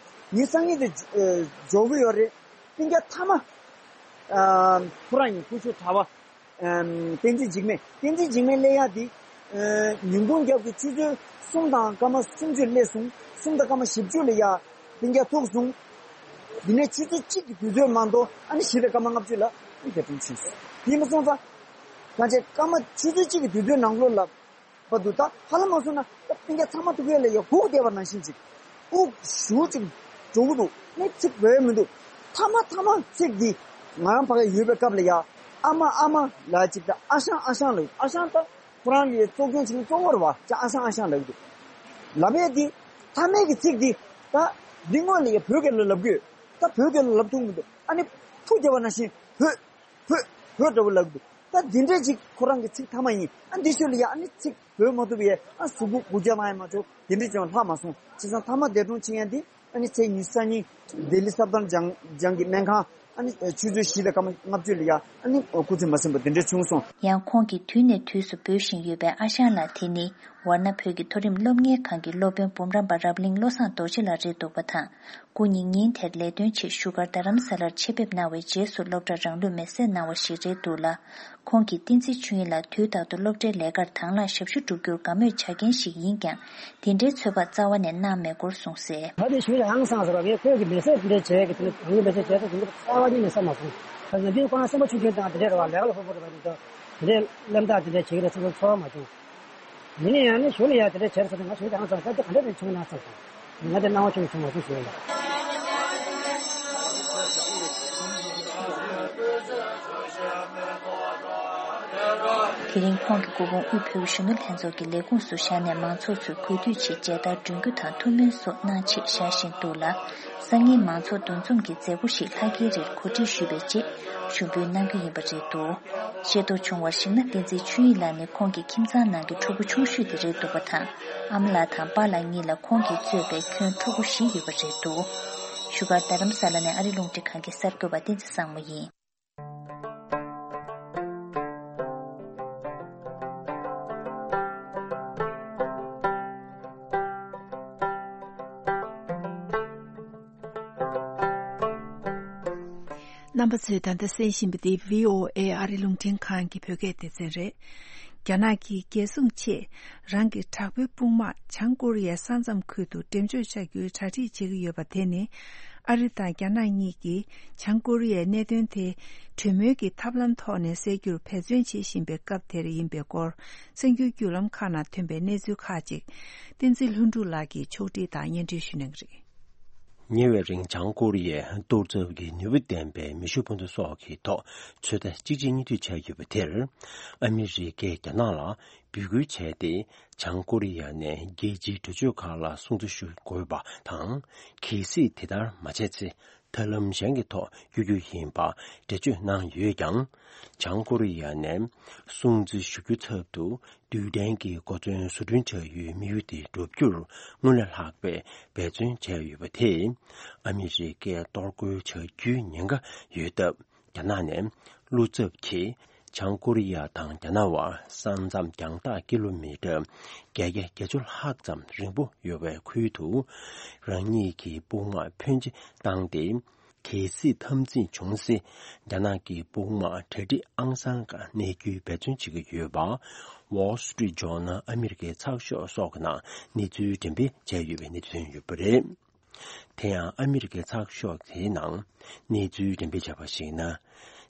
ཉི་སང་ཉིན་དེ་འབྱོར་གྱི་ཡོད་རེད། སྤུན་ཀྱག་མཐའ་མ་ཨ་ཁོ་རང་ཡིན། སྐུ་ཞབས་གྲྭ་པ་ཨ་བསྟན་འཛིན་འཇིགས་མེད། བསྟན་འཛིན་འཇིགས་མེད་སླེབས་ཡག་དེ་ ཉིན་གུང་རྒྱབ་ཀྱི་ཆུ་ཚོད་གསུམ་དང་སྐར་མ་སུམ་ཅུ་སླེབས་སོང་། གསུམ་དང་སྐར་མ་བཞི་བཅུ་ལ་ཡ་སྤུན་ཀྱག་ཐུག་སོང་། དེ་ནས་ཆུ་ཚོད་གཅིག་གི་དུས་ཚོད་མ་གཏོགས་ཨ་ནི་བཞི་དང་སྐར་མ་ལྔ་བཅུ་ལ་ཨ་ནི་འདས་གྲོངས་ཕྱིན་སོང་། དེ་མ་སོང་ཙང་། གང་བྱས་སྐར་མ་ཆུ་ཚོད་གཅིག་གི་དུས་ཚོད་ནང་ལོགས་ལ་བར་དུ་ད་ཧ་ལམ་མ་སོང་ན་ད་སྤུན་ཀྱག་ཚང་མ་ཐུག་ཡས་ལ་ཡ་སྒུག་བསྡད་པ་ནང་བཞིན་ཅིག་སྒུག་ཞུ་ཅིག་འགྲོ་གི་འདུག་ནི་ཚིག་བོད་མི་འདུག་མཐའ་མ་མཐའ་མ་ཚིག་འདི་ང་རང་ཕ་གི་ཡོད་པའི་སྐབས་ལ་ཡ་ཨ་མ་ཨ་མ་ལ་ཅིག་ད་ཨ་ཞང་ཨ་ཞང་ལ་ཨ་ཞང་ད། ཁོ་རང་གི་གཙོ་སྐྱོང་བྱེད་མཁན་གཙོ་བོ་རེད་བ། ཅ་ཨ་ཞང་ཨ་ཞང་ལབ་ཀྱི་འདུག་ལབ་ཡས་འདི་མཐའ་མའི་གི་ཚིག་འདི་ད་འདི་སྔོན་ལ་ཡ་བོད་སྐད་ལ་ལབ་དགོས། ད་བོད་སྐད་ལ་ལབ་ཐུབ་མི་འདུག་ཨ་ནི་ཐུག་བསྡད་པ་ནང་བཞིན་བོད་བོད་བོད་འདྲ་བོ་ལབ་ཀྱི་འདུག་ད་འདི་འདྲས་ཅིག་ཁོ་རང་གི་ཚིག་མཐའ་མ་ཡིན། ཨ་འདི་ཤོད་ལ་ཡ་ཨ་ནི་ཚིག་བོད་མ་ཐུབ་པ་ཡས་ཨ་གཟུགས་པོ་སྒུག་རྒྱ་གནང་ཡས་མ་ཆོག་དེ་འདྲས་ཀྱང་ལྷག་མ་སོང་། བྱས་ཙང་མཐའ་མ་འདས་གྲོངས་ཕྱིན་ཡས་འདི། ཨ་ནི་ཚེས་ཉི་ཤུ་རྩ་གཉིས་ལྡི་ལི་སབ་དར་ཇང་ཇང་གི་སྨན་ཁང་། ཨ་ནི་ཆུ་ཚོད་བཞི་དང་སྐར་མ་ལྔ་བཅུ་ལ་ཡ་ཨ་ནི་སྐུ་ཚེ་མ་ཟིན་པ་དེ་འདྲ་བྱུང་སོང་། ཡང་ཁོང་གིས་དུས་ནས་དུས་སུ་འབོད་བཞིན་ཡོད་པའི་ཨ་ཞང་ལགས་དེ་ནི་ཝར་ན་བོད་ཀྱི་མཐོ་རིམ་སློབ་གཉེར་ཁང་གི་སློབ་དཔོན་འབུམ་རམས་པ་རབ་གླིང་བློ་བཟང་རྡོ་རྗེ་ལགས་རེད་འདུག་པ་དང་། སྐུ་ཉིད་ཉིན་དེར་ལས་དོན་ཆེད་བཞུགས་སྒར་རྡ་རམ་ས་ལར་ཆེད་ཕེབས་གནང་བའི་རྗེས་སུ་སློབ་གྲྭར་རང་ལུས་མེར་སྲེག་གནང་བ་ཞིག་རེད་འདུག་ལ། ཁོང་གིས་བསྟན་འཛིན་ཆོས་དབྱིངས་ལགས་དུས་རྟག་ཏུ་སློབ་གྲྭའི་ལས་ཀར་དང་བླངས་ཞབས་ཞུ་བསྒྲུབ་རྒྱུར་དགའ་མོས་བྱ་མཁན་ཞིག་ཡིན་ཀྱང་། དེ་འདྲའི་ཚོད་དཔག་རྩ་བ་ནས་གནང་མེད་སྐོར་གསུངས་གསལ། ད་དེ་ཞུ་ཡང་སང་ཟེར་བ་ངས་ཁོས་ཀྱི་མེ་སྲེག་དེ་འདྲའི་བྱས་ཀྱི་དེ་ནི་རང་ཉིད་མེ་སྲེག་བྱས་ཏེ་དེ་འདྲ་རྩ་བ་ཉིད་ནས་བསམ་མ་སོང་། ད་ནམ་རྒྱུན་ཁོ་རང་སེམས་པ་ཆུང་ཆུང་དང་དེ་འདྲའི་རེད་བ། ལས་ཀ་ལ་ཕོག་པོ་རེད་བ། དེ་འདྲ་དེ་འདྲའི་གླེན་རྟགས་དེ་འདྲ་བྱེད་ཀྱི་རེད་བསམ་པའི་ཚོར་བ་མ་བྱུང་། ཡིན་ན་ཡང་ནི་གཞུག་ལ་ཡང་དེ་འདྲ་བྱས་ཟེར་ཏེ་ང་ཞུ་ཡང་སང་ད་དེ་ག་འདྲ་རེད་བྱུང་ན་བསམ་སོང་། ང་དེ་སྣང་བ་ཆུང་བྱུང་བ་ཞིག་ཞུ་ཡ། དེ་རིང་ཁོང་གི་སྐུ་ཕུང་དབུས་བོད་གཞོན་ནུ་ལྷན་ཚོགས་ཀྱི་ལས་ཁུངས་སུ་བཞག་ནས་མང་ཚོགས་ཚོས་གུས་འདུད་ཆེད་མཇལ་དར་སྒྲོན་རྒྱུ་དང་ཐུགས་སྨོན་སོགས་གནང་ཆེད་བཞག་བཞིན་འདུག་ལ། སང་ཉིན་མང་ཚོགས་འདུ་འཛོམས་ཀྱི་མཛད་སྒོ་ཞིག་ལྷག་དཀྱིལ་རེར་གོ་སྒྲིག་ཞུས་པའི་རྗེས་ཞུགས་འབུལ་གནང་རྒྱུ་ཡིན་པ་རེད་འདུག་ཤེས་རྟོགས་བྱུང་བར་གཞིགས་ན་བསྟན་འཛིན་ཆོས་དབྱིངས་ལགས་ནི་ཁོང་གི་ཁྱིམ་ཚང་ནང་གི་ཕྲུ་གུ་ཆུང་ཤོས་དེ་རེད་འདུག་པ་དང་། ཨ་མ་ལགས་དང་པཱ་ལགས་གཉིས་ལ་ཁོང་གིས་གཙོས་པའི་ཁྱོན་ཕྲུ་གུ་བཞི་ཡོད་པ་རེད་འདུག་བཞུགས་སྒར་རྡ་རམ་ས་ལ་ནས་ཨ་རི་རླུང་འཕྲིན་ཁང་གི་གསར་འགོད་པ་བསྟན་འཛིན་བཟང་མོ་ཡིན། རྣམ་པ་ཚོས་ད་ལྟ་གསན་བཞིན་པ་འདི་བྷི་ཨོ་ཨེ་ཨ་རི་རླུང་འཕྲིན་ཁང་གི་བོད་སྐད་སྡེ་ཚན་རེད། རྒྱ་ནག་གིས་རྒྱལ་སྲུང་ཆེད་རང་གི་དྲག་པོའི་དཔུང་དམག་བྱང་ཀོ་རི་ཡའི་ས་མཚམས་ཁུལ་དུ་འགྲེམས་འཇོག་བྱ་རྒྱུའི་གྲ་སྒྲིག་བྱེད་ཀྱི་ཡོད་པ་དེ་ནི། ཨ་རི་དང་རྒྱ་ནག་གཉིས་ཀྱིས་བྱང་ཀོ་རི་ཡའི་གནད་དོན་དེ་གྲོས་མོལ་གྱི་ཐབས་ལམ་ཐོག་ནས་སེལ་རྒྱུར་འབད་བརྩོན་བྱེད་བཞིན་པའི་སྐབས་དེར་ཡིན་པའི་སྐོར། གསར་འགྱུར་བརྒྱུད་ལམ་ཁག་ནང་ཐོན་པའི་གནས་ཚུལ་ཁག་ཅིག་བསྟན་འཛིན་ལྷུན་གྲུབ་ལགས་ཀྱིས་ཕྱོགས་སྒྲིག་དང་སྙན་སྒྲོན་ཞུ་གནང་གི་རེད། ཉེ་བའི་རིང་བྱང་ཀོ་རི་ཡས་གཏོར་ཚབ་ཀྱི་ནུས་པ་ལྡན་པའི་མེ་ཤུགས་འཕུར་མདའ་སོགས་ཀྱི་ཐོག་ཚོད་ལྟ་གཅིག་རྗེས་གཉིས་མཐུད་བྱས་ཡོད་པ་དེར། ཨ་མི་རི་ཀས་རྒྱ་ནག་ལ་འབོད་སྐུལ་བྱས་ཏེ། བྱང་ཀོ་རི་ཡ་ནས་རྒྱལ་སྤྱིའི་གྲོས་ཆོད་ཁག་ལ་སྲུང་བརྩི་ཞུ་དགོས་པ་དང་། གལ་སྲིད་དེ་ལྟར་མ་བྱས་ཚེ། ཐབས་ལམ་གཞན་གྱི་ཐོག་བསྐྱོད་རྒྱུ་ཡིན་པ་འགྲེལ་བརྗོད་གནང་ཡོད་ཀྱང་། བྱང་ཀོ་རི་ཡ་ནས་སྲུང་བརྩི་ཞུ་རྒྱུའི་ཚབ་ཏུ། རྡུལ་ཕྲན་གྱི་གོ་མཚོན་བཟོ་སྐྲུན་བྱ་ཡུལ་དམིགས་ཡུལ་དེ་འགྲུབ་རྒྱུར་སྔོན་ལས་ལྷག་པའི་འབད་བརྩོན་བྱས་ཡོད་པ་དེས། ཨ་མི་རི་ཀས་གཏོར་རྒོལ་བྱ་རྒྱུའི་ཉེན་ཁ་ཡོད་སྟབས། རྒྱ་ནག་ནས་བློ་འཚབ་ཀྱིས་བྱང་ཀོ་རི་ཡ་དང་རྒྱ་ནག་དབར་ས་མཚམས་རྒྱང་ཐག་ཀི་ལོ་མི་ཊར་བརྒྱད་བརྒྱ་བརྒྱད་ཅུ་ལྷག་ཙམ་རིང་པོ་ཡོད་པའི་ཁུལ་དུ། རང་ཉིད་ཀྱི་དཔུང་དམག་འཕོན་ཆེ་བཏང་སྟེ། གལ་སྲིད་འཐབ་འཛིང་བྱུང་ཚེ། རྒྱ་ནག་གི་དཔུང་དམག་གྲ་སྒྲིག་ཨང་གསར་སྒང་གནས་རྒྱུའི་འབད་བརྩོན་བྱེད་ཀྱི་ཡོད་པ། Wall Street Journal ཨ་མི་རི་ཀའི་ཚགས་ཤོག་སོགས་ཀྱི་ནང་གནས་ཚུལ་འགྲེམས་སྤེལ་བྱས་ཡོད་པའི་གནས་ཚུལ་ཐོན་ཡོད་པ་རེད། དེ་ཡང་ཨ་མི་རི་ཀའི་ཚགས་ཤོག་དེའི་ནང་གནས་ཚུལ་འགྲེམས་སྤེལ་བྱས་པར་གཞིགས་ན།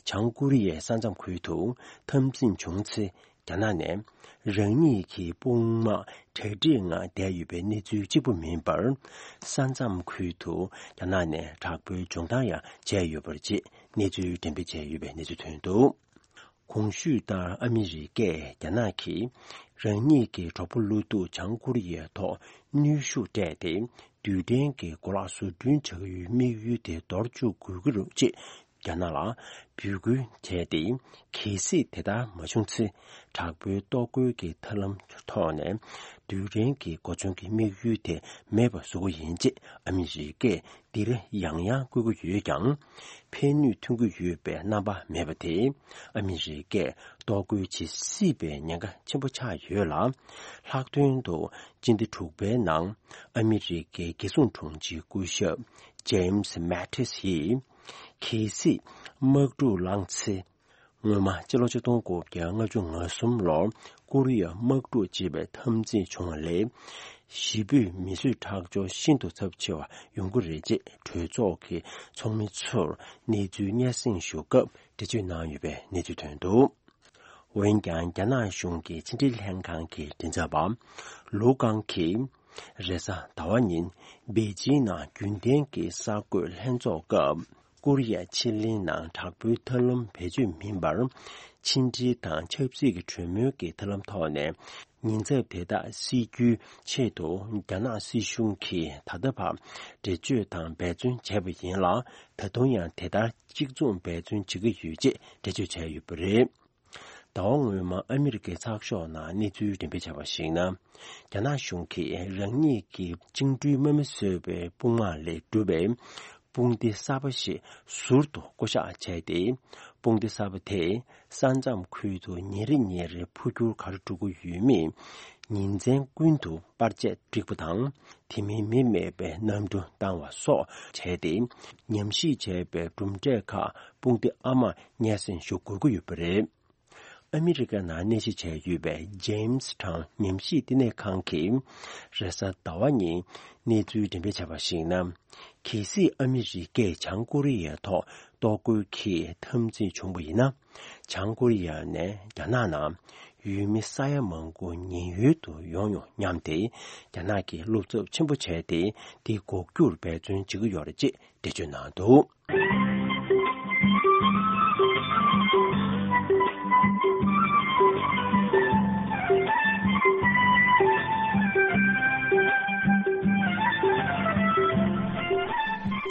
བྱང་ཀོ་རི་ཡའི་ས་མཚམས་ཁུལ་དུ་འཐབ་འཛིང་བྱུང་ཚེ། རྒྱ་ནག་ནས་རང་ཉིད་ཀྱི་དཔུང་དམག་གྲ་སྒྲིག་ངང་བསྡད་ཡོད་པའི་གནས་ཚུལ་གཅིག་པུ་མིན་པར། ས་མཚམས་ཁུལ་དུ་རྒྱ་ནག་ནས་དྲག་པོའི་སྦྱོང་བརྡར་ཡང་བྱས་ཡོད་པར་བཅས་གནས་ཚུལ་འགྲེམས་སྤེལ་བྱས་ཡོད་པའི་གནས་ཚུལ་ཐོན་འདུག་གོང་ཞུས་ལྟར་ཨ་མི་རི་ཀས་རྒྱ་ནག་གིས་རང་ཉིད་ཀྱི་གྲོགས་པོ་བློ་སྡུག་བྱང་ཀོ་རི་ཡའི་ཐོག་གནོན་ཤུགས་སྤྲད་དེ། རྡུལ་ཕྲན་གྱི་གོ་ལག་བཟོ་སྐྲུན་བྱ་ཡུལ་དམིགས་ཡུལ་དེ་འདོར་བཅུག་དགོས་ཀྱི་རེད་ཅེས། རྒྱ་ནག་ལ་འབོད་སྐུལ་བྱས་ཏེ། གལ་སྲིད་དེ་ལྟར་མ་བྱུང་ཚེ། དྲག་པོའི་གཏོར་རྒོལ་གྱི་ཐབས་ལམ་ཐོག་ནས་རྡུལ་ཕྲན་གྱི་གོ་མཚོན་གྱི་དམིགས་ཡུལ་དེ་མེད་པ་བཟོ་དགོས་ཡིན་ཅེས་ཨ་མི་རི་ཀས་འདིར་ཡང་ཡང་བསྐུལ་གྱི་ཡོད་ཀྱང་། ཕན་ནུས་ཐོན་གྱི་ཡོད་པའི་རྣམ་པ་མེད་པ་དེས། ཨ་མི་རི་ཀས་གཏོར་རྒོལ་བྱེད་སྲིད་པའི་ཉེན་ཁ་ཆེན་པོ་ཆགས་ཡོད་ལ། ལྷག་དོན་དུ་སྤྱི་ཟླ་དྲུག་པའི་ནང་ཨ་མི་རི་ཀའི་རྒྱལ་སྲུང་དྲུང་ཆེ་སྐུ་ཞབས་James Mattis ཡིས། གལ་སྲིད་དམག་འཁྲུག་ལངས་ཚེ། སྔོན་མ་སྤྱི་ལོ་ཆིག་སྟོང་དགུ་བརྒྱ་ལྔ་བཅུ་ང་གསུམ་ལོར་ཀོ་རི་ཡ་དམག་འཁྲུག་ཅེས་པའི་འཐབ་འཛིང་བྱུང་བ་ལས། གཞིས་སྤོས་མི་གསོད་ཁྲག་སྦྱོར་ཤིན་ཏུ་ཚབས་ཆེ་བ་ཡོང་གི་རེད་ཅེས་གྲོས་ཚོགས་ཀྱི་ཚོགས་མི་ཚོར་གནས་ཚུལ་སྙན་སེང་ཞུ་སྐབས་འགྲེལ་བརྗོད་གནང་ཡོད་པའི་གནས་ཚུལ་ཐོན་འདུག་འོན་ཀྱང་རྒྱ་ནག་གཞུང་གི་ཕྱི་འབྲེལ་ལྷན་ཁང་གི་མགྲིན་ཚབ་པ་ལུའུ་ཀང་གིས་རེས་གཟའ་ཟླ་བ་ཉིན་པེ་ཅིང་ནང་རྒྱུན་ལྡན་གྱི་གསར་འགོད་ལྷན་ཚོགས་སྐབས། ཀོ་རི་ཡ་ཕྱེད་གླིང་ནང་དྲག་པོའི་ཐབས་ལམ་བེད་སྤྱོད་མིན་པར། ཕྱི་འབྲེལ་དང་ཆབ་སྲིད་ཀྱི་གྲོས་མོལ་གྱི་ཐབས་ལམ་ཐོག་ནས་ཉེན་ཚབས་དེ་དག་སེལ་རྒྱུའི་ཆེད་དུ་རྒྱ་ནག་སྲིད་གཞུང་གིས་ད་ལྟ་བར་འགྲེལ་བརྗོད་དང་འབད་བརྩོན་བྱས་པ་ཡིན་ལ། ད་དུང་ཡང་དེ་ལྟར་གཅིག་མཚུངས་འབད་བརྩོན་བྱེད་ཀྱི་ཡོད་ཅེས་འགྲེལ་བརྗོད་བྱས་ཡོད་པ་རེད། ཟླ་བ་སྔོན་མ་ཨ་མི་རི་ཀའི་ཚགས་ཤོག་ནང་གནས་ཚུལ་འགྲེམས་སྤེལ་བྱས་པར་གཞིགས་ན། རྒྱ་ནག་གཞུང་གིས་རང་ཉིད་ཀྱི་བཅིངས་འགྲོལ་དམག་མི་བཟོས་པའི་དཔུང་དམག་ལས་གྲུབ་པའི་དཔུང་སྡེ་གསར་པ་ཞིག་ཟུར་དུ་བསྐོ་གཞག་བྱས་ཏེ། དཔུང་སྡེ་གསར་པ་དེས་ས་མཚམས་ཁུལ་དུ་ཉིན་རེ་ཉིན་རེ་འཕོ་འགྱུར་ག་རེ་འགྲོ་གི་ཡོད་མེད། ཉིན་མཚན་ཀུན་ཏུ་པར་ཆས་སྒྲིག་པ་དང་། དེ་མིན་མི་མེད་པའི་གནམ་གྲུ་བཏང་བ་སོགས་བྱས་ཏེ། ཉམས་ཞིབ་བྱས་པའི་གྲུབ་འབྲས་ཁག་དཔུང་སྡེ་ཨ་མར་སྙན་སེང་ཞུ་དགོས་ཀྱི་ཡོད་པ་རེད། ཨ་མི་རི་ཀ་ནང་གནས་གཞི་བྱས་ཡོད་པའི་ཇེམ་སི་ཊའུན་ཉམས་ཞིབ་བསྟི་གནས་ཁང་གིས་རེས་གཟའ་ཟླ་བ་ཉིན་གནས་ཚུལ་འགྲེམས་སྤེལ་བྱས་པར་གཞིགས་ན། གལ་སྲིད་ཨ་མི་རི་ཀས་བྱང་ཀོ་རི་ཡའི་ཐོག་གཏོར་རྒོལ་གྱི་འཐབ་འཛིང་བྱུང་བ་ཡིན་ན། བྱང་ཀོ་རི་ཡ་ནས་རྒྱ་ནག་ནང་ཡུལ་མི་ས་ཡ་མང་པོ་ཉེན་གཡོལ་དུ་ཡོང་ཡོང་སྙམ་སྟེ། རྒྱ་ནག་གིས་བློ་འཚབ་ཆེན་པོ་བྱས་ཏེ། དེ་འགོག་རྒྱུར་འབད་བརྩོན་བྱེད་ཀྱི་ཡོད་རེད་ཅེས་འགྲེལ་བརྗོད་གནང་འདུག་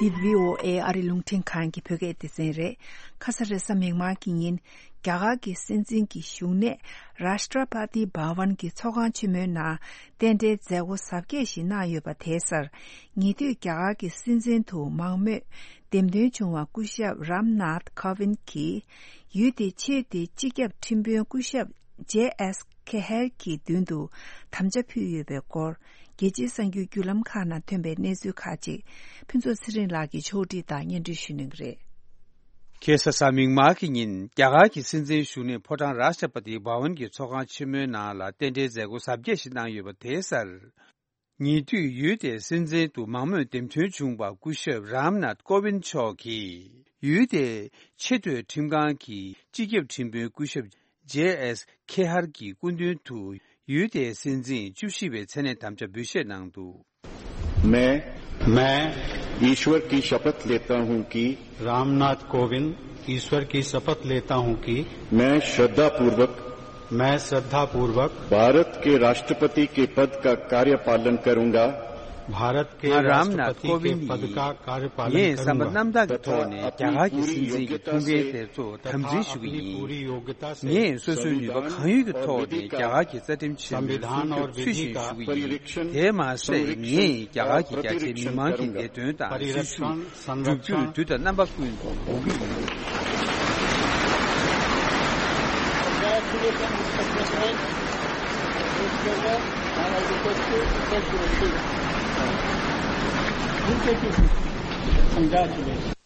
འདི་བྷི་ཨོ་ཨེ་ཨ་རི་རླུང་འཕྲིན་ཁང་གི་བོད་སྐད་སྡེ་ཚན་རེད། ཁ་ས་རེས་གཟའ་མིག་དམར་གྱི་ཉིན། རྒྱ་གར་གྱི་སྲིད་འཛིན་གྱི་བཞུགས་གནས་Rashtrapati Bhavan གྱི་ཚོགས་ཁང་ཆེན་མོའི་ནང་རྟེན་འབྲེལ་མཛད་སྒོ་གཟབ་རྒྱས་ཤིག་གནང་ཡོད་པ་དེའི་སར། ཉེ་དུས་རྒྱ་གར་གྱི་སྲིད་འཛིན་དུ་མང་མོས་འདེམས་ཐོན་བྱུང་བ་སྐུ་ཞབས་Ram Nath Kovind གྱིས། ཡུལ་དེའི་ཆེས་མཐོའི་སྤྱི་ཁྱབ་ཁྲིམས་དཔོན་སྐུ་ཞབས་J S Khehar གྱི་མདུན་དུ་དམ་བཅའ་ཕུལ་ཡོད་པའི་སྐོར། རྒྱལ་སྤྱིའི་གསར་འགྱུར་བརྒྱུད་ལམ་ཁག་ནང་ཐོན་པའི་གནས་ཚུལ་ཁག་ཅིག་ཕུན་ཚོགས་ཚེ་རིང་ལགས་ཀྱིས་ཕྱོགས་སྒྲིག་དང་སྙན་སྒྲོན་ཞུ་གནང་གི་རེད། ཁ་ས་གཟའ་མིག་དམར་གྱི་ཉིན་རྒྱ་གར་གྱི་སྲིད་འཛིན་བཞུགས་གནས་ཕོ་བྲང་Rashtrapati Bhavan གྱི་ཚོགས་ཁང་ཆེན་མོའི་ནང་ལ་རྟེན་འབྲེལ་མཛད་སྒོ་གཟབ་རྒྱས་ཤིག་གནང་ཡོད་པ་དེའི་སར། ཉེ་དུས་ཡུལ་དེའི་སྲིད་འཛིན་དུ་མང་མོས་འདེམས་ཐོན་བྱུང་བ་སྐུ་ཞབས་Ram Nath Kovind མཆོག་གིས། ཡུལ་དེའི་ཆེས་མཐོའི་ཁྲིམས་ཁང་གི་སྤྱི་ཁྱབ་ཁྲིམས་དཔོན་སྐུ་ཞབས་J S Khehar གྱི་སྐུ་མདུན་དུ། ཡུལ་དེའི་སྲིད་འཛིན་བཅུ་བཞི་པའི་མཚན་གནས་དམ་བཅའ་འབུལ་བཞེས་གནང་འདུག मैं मैं ईश्वर की शपथ लेता हूं कि रामनाथ कोविंद ईश्वर की शपथ लेता हूं कि मैं श्रद्धापूर्वक मैं श्रद्धापूर्वक भारत के राष्ट्रपति के पद का कार्यपालन करूंगा। भारत के राष्ट्रपति के पद का कार्यपालन करूंगा। ངས་བསམ་པ་རྣམ་དག་གི་ཐོག་ནས་རྒྱ་གར་གྱི་སྲིད་འཛིན་གྱི་ཐུགས་འགན་དེ་ཚོ་དམ་འཛིན་ཞུ་གི་ཡིན། ངས་སོ་སོའི་ནུས་པ་གང་ཡོད་ཀྱི་ཐོག་ནས་རྒྱ་གར་གྱི་རྩ་ཁྲིམས་ཆེན་མོའི་སྲུང་སྐྱོབ་ཚུལ་བཞིན་ཞུ་གི་ཡིན། དེས་མ་ཟད། ངས་རྒྱ་གར་གྱི་རྒྱ་ཆེའི་མི་མང་གི་བདེ་དོན་དང་སྲིད་ཇུས་བསྒྲུབ་རྒྱུར་དུས་དང་རྣམ་པ་ཀུན་ཏུ་འོང་གི་ཡིན།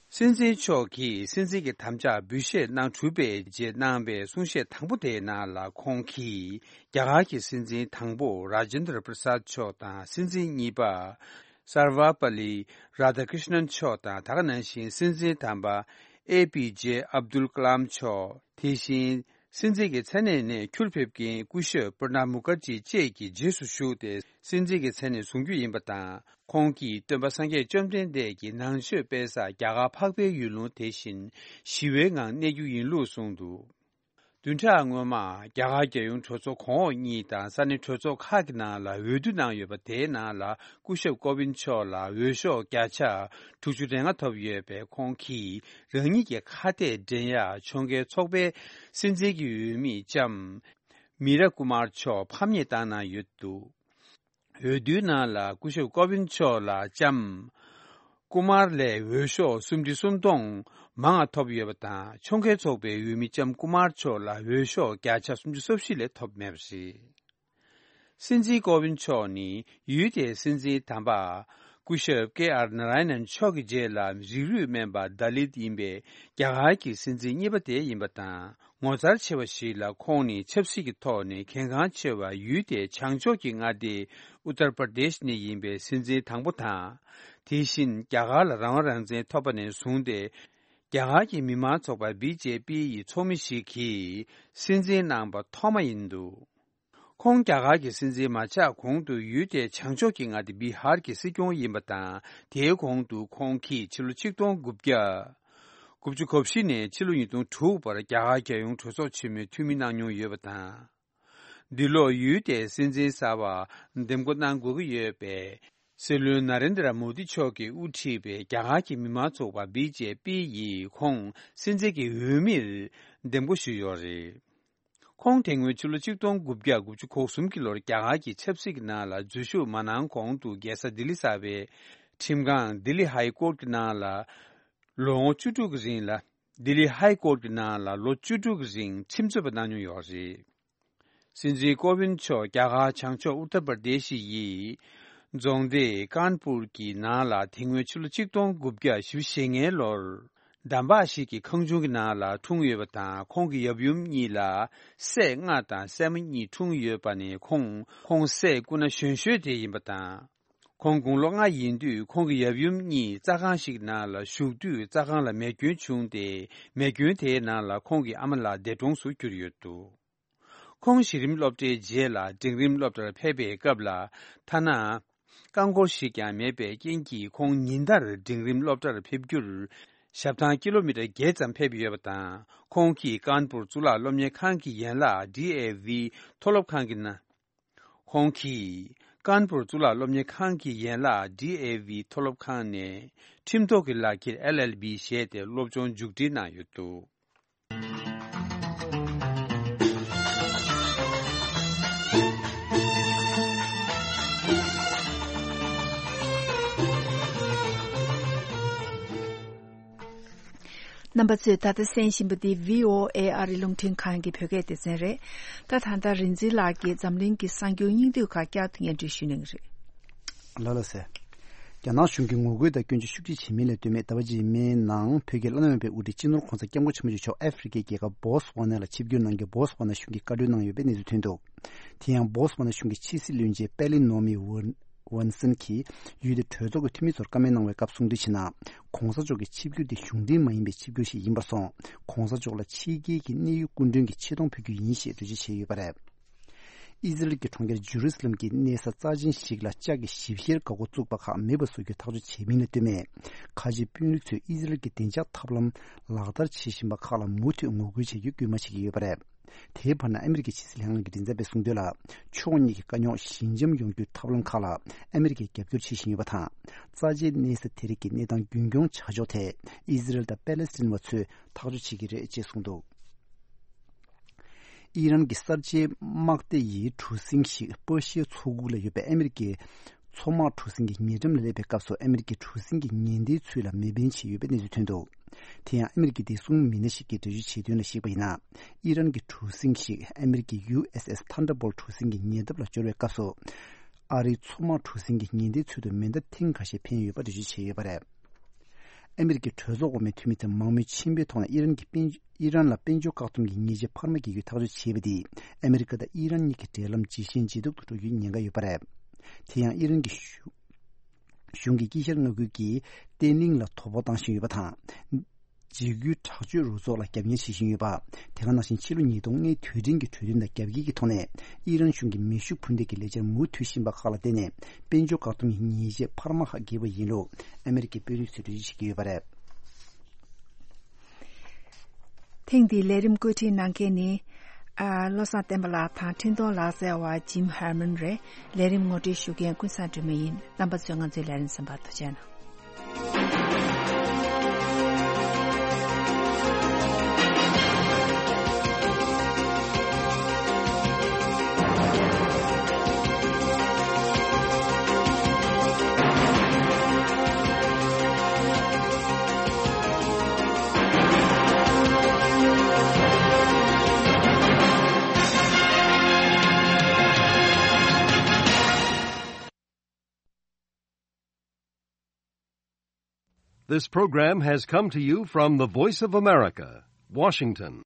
སྲིད་འཛིན་མཆོག་གིས་སྲིད་འཛིན་གྱི་དམ་བཅའ་འབུལ་བཞེས་གནང་གྲུབ་པའི་རྗེས་གནང་བའི་གསུང་བཤད་དང་པོ་དེའི་ནང་ལ། ཁོང་གིས་རྒྱ་གར་གྱི་སྲིད་འཛིན་དང་པོ་Rajendra Prasad མཆོག་དང་། སྲིད་འཛིན་གཉིས་པ་Sarvepalli Radhakrishnan མཆོག་དང་། ད་ག་ནང་བཞིན་སྲིད་འཛིན་དམ་པ་ཨེ་པི་ཇེ་ཨབ་དུལ་ཀ་ལམ་མཆོག་དེ་བཞིན། སྲིད་འཛིན་གྱི་མཚན་གནས་ནས་ཁྱོལ་ཕེབས་མཁན་སྐུ་ཞབས་པྲ་ནབ་མུ་ཁར་ཇི་བཅས་ཀྱི་རྗེས་སུ་ཞུགས་ཏེ། སྲིད་འཛིན་གྱི་མཚན་གནས་བཟུང་རྒྱུ་ཡིན་པ་དང་། ཁོང་གིས་སྟོན་པ་སངས་རྒྱས་བཅོམ་ལྡན་འདས་ཀྱི་ནང་ཆོས་སྤེལ་ས་རྒྱ་གར་འཕགས་པའི་ཡུལ་ལུང་དེ་བཞིན་ཞི་བའི་ངང་གནས་རྒྱུ་ཡིན་ལུགས་གསུངས་འདུག་བདུན་ཕྲག་སྔོན་མ། རྒྱ་གར་རྒྱལ་ཡོངས་གྲོས་ཚོགས་གོང་འོག་གཉིས་དང་ས་གནས་གྲོས་ཚོགས་ཁག་གི་ནང་ལ་འོས་བསྡུ་གནང་ཡོད་པ། དེའི་ནང་ལ་སྐུ་ཞབས་ཀོ་བིན་མཆོག་ལ་འོས་ཤོག་བརྒྱ་ཆ་དྲུག་ཅུ་རེ་ལྔ་ཐོབ་ཡོད་པས། ཁོང་གིས་རང་ཉིད་ཀྱི་ཁ་གཏད་འགྲན་ཡག་ཕྱོགས་འགལ་ཚོགས་པའི་སྲིད་འཛིན་གྱི་འོས་མི་ལྕམ་མི་ར་ཀུ་མར་མཆོག་ཕམ་ཉེས་བཏང་གནང་ཡོད་འདུག་འོས་བསྡུའི་ནང་ལ་སྐུ་ཞབས་ཀོ་བིན་མཆོག་ལ་ལྕམ་ཀུ་མར་ལས་འོས་ཤོག་སུམ་ཁྲི་སུམ་སྟོང་མང་བ་ཐོབ་ཡོད་པ་དང་། ཕྱོགས་འགལ་ཚོགས་པའི་འོས་མི་ལྕམ་ཀུ་མར་མཆོག་ལ་འོས་ཤོག་བརྒྱ་ཆ་སུམ་ཅུ་སོ་བཞི་ལས་ཐོབ་མེད་པ་རེད། སྲིད་འཛིན་ཀོ་བིན་མཆོག་ནི་ཡུལ་དེའི་སྲིད་འཛིན་དམ་པ་ སྐུ་ཞབས་ཀེ་ཨར་ན་ར་ཡ་ནན་མཆོག་གི་རྗེས་ལ་རིགས་རུས་སྨན་པ་དཱ་ལིད་ཡིན་པའི་རྒྱ་གར་གྱི་སྲིད་འཛིན་གཉིས་པ་དེ་ཡིན་པ་དང་། ངོ་མཚར་ཆེ་བ་ཞིག་ལ་ཁོང་ནི་ཆབ་སྲིད་ཀྱི་ཐོག་ནས་གལ་འགངས་ཆེ་བ་ཡུལ་དེའི་བྱང་ཕྱོགས་ཀྱི་མངའ་སྡེ་ཨུ་ཏར་པར་དེཤ་ནས་ཡིན་པའི་སྲིད་འཛིན་དང་པོ་དང་། དེ་བཞིན་རྒྱ་གར་ལ་རང་དབང་རང་བཙན་ཐོབ་པ་ནས་བཟུང་སྟེ། རྒྱ་གར་གྱི་མི་དམངས་ཚོགས་པ་བི་ཇེ་པི་ཡི་ཚོགས་མི་ཞིག་གིས་སྲིད་འཛིན་གནང་པ་ཐོག་མ་ཡིན་འདུག་ཁོང་རྒྱ་གར་གྱི་སྲིད་འཛིན་མ་ཆགས་གོང་དུ་ཡུལ་དེའི་བྱང་ཕྱོགས་ཀྱི་མངའ་སྡེ་བི་ཧར་གྱི་སྲིད་སྐྱོང་ཡིན་པ་དང་། དེའི་གོང་དུ་ཁོང་གིས་ཕྱི་ལོ་ཆིག་སྟོང་དགུ་བརྒྱ་དགུ་བཅུ་གོ་བཞི་ནས་ཕྱི་ལོ་ཉིས་སྟོང་དྲུག་བར་རྒྱ་གར་རྒྱལ་ཡོངས་གྲོས་ཚོགས་ཆེན་མོའི་འཐུས་མི་གནང་མྱོང་ཡོད་པ་དང་། འདི་ལོར་ཡུལ་དེའི་སྲིད་འཛིན་གསར་པ་འདེམས་བསྐོ་གནང་དགོས་ཀྱི་ཡོད་པས། སྲིད་བློན་ན་རེན་དྲ་མོ་དི་མཆོག་གིས་དབུ་ཁྲིད་པའི་རྒྱ་གར་གྱི་མི་དམངས་ཚོགས་པ་བི་ཇེ་པི་ཡིས་ཁོང་སྲིད་འཛིན་གྱི་འོས་མིར་འདེམས་བསྐོ་ཞུས་ཡོད་རེད། ཁོང་དེ་སྔོན་ཕྱི་ལོ་ཆིག་སྟོང་དགུ་བརྒྱ་དགུ་བཅུ་གོ་གསུམ་གྱི་ལོར་རྒྱ་གར་གྱི་ཆབ་སྲིད་ཀྱི་ནང་ལ་འཛུལ་ཞུགས་མ་གནང་གོང་དུ་རྒྱལ་ས་ལྡི་ལི་གསར་པའི་ཁྲིམས་ཁང་ལྡི་ལི་ཧའི་ཀོར་གྱི་ནང་ལ་ལོ་ངོ་བཅུ་དྲུག་གི་རིང་ལ། ལྡི་ལི་ཧའི་ཀོར་གྱི་ནང་ལ་ལོ་བཅུ་དྲུག་གི་རིང་ཁྲིམས་རྩོད་པ་གནང་མྱོང་ཡོད་རེད། སྲིད་འཛིན་ཀོ་ཝིན་མཆོག་རྒྱ་གར་བྱང་ཕྱོགས་ཨུ་ཏར་པར་དེ་ཤི་ཡི་རྫོང་སྡེ་ཀཱན་པུར་གྱི་ནང་ལ་དེ་སྔོན་ཕྱི་ལོ་ཆིག་སྟོང་དགུ་བརྒྱ་བཞི་བཅུ་ཞེ་ལྔའི་ལོར་འདམ་བག་ཞིག་གི་ཁང་ཆུང་གི་ནང་ལ་འཁྲུངས་ཡོད་པ་དང་། ཁོང་གི་ཡབ་ཡུམ་གཉིས་ལ་སྲས་ལྔ་དང་སྲས་མོ་གཉིས་འཁྲུངས་ཡོད་པ་ནས་ཁོང་ཁོང་སྲས་སྐུ་ན་གཞོན་ཤོས་དེ་ཡིན་པ་དང་། ཁོང་དགུང་ལོ་ལྔ་ཡིན་དུས་ཁོང་གི་ཡབ་ཡུམ་གཉིས་རྩྭ་ཁང་ཞིག་ནང་ལ་བཞུགས་དུས་རྩྭ་ཁང་ལ་མེ་སྐྱོན་བྱུང་སྟེ། མེ་སྐྱོན་དེའི་ནང་ལ་ཁོང་གི་ཨ་མ་ལགས་འདས་གྲོངས་སུ་གྱུར་ཡོད་འདུག་ཁོང་གཞི་རིམ་སློབ་གྲྭའི་རྗེས་ལ་འབྲིང་རིམ་སློབ་གྲྭར་ཕེབས་པའི་སྐབས་ལ། ཐ་ན་རྐང་འཁོར་ཞིག་ཀྱང་མེད་པའི་རྐྱེན་གྱིས་ཁོང་ཉིན་ལྟར་འབྲིང་རིམ་སློབ་གྲྭར་ཕེབས་རྒྱུར་ཞབས་ཐང་ཀི་ལོ་མི་ཊར་བརྒྱད་ཙམ་ཕེབས་ཡོད་པ་དང་། ཁོང་གིས་ཀཱན་པུར་གཙུག་ལག་སློབ་གཉེར་ཁང་གི་ཡན་ལག་ཌི་ཨེ་ཝི་མཐོ་སློབ་ཁང་གི་ནང་། ཁོང་གིས་ཀཱན་པུར་གཙུག་ལག་སློབ་གཉེར་ཁང་གི་ཡན་ལག་ཌི་ཨེ་ཝི་མཐོ་སློབ་ཁང་ནས་ཁྲིམས་ཐོག་གི་ལག་འཁྱེར་ཨེལ་ཨེལ་བི་བཞེས་ཏེ་སློབ་སྦྱོང་མཇུག་སྒྲིལ་གནང་ཡོད་འདུག་རྣམ་པ་ཚོས་ད་ལྟ་གསན་བཞིན་པ་འདི་བྷི་ཨོ་ཨེ་ཨ་རིའི་རླུང་འཕྲིན་ཁང་གི་བོད་སྐད་སྡེ་ཚན་རེད། ད་ད་ལྟ་རིག་འཛིན་ལགས་ཀྱིས་འཛམ་གླིང་གི་གསར་འགྱུར་སྙིང་བསྡུས་ཁག་བསྐྱར་དུ་སྙན་སྒྲོན་ཞུ་གནང་གི་རེད། ལགས་ལགས་སེ། རྒྱ་ནག་གཞུང་གིས་ངོ་རྒོལ་དང་སྐྱོན་བརྗོད་ཤུགས་ཆེ་བྱེད་མིན་ལ་ལྟོས་མེད། ཟླ་བ་རྗེས་མའི་ནང་བོད་ཀྱི་བླ་ན་མེད་པའི་དབུ་ཁྲིད་སྤྱི་ནོར་གོང་ས་སྐྱབས་མགོན་ཆེན་པོ་མཆོག་ཨ་ཧྥེ་རི་ཁའི་རྒྱལ་ཁབ་བོ་སི་ཝ་ན་ལ་ཆིབས་བསྒྱུར་གནང་རྒྱུ། བོ་སི་ཝ་ན་གཞུང་གིས་བཀའ་འཁྲོལ་གནང་ཡོད་པའི་གནས་ཚུལ་ཐོན་འདུག་དེ་ཡང་བོ་སི་ཝ་ན་གཞུང་གི་ཕྱི་སྲིད་བློན་ཆེན་པེ་ལི་ནོ་མི་ཝོན་ཝོན་སན་གྱིས་ཡུལ་དེའི་གྲོས་ཚོགས་ཀྱི་འཐུས་མི་ཚོར་བཀའ་མོལ་གནང་བའི་སྐབས་གསུང་འདྲི་བྱས་ན། གོང་ས་མཆོག་གི་ཆིབས་བསྒྱུར་དེ་གཞུང་འབྲེལ་མ་ཡིན་པའི་ཆིབས་བསྒྱུར་ཞིག་ཡིན་པར་སོང་། གོང་ས་མཆོག་ལ་ཕྱི་རྒྱལ་གྱི་གནད་ཡོད་སྐུ་མགྲོན་གྱི་ཆེ་མཐོང་ཕུལ་རྒྱུ་ཡིན་ཞེས་འགྲེལ་བརྗོད་བྱས་ཡོད་པ་རེད། ཨི་ཟི་རལ་གྱི་གྲོང་ཁྱེར་ཇུ་རུ་སི་ལམ་གྱི་གནས་ས་རྩ་ཆེན་ཞིག་ལ་ལྕགས་ཀྱི་ཞིབ་བཤེར་འགག་སྒོ་བཙུགས་པ་ཁག་མེད་པ་བཟོ་རྒྱུའི་ཐག་གཅོད་བྱས་མིན་ལ་ལྟོས་མེད། ཁ་ཆེའི་དཔོན་རིགས་ཚོས་ཨི་ཟི་རལ་གྱི་བདེ་འཇགས་ཐབས་ལམ་ལག་བསྟར་བྱེད་བཞིན་པ་ཁག་ལ་མུ་མཐུད་ངོ་རྒོལ་བྱེད་རྒྱུའི་སྐུལ་མ་བྱེད་ཀྱི་ཡོད་པ་རེད། དེའི་བར་ན་ཨ་མི་རི་ཀའི་ཕྱི་སྲིད་ལྷན་ཁང་གི་མགྲིན་ཚབ་པས་གསུངས་དོན་ལ། ཕྱོགས་གཉིས་ཀྱི་དཀའ་རྙོག་ཞི་འཇམ་ཡོང་རྒྱུའི་ཐབས་ལམ་ཁག་ལ་ཨ་མི་རི་ཀས་རྒྱབ་སྐྱོར་བྱེད་བཞིན་ཡོད་པ་དང་། རྩ་ཆེའི་གནས་ས་དེ་རིགས་ཀྱི་གནས་སྟངས་རྒྱུན་འཁྱོངས་བྱ་ཕྱོགས་ཐད་ཨི་ཟི་རལ་དང་པེ་ལེ་སི་ཐན་བ་ཚོས་ཐག་གཅོད་བྱེད་ཀྱི་རེད་ཅེས་གསུངས་འདུག་ཨི་རན་གྱི་གསར་བརྗེའི་དམག་སྡེ་ཡི་གྲུ་གཟིངས་ཤིག་པར་ཤིའི་མཚོ་ཁུག་ལ་ཡོད་པའི་ཨ་མི་རི་ཀའི་མཚོ་དམག་གྲུ་གཟིངས་ཀྱི་ཉེ་འགྲམ་ལ་སླེབས་པའི་སྐབས་སུ་ཨ་མི་རི་ཀའི་གྲུ་གཟིངས་ཀྱི་ཉེ་འདིའི་ཚུལ་ལ་མེ་འཕེན་བྱས་ཡོད་པའི་གནས་ཚུལ་ཐོན་འདུག་དེ་ཡང་ཨ་མི་རི་ཀའི་བདེ་སྲུང་མི་སྣ་ཞིག་གིས་འགྲེལ་བརྗོད་བྱས་དོན་ལ་གཞིགས་པ་ཡིན་ན། ཨི་རན་གྱི་གྲུ་གཟིངས་ཤིག་ཨ་མི་རི་ཀའི་ཡུ་ཨེས་ཨེས་ཐན་ཌར་བོལ་གྲུ་གཟིངས་ཀྱི་ཉེ་འདབས་ལ་འབྱོར་བའི་སྐབས་སུ། ཨ་རིའི་མཚོ་དམག་གྲུ་གཟིངས་ཀྱི་ཉེ་འདིའི་ཚུལ་དུ་མེ་མདའ་ཐེངས་ཁ་ཤས་འཕེན་ཡོད་པ་འགྲེལ་བརྗོད་བྱས་ཡོད་པ་རེད། ཨ་མི་རི་ཀའི་གྲོས་ཚོགས་འོག་མའི་འཐུས་མི་ཚོས་མང་མོས་ཆེན་པོའི་ཐོག་ནས་ཨི་རན་གྱི་དཔལ་ཨི་རན་ལ་དཔལ་འབྱོར་བཀག་སྡོམ་གྱི་ཉེས་ཆད་འཕར་མ་འགེལ་རྒྱུའི་ཐག་གཅོད་བྱས་པ་དེས་ཨ་མི་རི་ཀ་དང་ཨི་རན་གཉིས་ཀྱི་འབྲེལ་ལམ་ཇེ་ཞན་ཇེ་སྡུག་ཏུ་འགྲོ་རྒྱུའི་ཉེན་ཁ་ཡོད་པ་རེད། དེ་ཡང་ཨི་རན་གྱི་གཞུང་གཞུང་གིས་དཀྱིལ་ཤར་མངའ་ཁུལ་གྱི་བརྟན་ལྷིང་ལ་དོ་ཕོག་བཏང་བཞིན་ཡོད་པ་དང་། འཇིགས་སྐུལ་དྲག་སྤྱོད་རུ་ཚོགས་ལ་རྒྱབ་གཉེར་བྱེད་བཞིན་ཡོད་པ། དེ་ག་ནང་བཞིན་ཕྱི་ལོ་ཉིས་སྟོང་ལྔའི་དུས་དྲན་གྱི་གྲོས་མཐུན་དང་རྒྱབ་འགལ་གྱི་ཐོག་ནས་ཨི་རན་གཞུང་གིས་མེ་ཤུགས་འཕུར་མདེལ་གྱི་ལས་འཆར་མུ་མཐུད་བཞིན་པ་ཁག་ལ་བརྟེན་ནས་དཔལ་འབྱོར་བཀག་སྡོམ་གྱི་ཉེས་ཆད་འཕར་མ་ཁག་འགེལ་བ་ཡིན་ལུགས་ཨ་མི་རི་ཀའི་དཔོན་རིགས་ཚོས་འགྲེལ་བརྗོད་བྱེད་ཀྱི་ཡོད་པ་རེད། ཐེངས་འདིའི་ལས་རིམ་བཀོད་སྒྲིག་གནང་མཁན་ནི། ཨ། བློ་བཟང་བསྟན་པ་ལགས་དང་འཕྲིན་གཏོང་ལག་རྩལ་བ་ཇིམ་ཧར་མན་རེད། ལས་རིམ་ངོ་སྤྲོད་ཞུ་མཁན་ཀུན་བཟང་སྒྲོལ་མ་ཡིན། རྣམ་པ་ཚོས་ང་ཚོའི་ལས་རིམ་གསན་པར་ཐུགས་རྗེ་གནང་། This program has come to you from the Voice of America, Washington.